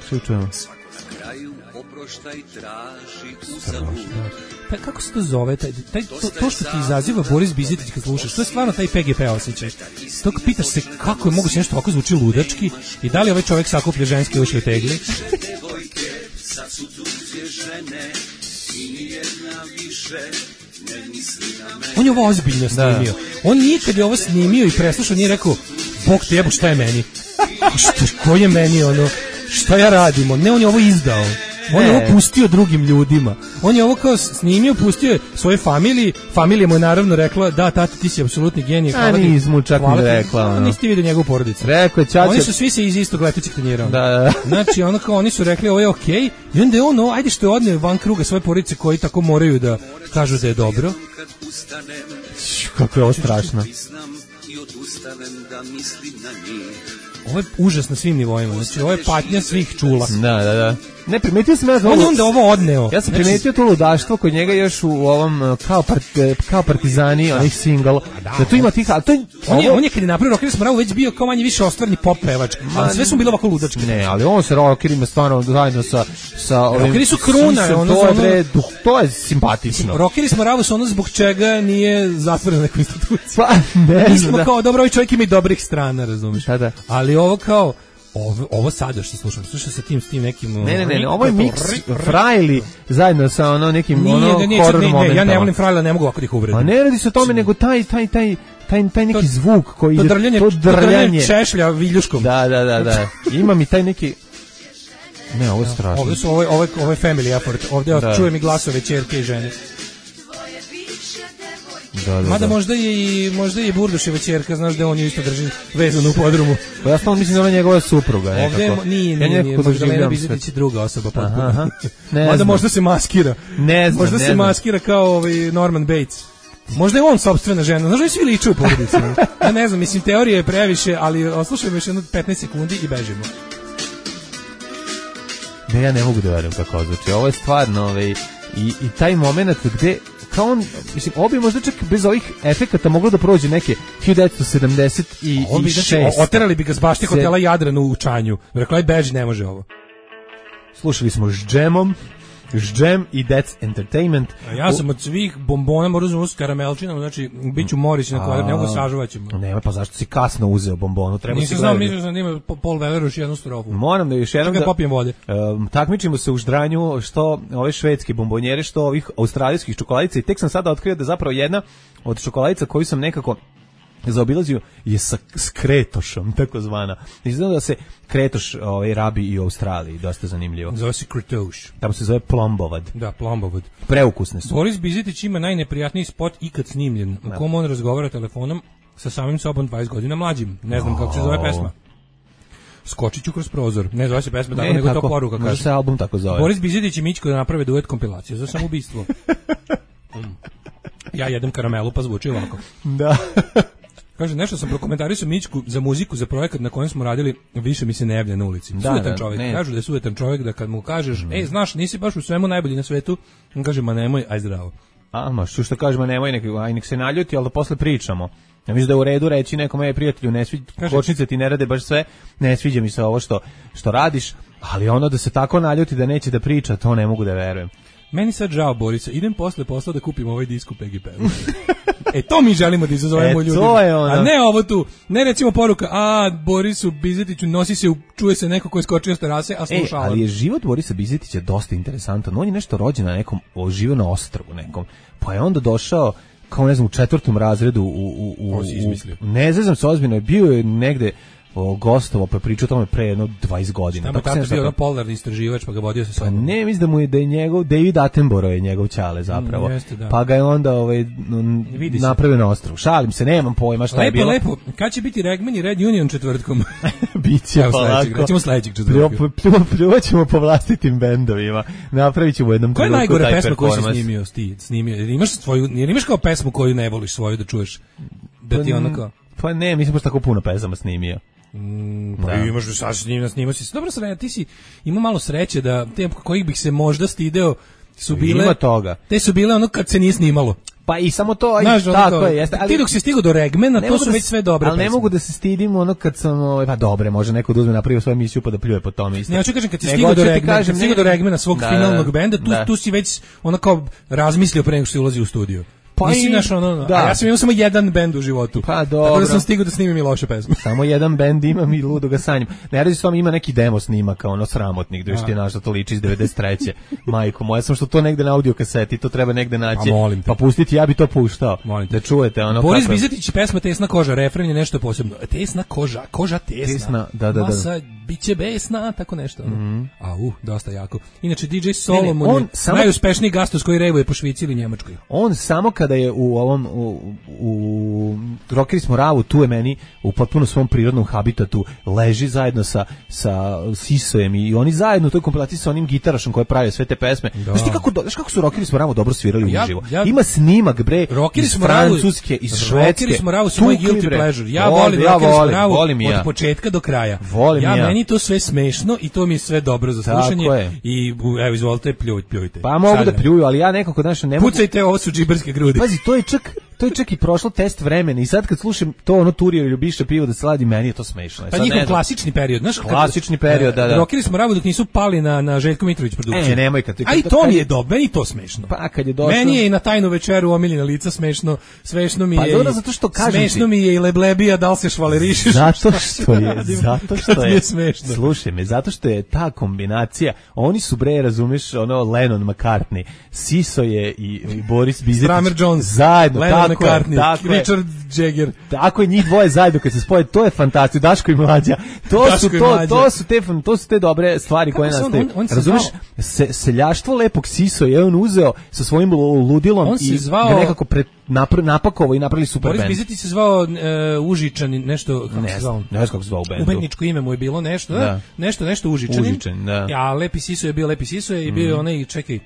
Što čujemo? Pa kako se to zove? Taj, taj, to, to što ti izaziva Boris Bizetić kad slušaš, to je stvarno taj P G P osjećaj. Tog pitaš se kako je moguće nešto ovako zvuči ludački i da li ovaj čovjek sakuplja ženske ušle tegli. On je ovo ozbiljno snimio. On nije kad je ovo snimio i preslušao, nije rekao, Bog te jebo, šta je meni? Što, ko je meni ono? Šta ja radim? Ne, on je ovo izdao. On je Ne. ovo pustio drugim ljudima. On je ovo kao snimio, pustio je svoje familiji. Familija mu je naravno rekla, da, tata, ti si apsolutni genije. A, hvala ti. nis mu čak Hvala ni ti. rekla, ono. Nisi ti vidio njegovu porodicu. Rekao je ćaća. Oni su svi se iz istog letećeg tanjira. Da, da. Znači, ono kao, oni su rekli, ovo je okej. I onda je ono, ajde što je odneo van kruga svoje porodice koji tako moraju da kažu da je dobro. Kako je ovo strašno. Ovo je užas na svim nivoima. Znači, ovo je patnja svih čula. Da, da, da. Ne, primetio sam ja za On je ovo- onda ovo odneo. Ja sam Znači, primetio to ludaštvo kod njega još u ovom uh, kao, part, kao partizani, onih single. Da, tu ima tih, ali to je... On je, ovo- on je kad je napravio Rockeri smo već bio kao manje više ostvarni pop pevač, ali sve su bile ovako ludačke. Ne, ali on se rockerima stvarno zajedno sa sa ovim. Rockeri su kruna, Sisem, ono to za je ono- bre, duh, to je simpatično. Rockeri smo ravo su ono zbog čega nije zatvorena neka institucija. Pa, ne Mi znam, smo da. kao, dobro, ovaj čovjek ima i dobrih strana, razumiješ? Da, da. Ali ovo kao, ovo, ovo sada što slušam, slušam sa tim, s tim nekim... Ne, ne, ne, ne, ovo je miks Frajli zajedno sa ono nekim Nije, ono da nije, čak, horror ne, ne, ja ne momentama. volim Frajla, ne mogu ovako da ih uvredim. A ne radi se o tome, nego taj, taj, taj, taj, taj neki To- zvuk koji To ide, drljanje, to to drljanje drljanje. češlja viljuškom. Da, da, da, da. Ima mi taj neki... Ne, ovo je strašno. Ovdje su, ovo, je- ovo, je- ovo je family effort, ovdje Da. čujem i glasove ćerke i žene. Da, da, Mada da. možda je i možda je i Burduševa ćerka, znaš da on ju isto drži vezano u podrumu. Pa ja stvarno mislim da ona je njegova supruga. Ovdje nekako. nije, Ja nije, nije, nekako Magdalena doživljavam Bizetić je druga osoba Aha, potpuno. aha. Ne Mada znam. možda se maskira. Ne znam, Možda ne se znam. maskira kao ovaj Norman Bates. Možda je on sopstvena žena. Znaš da svi liče u porodici. Ja ne znam, mislim, teorija je previše, ali oslušajmo još jedno petnaest sekundi i bežimo. Ne, ja ne mogu da verujem kako ovo zvuči. Ovo je stvarno, ovaj, i, i taj moment gde, kao on, mislim, ovo bi možda čak bez ovih efekata moglo da prođe neke hiljadu devetsto sedamdeset On bi, znači, šest. o- oterali bi ga s bašte Se- hotela Jadran u Čanju. Rekla je, beži, ne može ovo. Slušali smo s džemom, s džem i That's Entertainment. A ja sam od svih bombona morao uzeti s karamelčinom, znači, bit ću Morić na kvadrat, ne mogu sažuvat ćemo. Ne, pa zašto si kasno uzeo bombonu? Treba Nisam si znao, gledati. mislio sam da ima po- Paul Weller još jednu strofu. Moram da još jednom Čekaj, da... popijem vode. Um, takmičimo se u ždranju što ove švedske bombonjere, što ovih australijskih čokoladica i tek sam sada otkrio da zapravo jedna od čokoladica koju sam nekako zaobilazio je sa s kretošom, tako zvana. Izgleda da se kretoš ovaj, rabi i u Australiji, dosta zanimljivo. Zove se Kretoš. Tamo se zove plombovad. Da, plombovod. Preukusne su. Boris Bizetić ima najneprijatniji spot ikad snimljen, u kom on razgovara telefonom sa samim sobom dvadeset godina mlađim. Ne znam kako se zove pesma. Skočit ću kroz prozor. Ne zove se pesma, tako Ne, nego tako, to poruka možda kaže. se album tako zove. Boris Bizetić i Mićko da naprave duet kompilaciju za samoubistvo. Mm. Ja jedem karamelu pa zvuči ovako. Da. Kaže, nešto sam prokomentarisao Mićku za muziku, za projekat na kojem smo radili, više mi se ne javlja na ulici. Da, Sujetan da, čovjek. ne. Kažu da je sujetan čovjek, da kad mu kažeš, mm. ej, znaš, nisi baš u svemu najbolji na svetu, on kaže, ma nemoj, aj zdravo. A, ma što što kažemo, nemoj nek, aj nek se naljuti, ali da posle pričamo. Ja mislim da je u redu reći nekom, ej prijatelju, ne sviđa, Kaže- kočnice ti ne rade baš sve, ne sviđa mi se ovo što, što radiš, ali ono da se tako naljuti da neće da priča, to ne mogu da verujem. Meni sad žao Borisa, idem posle posla da kupim ovaj disk u P G P-u. E to mi želimo da izazovemo e, ljudima. Ono. A ne ovo tu, ne recimo poruka, a Borisu Bizetiću nosi se, čuje se neko ko je skočio s terase, a sluša. E, ali je život Borisa Bizetića dosta interesantan. On je nešto rođen na nekom, živio na ostrvu nekom, pa je onda došao kao ne znam u četvrtom razredu u, u, u, u ne znam se ozbiljno, bio je negde o, gostovo, pa pričao o tome pre jedno dvadeset godina. Tamo je bio ono polarni istraživač, pa ga vodio sa sobom. Pa ne, mislim da mu je da je njegov, David Attenborough je njegov ćale zapravo. Mm, jeste, da. Pa ga je onda ovaj, napravio na ostrvu. Šalim se, nemam pojma šta lepo, je bilo. Lepo, lepo. Kad će biti Regman i Red Union četvrtkom? Biće Evo polako. Sledećeg, recimo sledećeg četvrtka. Pljuvat ćemo po vlastitim bendovima. Napravit ćemo u jednom trenutku taj performans. Koja je najgore pesma koju si snimio? Ti, snimio? Jer imaš, svoju, jer imaš kao pesmu koju ne voliš svoju da čuješ? Da ti pa, ono kao... Pa ne, mislim baš tako puno pesama snimio. Mm, pa da. Imaš da sad snimio, snimio si. Dobro sreće, ti si imao malo sreće da te kojih bih se možda stideo su bile... Ima toga. Te su bile ono kad se nije snimalo. Pa i samo to, Znaš, i tako to, je. Jeste, ali, ti dok si stigao do Regmana, to su da, već sve dobre ali pesme. ne mogu da se stidim ono kad sam, ovaj, pa dobre, može neko da uzme napravio svoju emisiju pa da pljuje po tome isto. Ne, hoću kažem, kad si stigao do Regmana, kad si stigao do Regmana svog da, finalnog benda, tu, da. tu si već ono kao razmislio pre nego što si ulazi u studio. Pa nisi naš ono, da. A ja sam imao samo jedan bend u životu. Pa dobro. Tako da sam stigao da snimim i loše pesme. Samo jedan bend imam i ludo ga sanjam. Ne radi s vama, ima neki demo snimaka, ono sramotnik, da još ti našta to liči iz devedeset treće Majko moja, sam što to negde na audio kaseti, to treba negde naći. Pa pustiti, ja bi to puštao. Da čujete ono. Boris Bizetić, pesma Tesna koža, refren je nešto posebno. Tesna koža, koža tesna. Tesna, da, da, da. Masa biće besna, tako nešto. Mm-hmm. A uh, dosta jako. Inače D J Solomon je samo... najuspešniji gastos koji revuje po Švici ili Njemačkoj. On samo kada je u ovom u, u Rockeri smo Ravu, tu je meni u potpuno svom prirodnom habitatu, leži zajedno sa sa Sisojem i oni zajedno u toj kompilaciji sa onim gitarašom koji pravi sve te pesme. Znaš ti kako znaš kako su Rockeri smo Ravu dobro svirali ja, uživo. Ja, Ima snimak bre iz Francuske, iz Švedske. Rockeri smo Ravu su moj guilty pleasure. Ja volim ja Rockeri smo Ravu od početka do kraja. Volim ja, ja meni to sve smešno i to mi je sve dobro za slušanje i evo izvolite pljujte, pljujte. Pa mogu da pljuju, ali ja nekako znači ne mogu. Pucajte, ovo su džiberske grudi. Pazi, to je čak to je čak i prošlo test vremena i sad kad slušam to ono Turio Ljubiša pivo da se ladi, meni je to smešno. Pa njihov klasični period, znaš, klasični period, da, da. Rockeri smo Ravu dok nisu pali na na Željko Mitrović produkciju. E, nemoj kad. A i to mi je dobro, meni to smešno. Pa kad je došlo. Meni je i na tajnu večeru omiljena lica smešno, smešno mi je. Pa dobro, zato što kažem smešno mi je i Leblebija, da li se švalerišeš? Zato što je, zato što je smešno. Slušaj me, zato što je ta kombinacija, oni su bre, razumeš, ono Lennon McCartney, Siso je i, i Boris Bizetić. Kramer Jones, zajedno, Lennon tako McCartney, je, tako Richard Jagger. Tako je, njih dvoje zajedno kad se spoje, to je fantastično. Daško i Mlađa. To Daško su to, to su te to su te dobre stvari kako koje nastaju. On, on razumeš? Se, seljaštvo lepog Siso je on uzeo sa svojim ludilom on i zvao, ga nekako pre, napr, napakovao i napravili super Boris band. Boris Bizetić se zvao uh, Užičanin, nešto kako ne se zvao. Ne znam kako se zvao u bendu. Umetničko ime mu je bilo nešto, da. Da, nešto nešto Užičanin. Užičan, da. Ja, Lepi Siso je bio Lepi Siso i bio mm. onaj, čekaj.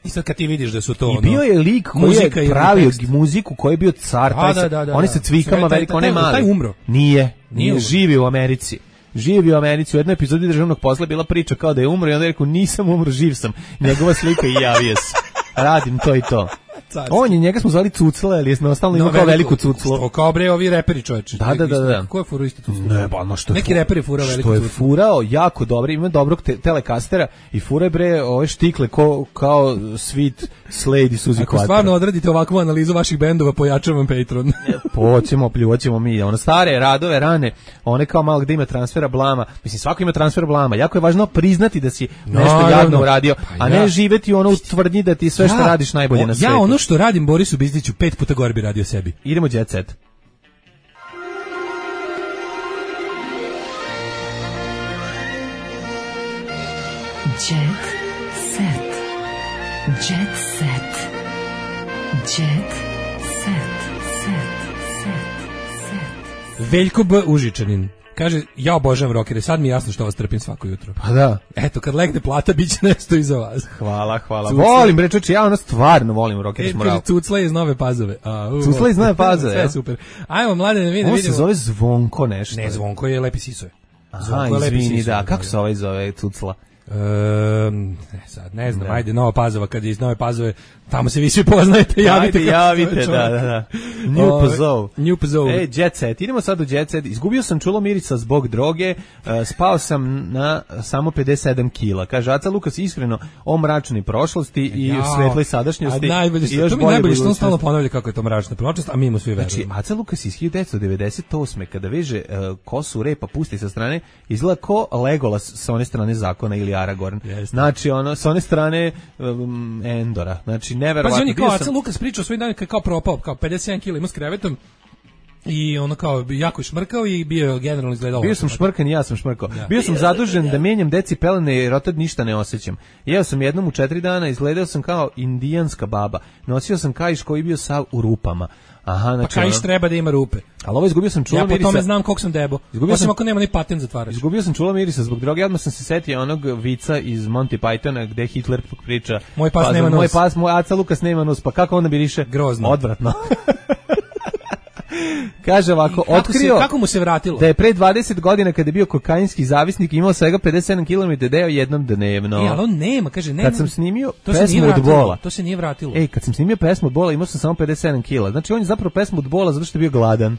I sad kad ti vidiš da su to I bio je lik koji je pravio muziku, koji je bio car, taj da, da, da, oni sa cvikama veliko, on je mali. Taj umro. Nije, nije, živi u Americi. Živi u Americi. U jednoj epizodi Državnog posla bila priča kao da je umro i onda je rekao nisam umro, živ sam. Njegova slika i javio se. Radim to i to. Carski. On je, njega smo zvali Cucla, ali je ostalno ima no, kao veliku Cuclu. Što kao bre ovi reperi čoveče. Da, da, da, da. Ko je furao isto Cuclu? Ne, ba, no što je neki reperi furao veliku Cuclu. Što je furao jako dobro, ima dobrog te, telekastera i fura je bre ove štikle ko, kao Sweet Slade i Suzy Quattro. Ako stvarno odradite ovakvu analizu vaših bendova, pojačavam Patreon. Poćemo, pljuvaćemo mi. Ono stare radove, rane, one kao malo gde ima transfera blama. Mislim, svako ima transfer blama. Jako je važno priznati da si nešto no, jadno no. uradio, pa a ne ja. živeti ono u tvrdnji da ti sve što ja, radiš najbolje o, na svetu. Ja ono što radim Borisu Bizetiću pet puta gore bi radio sebi. Idemo jet set. Jet set. Jet set. Jet set. Set. Set. Set. Veljko B. Užičanin. Kaže, ja obožavam rockere, sad mi je jasno što vas trpim svako jutro. Pa da. Eto, kad legne plata, bit će nešto iza vas. Hvala, hvala. Cucla. Volim, bre, čoče, ja ono stvarno volim rockere. E, kaže, Cucla iz Nove Pazove. A, uh, Cucla iz Nove Pazove, sve super. Ajmo, mlade, ne vidim. On se zove Zvonko nešto. Ne, Zvonko je Lepi Siso. Aha, izvini, da. Kako se ovaj zove Cucla? Um, ne, sad ne znam, da. Ajde Nova Pazova, kad je iz Nove Pazove, tamo se vi svi poznajete, javite. Ajde, javite, da, da, da. New Pazov. New Pazov. E, Jet Set, idemo sad u Jet Set. Izgubio sam čulo mirisa zbog droge, uh, spao sam na samo pedeset sedam kila. Kaže, Aca Lukas iskreno o mračnoj prošlosti i Jao. svetloj sadašnjosti. A najbolje što, to mi najbolje što on stalno ponavlja kako je to mračna prošlost, a mi mu svi verujemo. Znači, Aca Lukas iz hiljadu devetsto devedeset osme kada veže uh, kosu repa pusti sa strane, izgleda ko Legolas sa one strane zakona ili Aragorn. Yes. Znači, ono, sa one strane um, Endora. Znači, neverovatno. Pa on je kao Aca Lukas pričao svoj dan kao propao, kao pedeset sedam kila ima s krevetom i ono kao jako je šmrkao i bio generalno izgledao. Bio sam šmrkan i ja sam šmrkao. Ja. Bio sam zadužen da menjam deci pelene jer od tad ništa ne osjećam. Jeo sam jednom u četiri dana, izgledao sam kao indijanska baba. Nosio sam kaiš koji bio sav u rupama. Aha, znači, pa kaiš ono, treba da ima rupe. Ali ovo izgubio sam čulo ja mirisa. Ja po tome znam koliko sam debo. Izgubio Osim sam, ako nema ni patent zatvarač. Izgubio sam čulo mirisa zbog droge. Odmah sam se setio onog vica iz Monty Pythona gde Hitler priča. Moj pas pa, nema nos. Moj pas, moj Aca Lukas nema nos. Pa kako onda bi riše? Grozno. Odvratno. Kaže ovako, kako otkrio se, kako mu se vratilo? Da je pre dvadeset godina kada je bio kokainski zavisnik imao svega pedeset sedam kilometara deo jednom dnevno. E, ali on nema, kaže, nema. Kad sam snimio to pesmu od Bola. To se nije vratilo. Ej, kad sam snimio pesmu od Bola imao sam samo pedeset sedam kila. Znači on je zapravo pesmu od Bola zato što je bio gladan.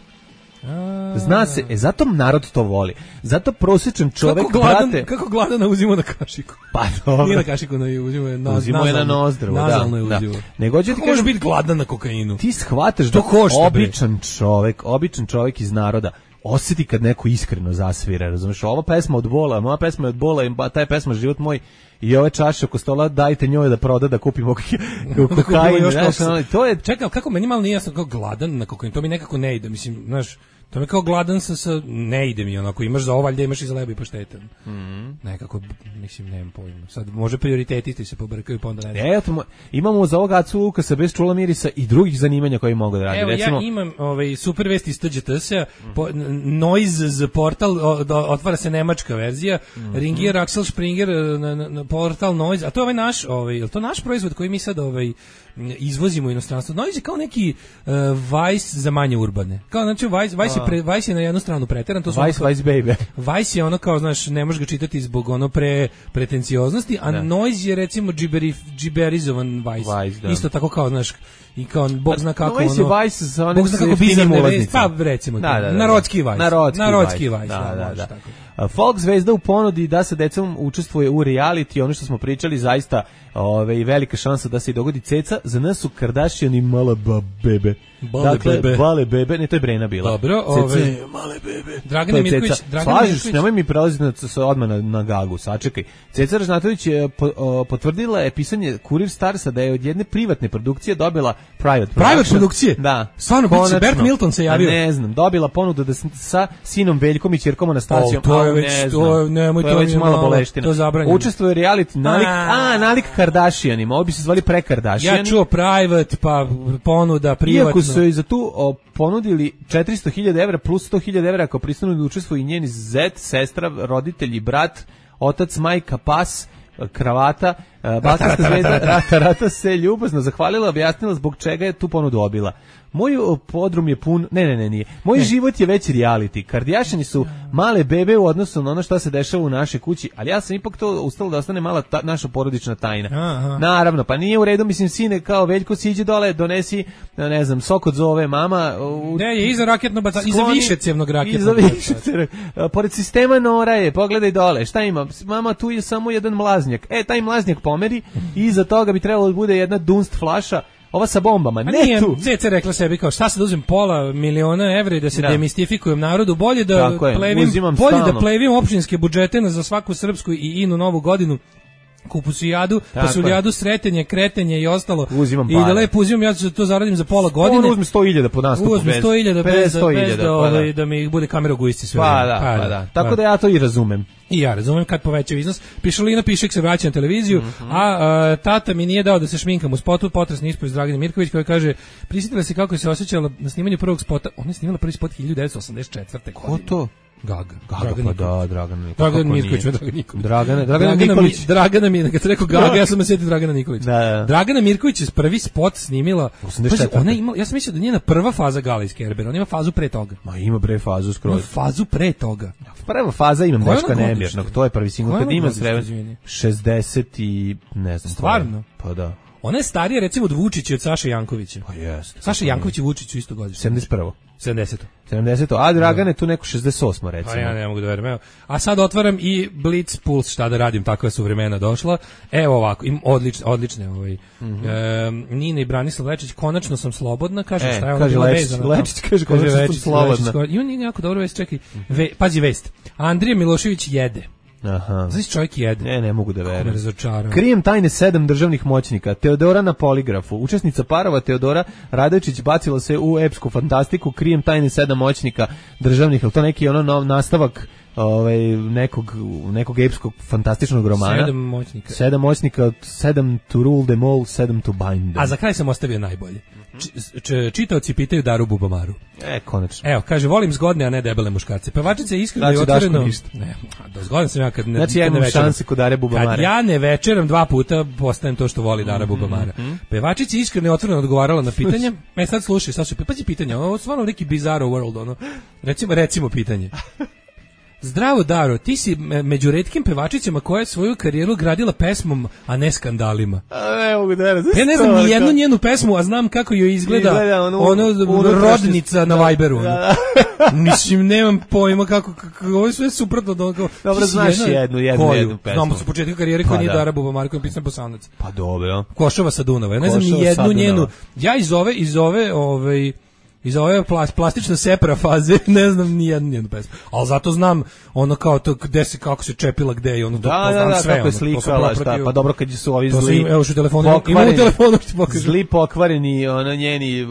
A... Zna se, e, zato narod to voli. Zato prosječan čovek, kako gladan, brate... Kako gladan uzimo na kašiku? Pa dobro. Nije na kašiku, no, uzimo je na, uzimo je na nozdrvo, da. Nazalno je uzimo. Da. Nego, kako možeš biti gladan na kokainu? Ti shvataš da običan čovek, običan čovek iz naroda osjeti kad neko iskreno zasvira, razumeš? Ova pesma od Bola, moja pesma je od Bola, ba, taj pesma Život moj i ove čaše oko stola dajte njoj da proda da kupimo kokain. To je... Čekaj, kako meni malo nije jasno kao gladan na kokain, to mi nekako ne ide, mislim, znaš, to mi kao gladan sa, sa ne ide mi onako, imaš za ovo, valjda imaš i za lebo i paštetan. Mm -hmm. Nekako, mislim, nemam pojma. Sad, može prioriteti se pobrkaju, pa onda ne znam. E, eto, imamo za ovog Acu Lukasa bez čula mirisa i drugih zanimanja koji mogu da radi. Evo, recimo, ja imam ovaj, super vest iz T Đ T S-a, Noise portal, o, do, otvara se nemačka verzija, mm -hmm. Ringier, Axel Springer, na, na, na portal Noise, a to je ovaj naš, ovaj, je to naš proizvod koji mi sad ovaj, izvozimo u inostranstvo. Noise je kao neki uh, Vice za manje urbane. Kao, znači, Vice, Vice, je, pre, Vice je na jednu stranu preteran. To Vice, kao, Vice, baby. Vice je ono kao, znaš, ne možeš ga čitati zbog ono pre pretencioznosti, a da. Noise je recimo džiberi, džiberizovan Vice. Vice Isto tako kao, znaš, i kao, Bog zna kako Noise ono... je Vice za Bog zna kako bizarne vesti. Pa, recimo, da, da, da, narodski Vice. Narodski, narodski Vice. Vice. Da, da, da. da. Folk zvezda u ponudi da sa decom učestvuje u reality, ono što smo pričali, zaista ove, velika šansa da se i dogodi ceca. Za nas su Kardashian i mala bebe. Bale dakle, bebe. Bale bebe, ne, to je Brena bila. Dobro, ove... male bebe. Dragana Mirković, Dragana Slažiš, nemoj mi prelaziti na, odmah na, na gagu, sačekaj. Ceca Ražnatović je po, o, potvrdila je pisanje Kurir Starsa da je od jedne privatne produkcije dobila private production. Private produkcije? Da. Stvarno, biće, Bert Milton se javio. Ne znam, dobila ponudu da sa sinom Veljkom i ćerkom Anastasijom. Oh, to je već, ne to, nemoj, to je već malo boleština. To je zabranjeno. Učestvuje reality nalik, a, nalik Kardashianima, ovo bi se zvali pre Kardashiani. Ja čuo private, pa ponuda, privatno. Iako su i za tu o, ponudili četiristo hiljada evra plus sto hiljada evra ako pristanu da učestvuju i njeni zet, sestra, roditelj i brat, otac, majka, pas, kravata, balkanska zvezda Rata Rata se ljubazno zahvalila, objasnila zbog čega je tu ponudu obila. Moj podrum je pun, ne, ne, ne, nije. Moj ne. život je već reality. Kardashiani su male bebe u odnosu na ono što se dešava u našoj kući, ali ja sam ipak to ustala da ostane mala ta, naša porodična tajna. Aha. Naravno, pa nije u redu, mislim, sine, kao Veljko, siđe dole, donesi, ne znam, sok od zove, mama. U, ne, je iza raketno bacanje, iza višecevnog raketnog. Iza višecevnog. Pored sistema Nora je, pogledaj dole, šta ima? Mama, tu je samo jedan mlaznjak. E, taj mlaznjak pomeri i iza toga bi trebalo da bude jedna dunst flaša. Ova sa bombama, ne nije, tu. Zeca rekla sebi kao šta se da uzem pola miliona evra i da se da. demistifikujem narodu, bolje da plevim, bolje da plevim opštinske budžete za svaku srpsku i inu novu godinu. Kupusijadu, pasuljadu, sretenje, kretenje i ostalo. Uzimam I da lepo uzimam, ja ću to zaradim za pola godine. On uzme sto hiljada po nastupu. Uzme sto hiljada bez, bez da, ovaj, da mi bude kamera u gujici sve. Pa da, pa, pa da. Tako pa. da ja to i razumem. I ja razumem kad poveća iznos. Pišalina Pišek se vraća na televiziju, mm -hmm. a, a tata mi nije dao da se šminkam u spotu, potresni ispovest Dragane Mirković koja kaže, prisjetila se kako se osjećala na snimanju prvog spota. Ona je snimala prvi spot hiljadu devetsto osamdeset četvrte. Ko to? Gaga. Gaga, Dragan pa Nikolić. da, Dragan Nikolić. Dragan Mirković, Dragan Nikolić. Dragana, Dragana Dragana Nikolić. Mi, Dragana mi, kad se rekao Gaga, ja sam me sjetio Dragana Nikolić. Da, da. Dragana Mirković je prvi spot snimila. osamdeset četvrte. Pazi, ona ima, ja sam mislio da njena prva faza Gala iz Kerbera, ona ima fazu pre toga. Ma ima bre fazu Ima skroz. fazu pre toga. Prva faza imam Koja je Daška ona nemirnog, godište? to je prvi singl Koja je kad ona ima godište, sreva izvini? šezdeset i ne znam. Stvarno? Pa da. Ona je starija recimo od Vučića i od Saše Jankovića. Pa jeste. Saša Janković i Vučić su isto godište. sedamdeset prvo. sedamdeseto. sedamdeseto. A Dragan je tu neko šezdeset osmo recimo. Pa ja ne mogu da verujem. Evo. A sad otvaram i Blitz Puls, šta da radim, takva su vremena došla. Evo ovako, im odlične, odlične ovaj. Mm-hmm. E, Nina i Branislav Lečić, konačno sam slobodna, kaže E, šta je ona kaže bila Lečić, vezana. Lečić kaže konačno sam Lečić, slobodna. Lečić, ima nije jako dobro vest, čekaj. Ve, pazi vest. Andrija Milošević jede. Aha. Znaš čovjek jede. Ne, ne mogu da Kako me verujem. razočarao. Krijem tajne sedam državnih moćnika. Teodora na poligrafu. Učesnica parova Teodora Radojčić bacila se u epsku fantastiku. Krijem tajne sedam moćnika državnih. Je li to neki ono nov nastavak ovaj, nekog, nekog epskog fantastičnog romana? Sedam moćnika. Sedam moćnika, sedam to rule them all, sedam to bind them. A za kraj sam ostavio najbolje. Č, č, čitaoci pitaju Daru Bubamaru. E, konačno. Evo, kaže, volim zgodne, a ne debele muškarce. Pevačica je iskreno Znači, i otvoreno... Daško ništa. Ne, do zgodan sam ja kad ne, Znači, kad ja ne imam večeram. šanse kod Dare Bubamare. Kad ja ne večeram dva puta, postajem to što voli Dara Bubamara. Pevačica je iskreno i otvoreno odgovarala na pitanje. E, sad slušaj, sad su, pazi pitanje, ovo je stvarno neki bizarro world, ono. Recimo, recimo pitanje. Zdravo Daro, ti si me- među retkim pevačicama koja je svoju karijeru gradila pesmom, a ne skandalima. A ne mogu da verujem. Ja ne znam ni jednu njenu pesmu, a znam kako joj izgleda, Izgleda onu- ono, unutrašnjost. rodnica na Viberu. Ono. Mislim, nemam pojma kako, kako ovo je sve suprotno od onoga. Dobro, Ti si znaš jednu, jednu, koju? jednu pesmu. Znamo su početka karijere koja Pa nije da. Dara Bubamara, koja je pisana Bosanac. Pa dobro. Košova sa Dunava. Ja ne znam Košova ni sa jednu Dunava. njenu. Ja iz ove, iz ove, ovaj, iz ove plas, plastično separa faze ne znam ni jednu njenu pesmu. Ali zato znam ono kao to gde se, kako se čepila gde i ono to, Da, to da, znam da, sve. kako je ono, to sam slikala, šta, propratio. pa dobro kad su ovi To zli, sam, evo što u telefonu, imam u pokvareni- telefonu što ti pokažem. zli pokvareni, ono, njeni uh,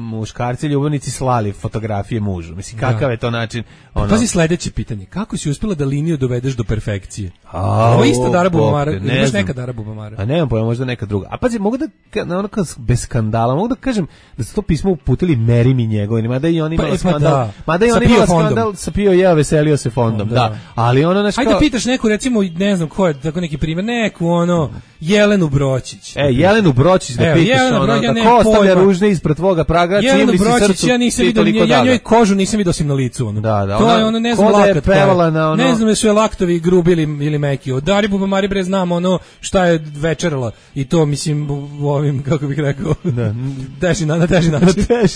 muškarci, ljubavnici slali fotografije mužu. Mislim, kakav Da. je to način, ono... Pazi sledeće pitanje. Kako si uspela da liniju dovedeš do perfekcije? A, Ovo je ista Dara Bog te, Bubamara. ne Imaš znam. neka Dara Bubamara. A nemam pojma, možda neka druga. A pazi, mogu da, ka- na ono kao bez skandala, mogu da kažem da su to pismo uputili Meri mi njegovini, mada i on imala Pa, e, pa skandal. da. Mada i Sa on Pio imala fondom. skandal, sa Pio jeo, veselio se fondom, Da. da. Ali ono, znaš, Hajde kao... da pitaš neku, recimo, ne znam ko je, tako neki primjer, neku ono, Jelenu Bročić. E, Jelenu Bročić da Evo, pitaš, Jelenu ono, Bročić, ja da nemam ko ostavlja pojma. ružne ispred tvoga praga, Jelenu cimri si Bročić, srcu, ja nisam ti vidio, toliko ja, ja dada. njoj kožu nisam vidio osim na licu. Ono. Da, da, to ona- je ono, ne ko znam, da je lakat koja pevala na ono- Ne znam da su je laktovi grubi ili, ili meki. Od Dari Bubamari bre znam ono šta je večerala i to, mislim, u ovim, kako bih rekao, Da. teži, na, na teži način. Teži.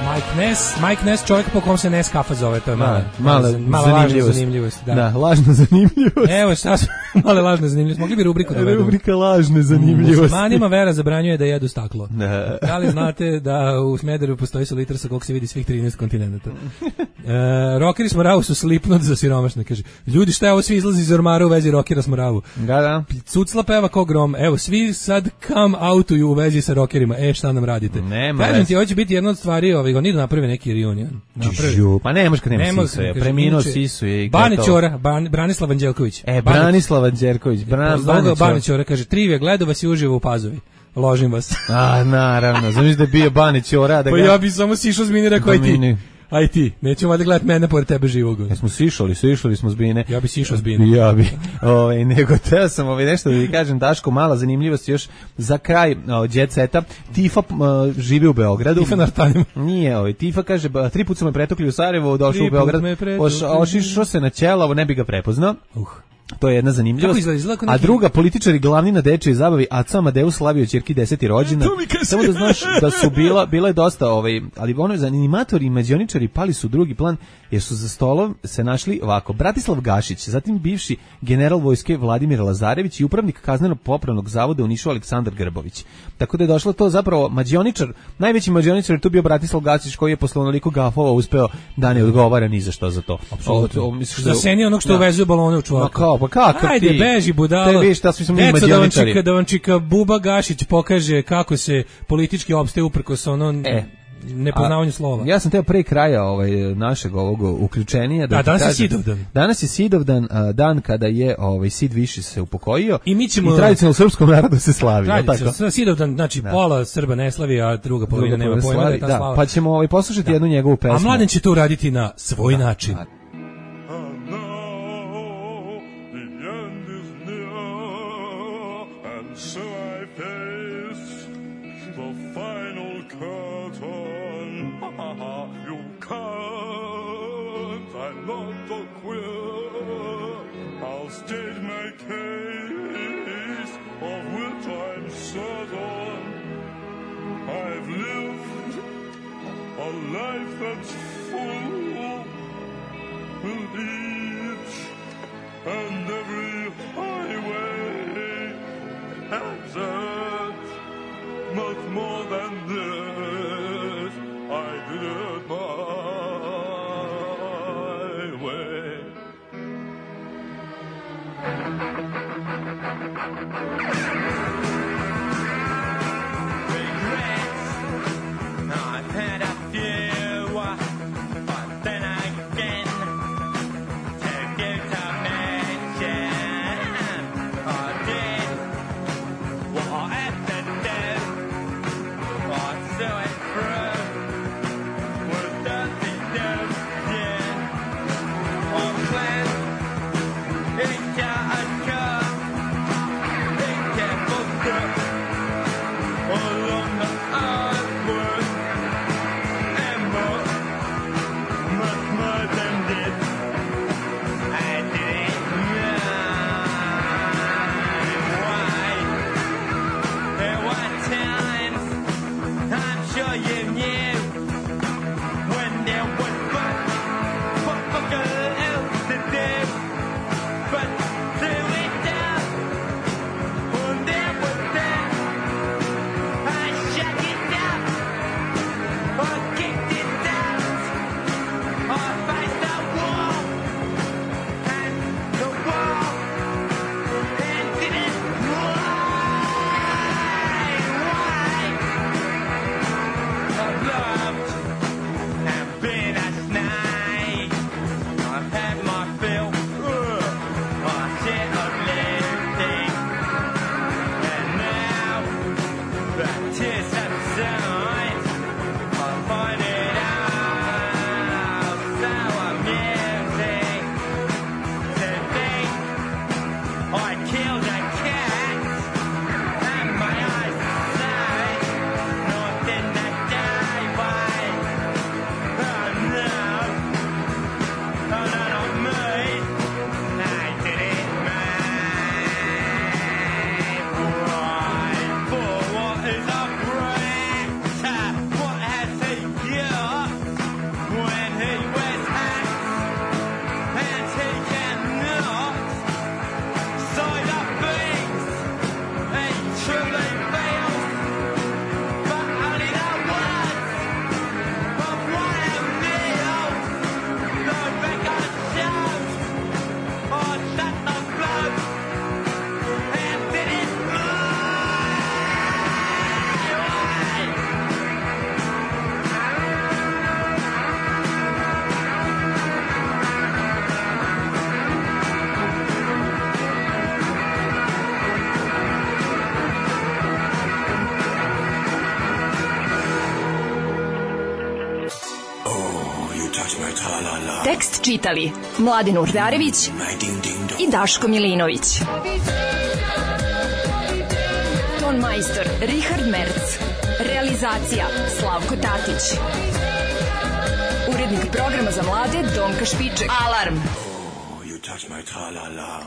Mike Ness, Mike Ness, čovjek po kom se Ness kafa zove, to je mala, mala, mala lažna zanimljivost. zanimljivost. Da. Da, lažna zanimljivost. Evo šta su male lažne zanimljivosti. Mogli bi rubriku da vedemo. Rubrika lažne zanimljivosti. Muslimanima vera zabranjuje da jedu staklo. Da. Da li znate da u Smederevu postoji solitar sa kog se vidi svih trinaest kontinenta? E, rokeri smo ravu su Slipknot za siromašne, kaže. Ljudi, šta je ovo, svi izlazi iz ormara u vezi rokera smo ravu. Da, da. Cucla peva ko grom. Evo, svi sad come outuju u vezi sa rokerima. E, šta nam radite? Nema Kažem veze. ti, ovo će biti jedna od stvari, ovaj, oni idu naprave neki reunion. Naprave. Žu, pa ne može kad nema Nema, Sisu, je. kaže, Preminuo inače, Sisu je i Bane gotovo. Ćora, Ban, Branislav Anđelković. E, Bane- Branislav Anđelković, Bran, Pozdrav ga Bane Bane Ćora. Ćora, kaže, trivija, gledao vas i uživo u Pazovi. Ložim vas. A, naravno, znaš da je bio Bane Ćora, da Pa ga... ja bi samo sišao s mini, rekao, aj Da ti. mini. Aj ti, nećemo valjda gledati mene pored tebe živog. Jesmo sišali, sišali smo s Bine. Ja bi sišao s Bine. Ja bi. Ovaj nego teo sam ovaj nešto da ti kažem, Daško, mala zanimljivost još za kraj o, Jet Seta. Tifa o, živi u Beogradu. Tifa na Artanima. Nije, ovaj Tifa kaže, ba, tri puta su me pretukli u Sarajevo, došao Tri u Beograd. put me pretukli. Oš, ošišao se na Ćelavo, ne bi ga prepoznao. Uh. To je jedna zanimljivost. Kako izgleda? Izgleda kao A neki- druga, političari glavni na dečijoj zabavi, Aca Amadeus slavio ćerki deseti rođendan. Samo da znaš da su bila, bila je dosta, ovaj, ali ono, za animatori i mađioničari pali su u drugi plan, jer su za stolom se našli ovako, Bratislav Gašić, zatim bivši general vojske Vladimir Lazarević i upravnik kazneno-popravnog zavoda u Nišu Aleksandar Grbović. Tako da je došlo to zapravo mađioničar, najveći mađioničar je tu bio Bratislav Gašić, koji je posle onoliko gafova uspeo da ne odgovara ni za što za to. Apsolutno. O, o, misliš da- Za seni onog što Da. uvezuje balone u čvorku. Ma kao, pa kakav Ajde, ti? beži budalo. Te vidiš šta smo mi Deco, da vam mađioničari. čika, da vam čika Buba Gašić pokaže kako se politički opstaje uprkos ono E. nepoznavanju slova. Ja sam teo pre kraja ovaj našeg ovog uključenja da Da, ti danas je kažem- Sidovdan. Danas je Sidovdan, a, dan kada je ovaj Sid Viši se upokojio. I mi ćemo- I tradicionalno srpskom narodu se slavi, je li Tradicija, tako? sa Sidovdan, znači pola Srba ne slavi, a druga polovina Druga nema polovina pojma da je slavi, ta da, slava. pa ćemo ovaj poslušati jednu njegovu pesmu. A Mladen će to uraditi na svoj način. not so queer. I'll state my case, of which I'm certain. I've lived a life that's full, and each and every highway has it. Much more than this, I did it my way. Regrets, I've had a few, but then again, to give to mention, I did what I had to do. I saw it through with dirty news, yeah. I planned it got a cut, it got booked up along the earthward, and more, much more than this. I didn't know why. There were times I'm sure you knew when there was but what fuck else to do but to it down. When there was that, I shut it up, I kicked it out, I faced the wall, and the wall, and didn't why, why? I've loved and been a snake. I've had my fill, ugh, my shit of living. And now, the tears subside, I find it all so amusing to think I killed a cat, and my eyes say, not in the daylight. Oh no, oh no, not me. I did it my way. For what is a preacher? What has he got when he wears hats and he cannot side up things? He truly feels, but only the words of one of Neil's. The record shows I shut the blood and did it my way. Tekst čitali Mladin Urdarević i Daško Milinović. Ton majstor Richard Merc. Realizacija Slavko Tatić. Urednik programa za mlade Donka Špiček. Alarm! You touch my tra-la-la.